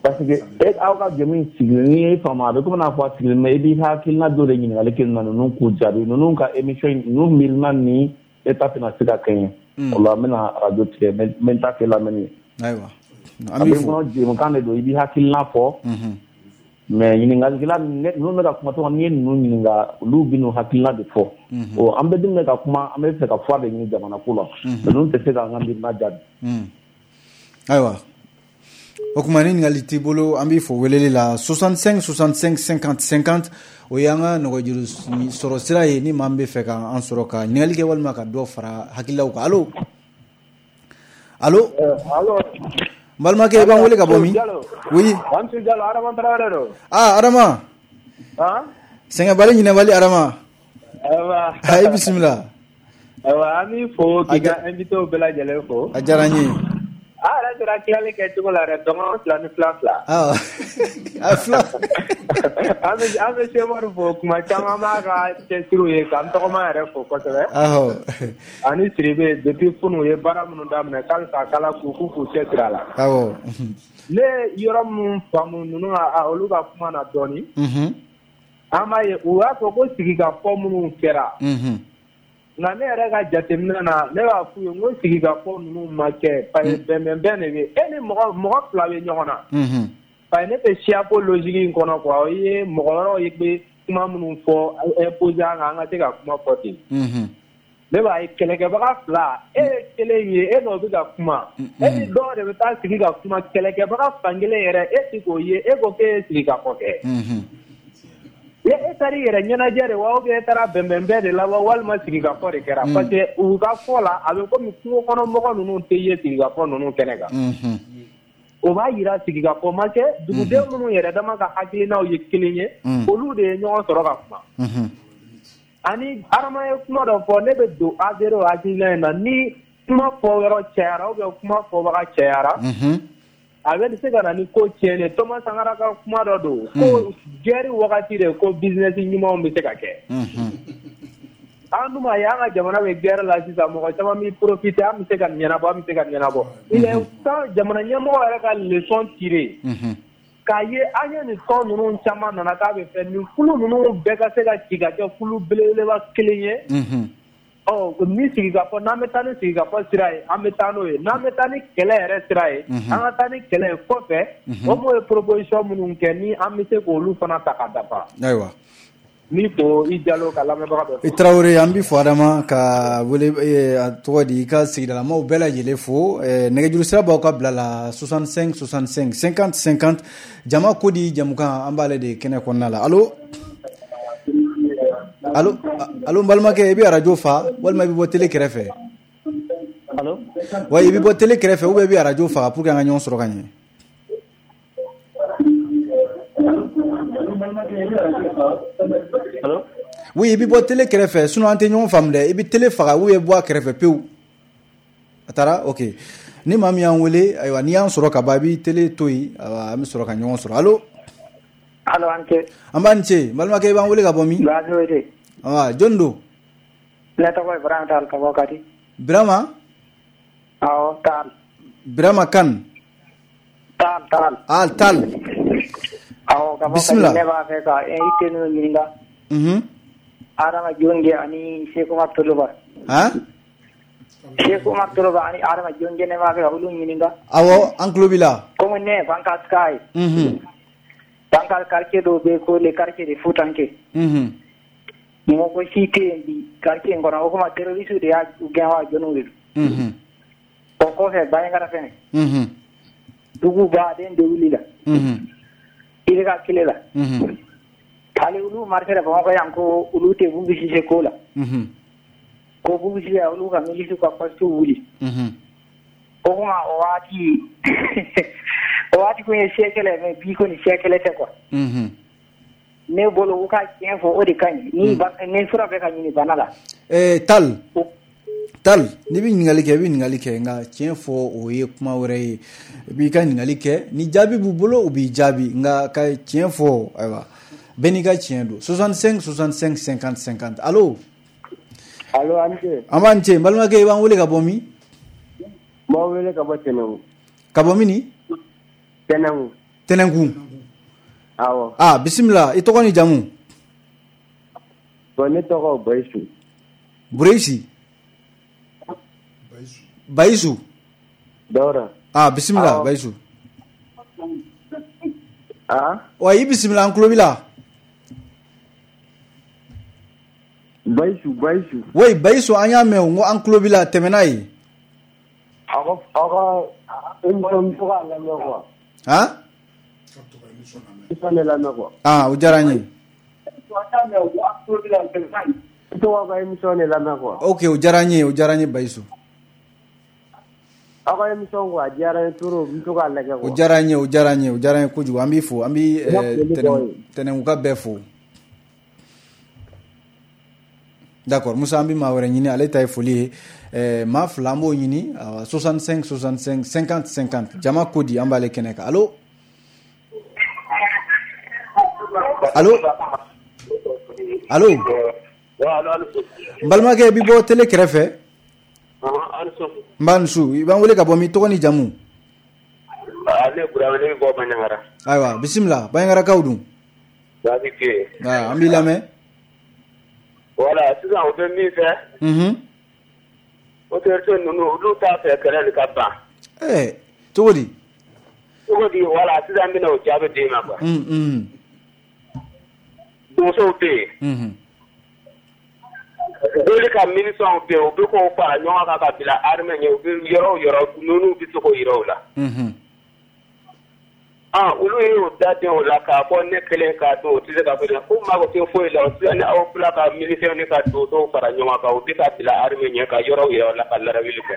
Parce que e aw ka jɛmu in sigilen, n'i ye faamu, a bɛ komi n'a fɔ a sigilen bɛ, i b'i hakilina dɔ de ɲininkali kɛ na, ninnu k'u jaabi, ninnu ka émission, ninnu miirina ni e ta tɛna se ka kɛɲɛ. O la n bɛna arajo tigɛ, n bɛ n ta kɛ lamɛnni ye. Ayiwa. A bɛ n kɔnɔ, jɛmukan de don, i b'i hakilina fɔ. Mais ɲininkalikɛla ninnu bɛ ka kuma tɔgɔ n'i ye ninnu ɲininka olu bɛ n'u hakilina de fɔ. Ɔ an bɛɛ dun bɛ ka kuma an bɛ fɛ ka fura de ɲini jamana ko la. Ninnu tɛ se k'an ka miirina jaabi. Ayiwa. O kuma ni ɲininkali t'i bolo an b'i fo weleli la 65 65 50 50 o y'an ka nɛgɛjuru sɔrɔ sira ye ni maa min bɛ fɛ k'an sɔrɔ ka ɲininkali kɛ walima ka dɔ fara hakililaw kan. Allo allo. Allo. N balimakɛ i b'an wele ka bɔ min? Oui. Amsu Jalo Adama Tarawele don. Ah Adama. Han? Sɛgɛnbali ɲinɛbali Adama. Ayiwa. I bisimila. Ayiwa an b'i fo k'i ka invité bɛɛ lajɛlen fo. A diyara n ye. A yɛrɛ sera tilali kɛ cogo la dɛ dɔgɔnɔ 2 ni fila 2. A fila. An bɛ Sɛmari fo kuma caman b'a ka cɛsiriw ye k'an tɔgɔma yɛrɛ fo kosɛbɛ. Awɔ. Ani Siribe depuis kunun u ye baara minnu daminɛ k'alisa k'Ala k'u k'u cɛsiri a la. Awɔ. Ne yɔrɔ minnu faamu ninnu olu ka kuma na dɔɔnin. An b'a ye u y'a fɔ ko sigikafɔ minnu kɛra. Nka ne yɛrɛ ka jateminɛ na ne b'a f'u ye n ko sigikafɔ ninnu ma kɛ parce que bɛnbɛnbɛn de bɛ e ni mɔgɔ fila bɛ ɲɔgɔn na. Parce que ne tɛ siyako logique in kɔnɔ quoi o ye mɔgɔ wɛrɛw ye bɛ kuma minnu fɔ imposer an kan an ka se ka kuma fɔ ten. Ne b'a ye kɛlɛkɛbaga fila e ye kelen ye e n'o bɛ ka kuma e ni dɔw de bɛ taa sigi ka kuma kɛlɛkɛbaga fankelen yɛrɛ e ti k'o ye e ko k'e ye sigikafɔ kɛ. E taara i yɛrɛ ɲɛnajɛ de wa ou bien e taara bɛnbɛnbɛn de la wa walima sigikafɔ de kɛra parce que u ka fɔ la a bɛ komi kungo kɔnɔ mɔgɔ ninnu tɛ ye sigikafɔ ninnu kɛnɛ kan. O b'a jira sigikafɔ ma kɛ duguden minnu yɛrɛ dama ka hakilinaw ye kelen ye olu de ye ɲɔgɔn sɔrɔ ka kuma. Ani Adama ye kuma dɔ fɔ ne bɛ don adhéré o hakilina in na ni kuma fɔ yɔrɔ cayara ou bien kuma fɔbaga cayara. A bɛ se ka na ni ko tiɲɛnen Thomas Sankara ka kuma dɔ don ko guerre wagati de ko business ɲumanw bɛ se ka kɛ. An dun b'a ye an ka jamana bɛ guerre la sisan mɔgɔ caman bɛ profiter an bɛ se ka nin ɲɛnabɔ an bɛ se ka nin ɲɛnabɔ. Il est temps jamana ɲɛmɔgɔ yɛrɛ ka leçon tirer. K'a ye an ye nin tɔn ninnu caman nana k'a bɛ fɛ nin kulu ninnu bɛɛ ka se ka ci ka kɛ kulu belebeleba kelen ye. Ɔ ni sigikafɔ n'an bɛ taa ni sigikafɔ sira ye an bɛ taa n'o ye n'an bɛ taa ni kɛlɛ yɛrɛ sira ye an ka taa ni kɛlɛ ye kɔfɛ o m'o ye proposition minnu kɛ ni an bɛ se k'olu fana ta ka dafa. Ayiwa. N fo i Jalo ka lamɛnbaga bɛɛ fo. I Tarawele an b'i fo Adama ka wele a tɔgɔ di i ka sigidalamaw bɛɛ lajɛlen fo nɛgɛjuru sira b'aw ka bila la 65 65 50 50 jama ko di jamukan an b'ale de kɛnɛ kɔnɔna la. Allo. Allo allo n balimakɛ i bɛ arajo fa walima i bɛ bɔ télé kɛrɛfɛ. Allo. Wa i bɛ bɔ télé kɛrɛfɛ ou bien i bɛ arajo faga pour que an ka ɲɔgɔn sɔrɔ ka ɲɛ. Allo. Oui, i bɛ bɔ télé kɛrɛfɛ sinon an tɛ ɲɔgɔn faamu dɛ i bɛ télé faga ou bien bɔ a kɛrɛfɛ pewu. A taara ok ni maa min y'an wele ayiwa n'i y'an sɔrɔ ka ban i bɛ télé to yen ayiwa an bɛ sɔrɔ ka ɲɔgɔn sɔrɔ. Allo. Allo an cɛ. An b'a ni ce n balimakɛ i b'an wele ka bɔ min? Baasi. Awa jɔn don? Ne tɔgɔ ye Birama Tall ka bɔ Kati. Birama? Awɔ Tall. Birama Kane. Tall Tall. Ah Tall. Awɔ ka bɔ Kati ne b'a fɛ ka invité ninnu ɲininka. Adama Jonge ani Seku Umar Toloba. Han? Seku Umar Toloba ani Adama Jonge ne b'a fɛ ka olu ɲininka. Awɔ an tulo b'i la. Komi ne ye Bankas ka ye. Bankas quartier dɔw bɛ yen ko le quartier de Futanke. Mɔgɔ si tɛ yen bi quartier in kɔnɔ o kuma terroriste de y'a gɛn wa jɔnniw de don. O kɔfɛ Banjagara fɛnɛ. Dugu baden de wulila. I bɛ ka kile la. Hali olu marché la Bamakɔ yan ko olu tɛ Bubu Sise ko la. Ko Bubu Sise olu ka milice ka poste wuli. O kuma o waati o waati kun ye siècle ye mais bi kɔni siècle tɛ quoi. Ne bolo u ka tiɲɛ fɔ o de ka ɲi ni fura bɛ ka ɲini bana la. Tall Tall n'i bɛ ɲininkali kɛ i bɛ ɲininkali kɛ nka tiɲɛ fɔ o ye kuma wɛrɛ ye i b'i ka ɲininkali kɛ ni jaabi b'u bolo u b'i jaabi nka ka tiɲɛ fɔ ayiwa bɛɛ n'i ka tiɲɛ don 65 65 50 50. Allo. Allo an ce. An b'an ce n balimakɛ i b'an wele ka bɔ min? N b'aw wele ka bɔ Tɛnɛnku. Ka bɔ min ni? Tɛnɛnku. Tɛnɛnku. Awɔ. Ah bisimila i tɔgɔ ni jamu? Bon ne tɔgɔ Bayisu. Bureyisi. Bayisu. Dawuda. Ah bisimila Bayisu. Ah? Wa i bisimila, an tulo b'i la. Bayisu, Bayisu. Oui, Bayisu, an y'a mɛn o, n ko an tulo b'i la, tɛmɛ n'a ye. Aw ka émission, n bɛ to k'a lamɛn quoi. Han? Émission de lamɛn quoi. Ah, o diyara n ye. N bɛ to k'aw ka émission de lamɛn quoi. Ok, o diyara n ye, o diyara n ye, Bayisu. Aw ka émission quoi, a diyara n ye trop, n bɛ to k'a lajɛ quoi. O diyara n ye, o diyara n ye, o diyara n ye kojugu. An b'i fo, an b'i Tɛnɛnkuka bɛɛ fo. D'accord, Musa, an bɛ maa wɛrɛ ɲini, ale ta ye foli ye. Maa fila an b'o ɲini, 65 65 50 50. Jama ko di, an b'ale kɛnɛ kan. Allo, allo, allo. N balimakɛ, i bɛ bɔ télé kɛrɛfɛ. N b'a nusu, i b'an wele ka bɔ min, tɔgɔ ni jamu? Ale Burama, ne bɛ bɔ Bandiagara. Ayiwa, bisimila, Bandiagarakaw dun? Baasi tɛ yen. An b'i lamɛn. Voilà, sisan o bɛ min fɛ. Autorité ninnu, olu t'a fɛ kɛlɛ nin ka ban. Ɛɛ, cogo di? Cogo di, voilà, sisan n bɛna o jaabi d'e ma quoi. Donsow bɛ yen. Joli ka miliciens bɛ yen, u bɛ k'o fara ɲɔgɔn kan ka bila armée ɲɛ, u bɛ yɔrɔ o yɔrɔ, ninnu bɛ se k'o yira u la. Ah, olu y'o da den o la k'a fɔ ne kelen k'a don, o tɛ se ka fɔ ko mago tɛ foyi la, o sisan ni aw fila ka miliciens ni ka donsow fara ɲɔgɔn kan, u bɛ ka bila armée ɲɛ ka yɔrɔ yira u la ka larawuli kɛ.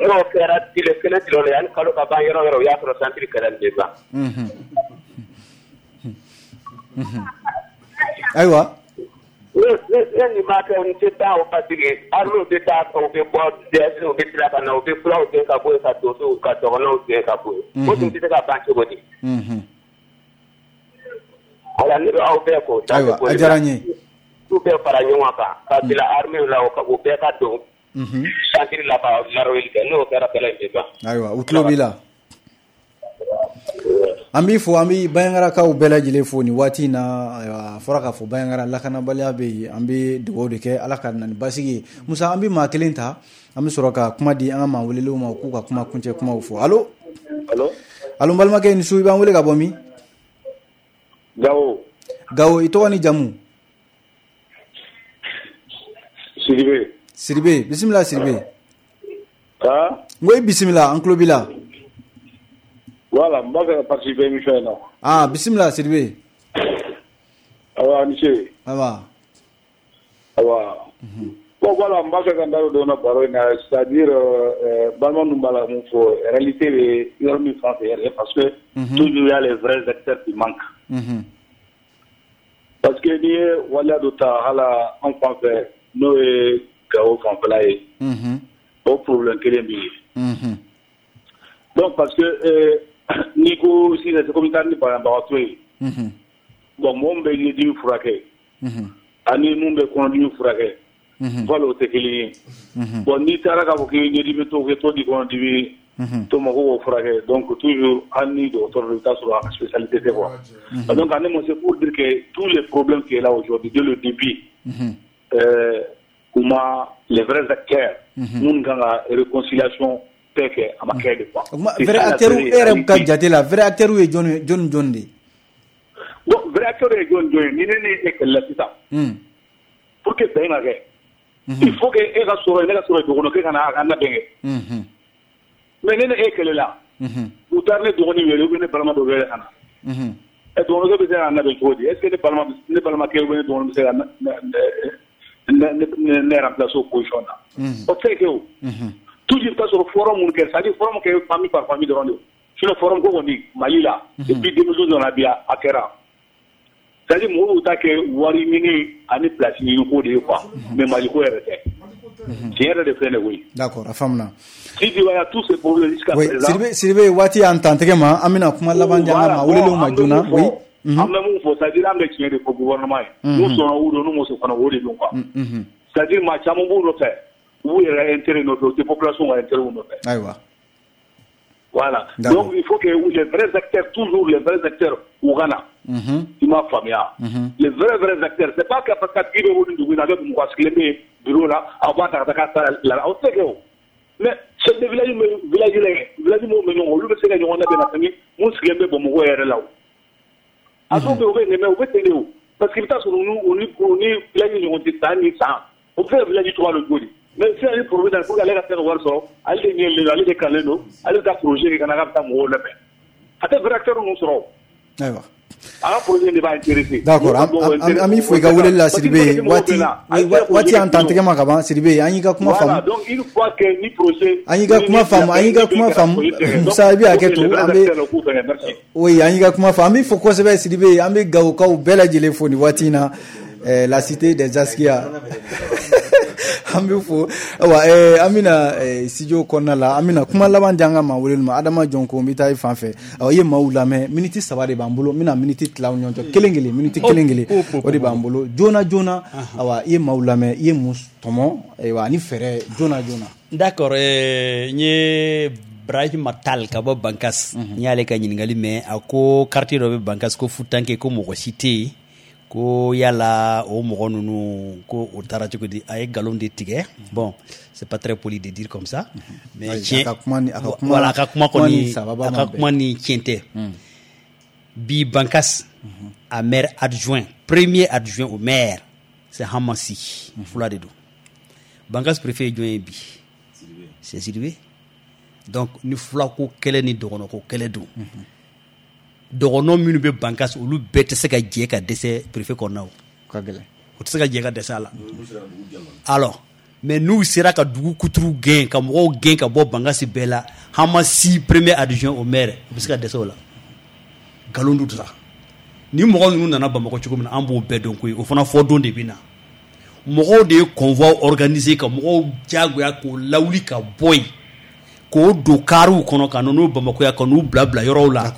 N'o kɛra tile kelen tile la, yanni kalo ka ban, yɔrɔ yɔrɔ, o y'a sɔrɔ centre kɛlɛ nin bɛ ban. Ayiwa. Ne nin b'a kɛ, n tɛ taa o, parce que armée bɛ taa, u bɛ bɔ DSP, u bɛ tila ka na, u bɛ fulaw gɛn ka bɔ yen, ka donsow ka dɔgɔnɔw gɛn ka bɔ yen. O dun tɛ se ka ban cogo di? Voilà, ne bɛ aw bɛɛ fo. Ayiwa, a diyara n ye. K'u bɛɛ fara ɲɔgɔn kan ka bila armée la, u bɛɛ ka don centre la ka larawuli kɛ, n'o kɛra kɛlɛ in bɛ ban. Ayiwa, u tulo b'i la. An b'i fo, an bɛ Bandiagarakaw bɛɛ lajɛlen fo nin waati in na. Ayiwa, a fɔra k'a fɔ Bandiagara lakanabaliya bɛ yen, an bɛ dugawu de kɛ Ala ka na ni basigi ye. Musa, an bɛ maa kelen ta, an bɛ sɔrɔ ka kuma di an ka maa welelenw ma, k'u ka kuma kuncɛ kumaw fɔ. Allo, allo, n balimakɛ, ni su, i b'an wele ka bɔ min? Gawo. Gawo, i tɔgɔ ni jamu? Sidibe. Sidibe, bisimila Sidibe. Ah? N ko i bisimila, an tulo b'i la. Voilà, n b'a fɛ ka participer émission in na. Ah, bisimila Sidibe. Awa, ni ce. Awa. Awa. Bon, voilà, n b'a fɛ ka n da don na baro in na, c'est-à-dire balima ninnu b'a la mun fɔ, réalité bɛ yɔrɔ min fan fɛ yɛrɛ, parce que toujours il y a les vrais acteurs qui manquent. Parce que n'i ye waleya dɔ ta hali an fan fɛ, n'o ye Gawo fanfɛla ye, o problème kelen bɛ yen. Donc parce que n'i ko sisan, c'est comme i taara ni banabagatɔ ye. Bon, mɔgɔ min bɛ ɲɛdimi furakɛ ani mun bɛ kɔnɔdimi furakɛ, voilà, o tɛ kelen ye. Bon, n'i taara k'a fɔ k'i ye ɲɛdimi tɔ kɛ tɔ di kɔnɔdimi to ma ko k'o furakɛ, donc toujours hali ni dɔgɔtɔrɔ don, i bɛ taa sɔrɔ a ka spécialité tɛ quoi. Donc en un mot, c'est pour dire que tous les problèmes qui est là aujourd'hui dès le début, kuma les vrais acteurs minnu kan ka réconciliation bɛɛ kɛ, a ma kɛ de quoi. Vrai acteur, e yɛrɛ ka jate la, vrai acteur ye jɔn jɔn jɔn de ye? Bon, vrai acteur ye jɔn jɔn ye? Ni ne ni e kɛlɛla sisan, pour que bɛn ka kɛ, il faut que e ka sɔrɔ yen, ne ka sɔrɔ yen, dɔgɔnɔ ka na a ka labɛn kɛ. Mais ne ni e kɛlɛla, u taara ne dɔgɔnin wele ou bien ne balima dɔ wele ka na, ɛ, dɔgɔnɔkɛ bɛ se k'a labɛn cogo di? Est ce que ne balima, ne balimakɛ ou bien ne dɔgɔnin bɛ se ka ne remplacer o position na? O tɛ se ka kɛ o. Toujours i bɛ taa sɔrɔ forum minnu kɛ, c'est à dire forum kɛ famille par famille dɔrɔn de. Sinon forum ko kɔni Mali la depuis 2012 nana bi, a kɛra, c'est à dire mɔgɔw b'u ta kɛ wari ɲini ani place ɲini ko de ye quoi, mais Mali ko yɛrɛ tɛ. Tiɲɛ yɛrɛ de filɛ nin ye koyi. D'accord, a faamuna. Si tu vois tous ces problèmes jusqu'à présent. Sidibe, Sidibe, waati y'an tantigɛ ma, an bɛna kuma laban di an ka maa welelenw ma joona. Oui. An bɛ mun fɔ, c'est à dire an bɛ tiɲɛ de fɔ gouvernement ye. N'u sɔnna o don, n'u ma sɔn fana, o de don quoi. C'est à dire maa caman b'u nɔfɛ, u b'u yɛrɛ intérêt nɔfɛ, u tɛ population ka intérêt nɔfɛ. Ayiwa. Voilà. Donc il faut que les vrais acteurs, toujours les vrais acteurs, u ka na. I m'a faamuya. Les vrais vrais acteurs, c'est pas que parce que tigi bɛ wuli dugu in na, a bɛ mɔgɔ sigilen bɛ bureau la, a b'a ta ka taa k'a la, o tɛ kɛ o. Mais chef de village village la village minnu bɛ ɲɔgɔn, olu bɛ se ka ɲɔgɔn labɛn ka tɛmɛ mun sigilen bɛ Bamakɔ yɛrɛ la o. A dɔw bɛ yen, u bɛ nɛmɛ, u bɛ ten de o, parce que i bɛ taa sɔrɔ u ni village ɲɔgɔn tɛ san ni san, o bɛ se ka village tɔgɔ dɔn cogo di? Mais sisan ni projet nana pour que ale ka se ka wari sɔrɔ, ale de ɲɛlen don, ale de kalanlen don, ale bɛ taa projet kɛ ka na k'a bɛ taa mɔgɔw labɛn, a tɛ vrai acteur ninnu sɔrɔ o. Ayiwa. A ka projet de b'a intéressé. D'accord, an b'i fo i ka weleli la Sidibe, waati y'an tan tɛgɛ ma ka ban Sidibe, an y'i ka kuma faamu. Voilà, donc une fois que ni projet. An y'i ka kuma faamu, an y'i ka kuma faamu. Musa, i bɛ hakɛ to, an bɛ. Oui, an y'i ka kuma faamu, an b'i fo kosɛbɛ Sidibe, an bɛ Gawokaw bɛɛ lajɛlen fo nin waati in na, la cité des Askia. An bɛ fo, ayiwa, an bɛna studio kɔnɔna la, an bɛna kuma laban di an ka maa weleli ma. Adama Jɔnko, n bɛ taa i fan fɛ. Ayiwa, i ye maaw lamɛn, miniti 3 de b'an bolo, n bɛna miniti tila aw ni ɲɔgɔn cɛ, kelen kelen, miniti kelen kelen, o de b'an bolo joona joona. Ayiwa, i ye maaw lamɛn, i ye mun tɔmɔ, ayiwa, ani fɛɛrɛ joona joona. D'accord, n ye Brahima Tall ka bɔ Bankas, n y'ale ka ɲininkali mɛn. A ko quartier dɔ bɛ Bankas ko Futanke, ko mɔgɔ si tɛ yen, ko yala o mɔgɔ ninnu ko o taara cogo di? A ye nkalon de tigɛ. Bon, c'est pas très poli de dire comme ça, mais tiɲɛ, voilà, a ka kuma kɔni, a ka kuma ni tiɲɛ tɛ. Bi Bankas, a maire adjoint, premier adjoint au maire, c'est Hamassi, fula de don. Bankas préfet ye jɔn ye bi? C'est Sidibé. Donc ni fula ko kɛlɛ ni dɔgɔnɔ ko kɛlɛ don, dɔgɔnɔ minnu bɛ Bankas, olu bɛɛ tɛ se ka jɛ ka dɛsɛ préfet kɔnɔna o. Ka gɛlɛn. O tɛ se ka jɛ ka dɛsɛ a la. Alors, mais n'u sera ka dugu kuturu gɛn, ka mɔgɔw gɛn ka bɔ Bankasi bɛɛ la, Hamassi premier adjoint au maire, u bɛ se ka dɛsɛ o la. Nkalon dun sa. Ni mɔgɔ ninnu nana Bamakɔ cogo min na, an b'o bɛɛ dɔn koyi, o fana fɔ don de bɛ na. Mɔgɔw de ye convoi organisé ka mɔgɔw diyagoya k'o lawuli ka bɔ yen, k'o don kariw kɔnɔ ka na n'o Bamakɔ yan, ka n'u bila bila yɔrɔw la.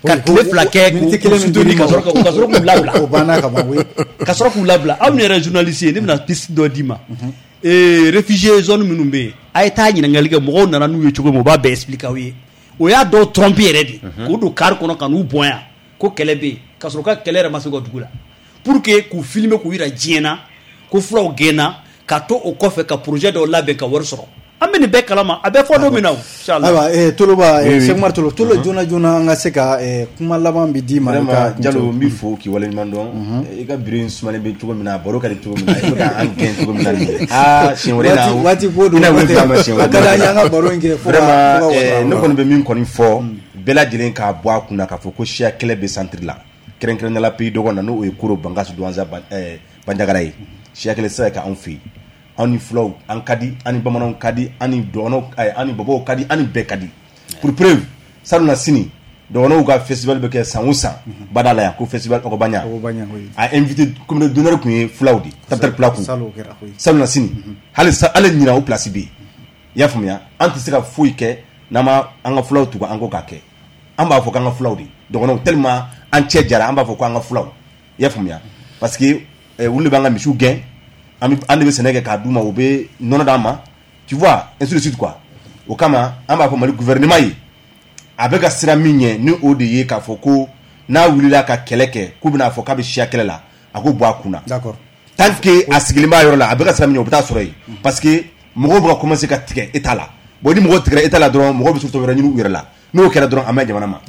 Ka tile 2 kɛ k'u sutoni, ka sɔrɔ k'u labila. O banna ka ban, oui. Ka sɔrɔ k'u labila. Aw yɛrɛ journaliste ye, ne bɛna piste dɔ d'i ma. Réfugié zone minnu bɛ yen, a ye taa ɲininkali kɛ mɔgɔw nana n'u ye cogo min, u b'a bɛɛ expliquer aw ye. O y'a dɔw tromper yɛrɛ de, k'o don car kɔnɔ ka n'u bɔn yan ko kɛlɛ bɛ yen, ka sɔrɔ ka kɛlɛ yɛrɛ ma se u ka dugu la, pour que k'u filmer k'u yira diɲɛ na ko fulaw gɛnna, ka to o kɔfɛ ka projet dɔw labɛn ka wari sɔrɔ. An bɛ nin bɛɛ kalama, a bɛ fɔ don min na o, inchallah. Ayiwa, Toloba, Cheikh Umar Tolo, Tolo, joona joona an ka se ka kuma laban bi d'i ma. Vraiment Jalo, n b'i fo k'i waleɲuman dɔn. I ka bureau in sumalen bɛ cogo min na, baro ka di cogo min na, i bɛ ka an gɛn cogo min na nin ye. Aa, siɲɛ wɛrɛ na, waati ko don, a ka d'an ye an ka baro in kɛ fo ka. Vraiment, ne kɔni bɛ min kɔni fɔ, bɛɛ lajɛlen k'a bɔ a kunna k'a fɔ ko siya kɛlɛ bɛ centre la, kɛrɛnkɛrɛnnenya la pays dɔgɔ na, n'o ye Koro, Bankas, Douentza, Bandiagara ye. Siya kɛlɛ tɛ se ka kɛ anw fɛ yen. An ni fulaw an ka di, an ni bamananw ka di, an ni dɔgɔnɔw, an ni bɔbɔw ka di, an ni bɛɛ ka di. Pour preuve, salon na sini dɔgɔnɔw ka festival bɛ kɛ san o san bada la yan, ko festival Ɔgɔbaɲa. A invité communauté d'honneur tun ye fulaw de, Tapitali Pulaku. Salon na sini hali ɲinan o place bɛ yen. I y'a faamuya, an tɛ se ka foyi kɛ n'an ma an ka fulaw tugu an kɔ k'a kɛ. An b'a fɔ k'an ka fulaw de, dɔgɔnɔw, tellement an cɛ jara, an b'a fɔ k'an ka fulaw. I y'a faamuya, parce que olu de b'an ka misiw gɛn, an de bɛ sɛnɛ kɛ k'a d'u ma, u bɛ nɔnɔ d'an ma, tu vois, ainsi de suite quoi. O kama an b'a fɔ Mali gouvernement ye, a bɛ ka sira min ɲɛ, ni o de ye k'a fɔ ko n'a wulila ka kɛlɛ kɛ, k'u bɛna fɔ k'a bɛ siya kɛlɛ la, a k'o bɔ a kunna. D'accord. Tant que a sigilen b'a yɔrɔ la, a bɛ ka sira min ɲɛ, o bɛ taa sɔrɔ yen, parce que mɔgɔw bɛ ka commencer ka tigɛ état la. Bon, ni mɔgɔw tigɛra état la dɔrɔn, mɔgɔw bɛ solution wɛrɛ ɲini u yɛrɛ la. N'o kɛra dɔrɔn, a ma ɲi jamana ma.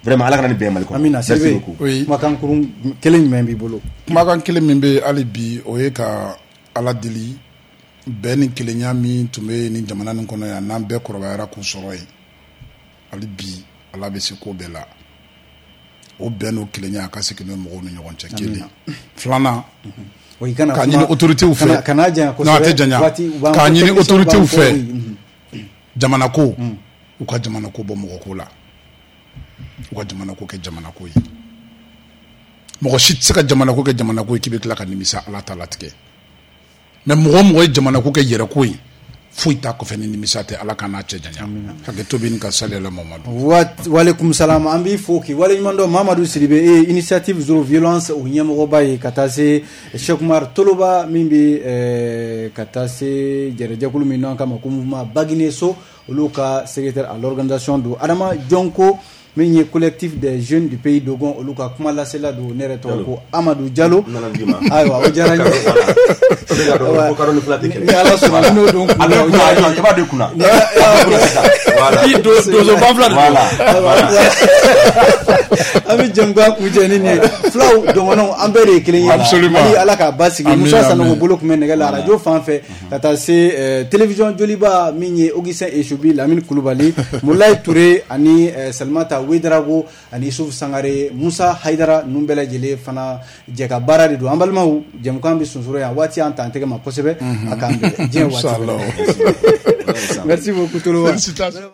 Vraiment, Ala kana nin bɛn Mali kɔnɔ. Amina. Merci beaucoup. Kumakan kurun kelen jumɛn b'i bolo? Kumakan kelen min bɛ hali bi, o ye ka Ala deli, bɛn ni kelenya min tun bɛ nin jamana nin kɔnɔ yan, n'an bɛɛ kɔrɔbayara k'u sɔrɔ yen, hali bi Ala bɛ se ko bɛɛ la. O bɛn n'o kelenya a ka segin n'o mɔgɔw ni ɲɔgɔn cɛ. Kelen filanan, k'a ɲini autorités fɛ, kana janya kosɛbɛ, a tɛ janya, k'a ɲini autorités fɛ, jamana ko, u ka jamana ko bɔ mɔgɔ ko la, u ka jamana ko kɛ jamana ko ye. Mɔgɔ si tɛ se ka jamana ko kɛ jamana ko ye k'i bɛ tila ka nimisa Ala ta latigɛ. Mais mɔgɔ mɔgɔ ye jamana ko kɛ yɛrɛ ko ye, foyi t'a kɔfɛ ni nimisa tɛ. Ala ka n'a cɛ janya. Hakɛto bɛ nin ka sali la Mamadu. Walekum salam, an b'i fo k'i waleɲuman dɔn. Mamadu Sidibe, e initiative zéro violence o ɲɛmɔgɔba ye, ka taa se Cheikh Umar Toloba min bɛ ka taa se jɛrɛjɛkulu min n'an kama ko mouvement Bagineso, olu ka secrétaire à l'organisation don. Adama Jɔnko Min ye Collectif des jeunes du pays Dogon, olu ka kuma lasela don. Ne yɛrɛ tɔgɔ ko Amadu Jalo. Ayiwa, o diyara n ye. Ni Ala sɔnna, n'o don kun na, o diyara n ye. I b'a don kunna. Donso banfula de don. An bɛ jɛmukan kuncɛ ni nin ye. Fulaw, dɔgɔnɔw, an bɛɛ de ye kelen ye. Absolument. Hali Ala k'a basigi. Amin, Musa Sanogo amin. bolo tun bɛ nɛgɛ la arajo fan fɛ, ka taa se télévision Joliba, min ye Augustin Esubi, Lamine Kulubali, Mulayi Ture ani Salimata Wedarago ani Isuf Sangare, Musa Hayidara, ninnu bɛɛ lajɛlen fana jɛ ka baara de don. An balimaw, jɛmukan bɛ sonsoro yan, waati y'an ta an tɛgɛ ma kosɛbɛ. A k'an bɛn diɲɛ waati wɛrɛ. Merci beaucoup Toloba. Félicitations.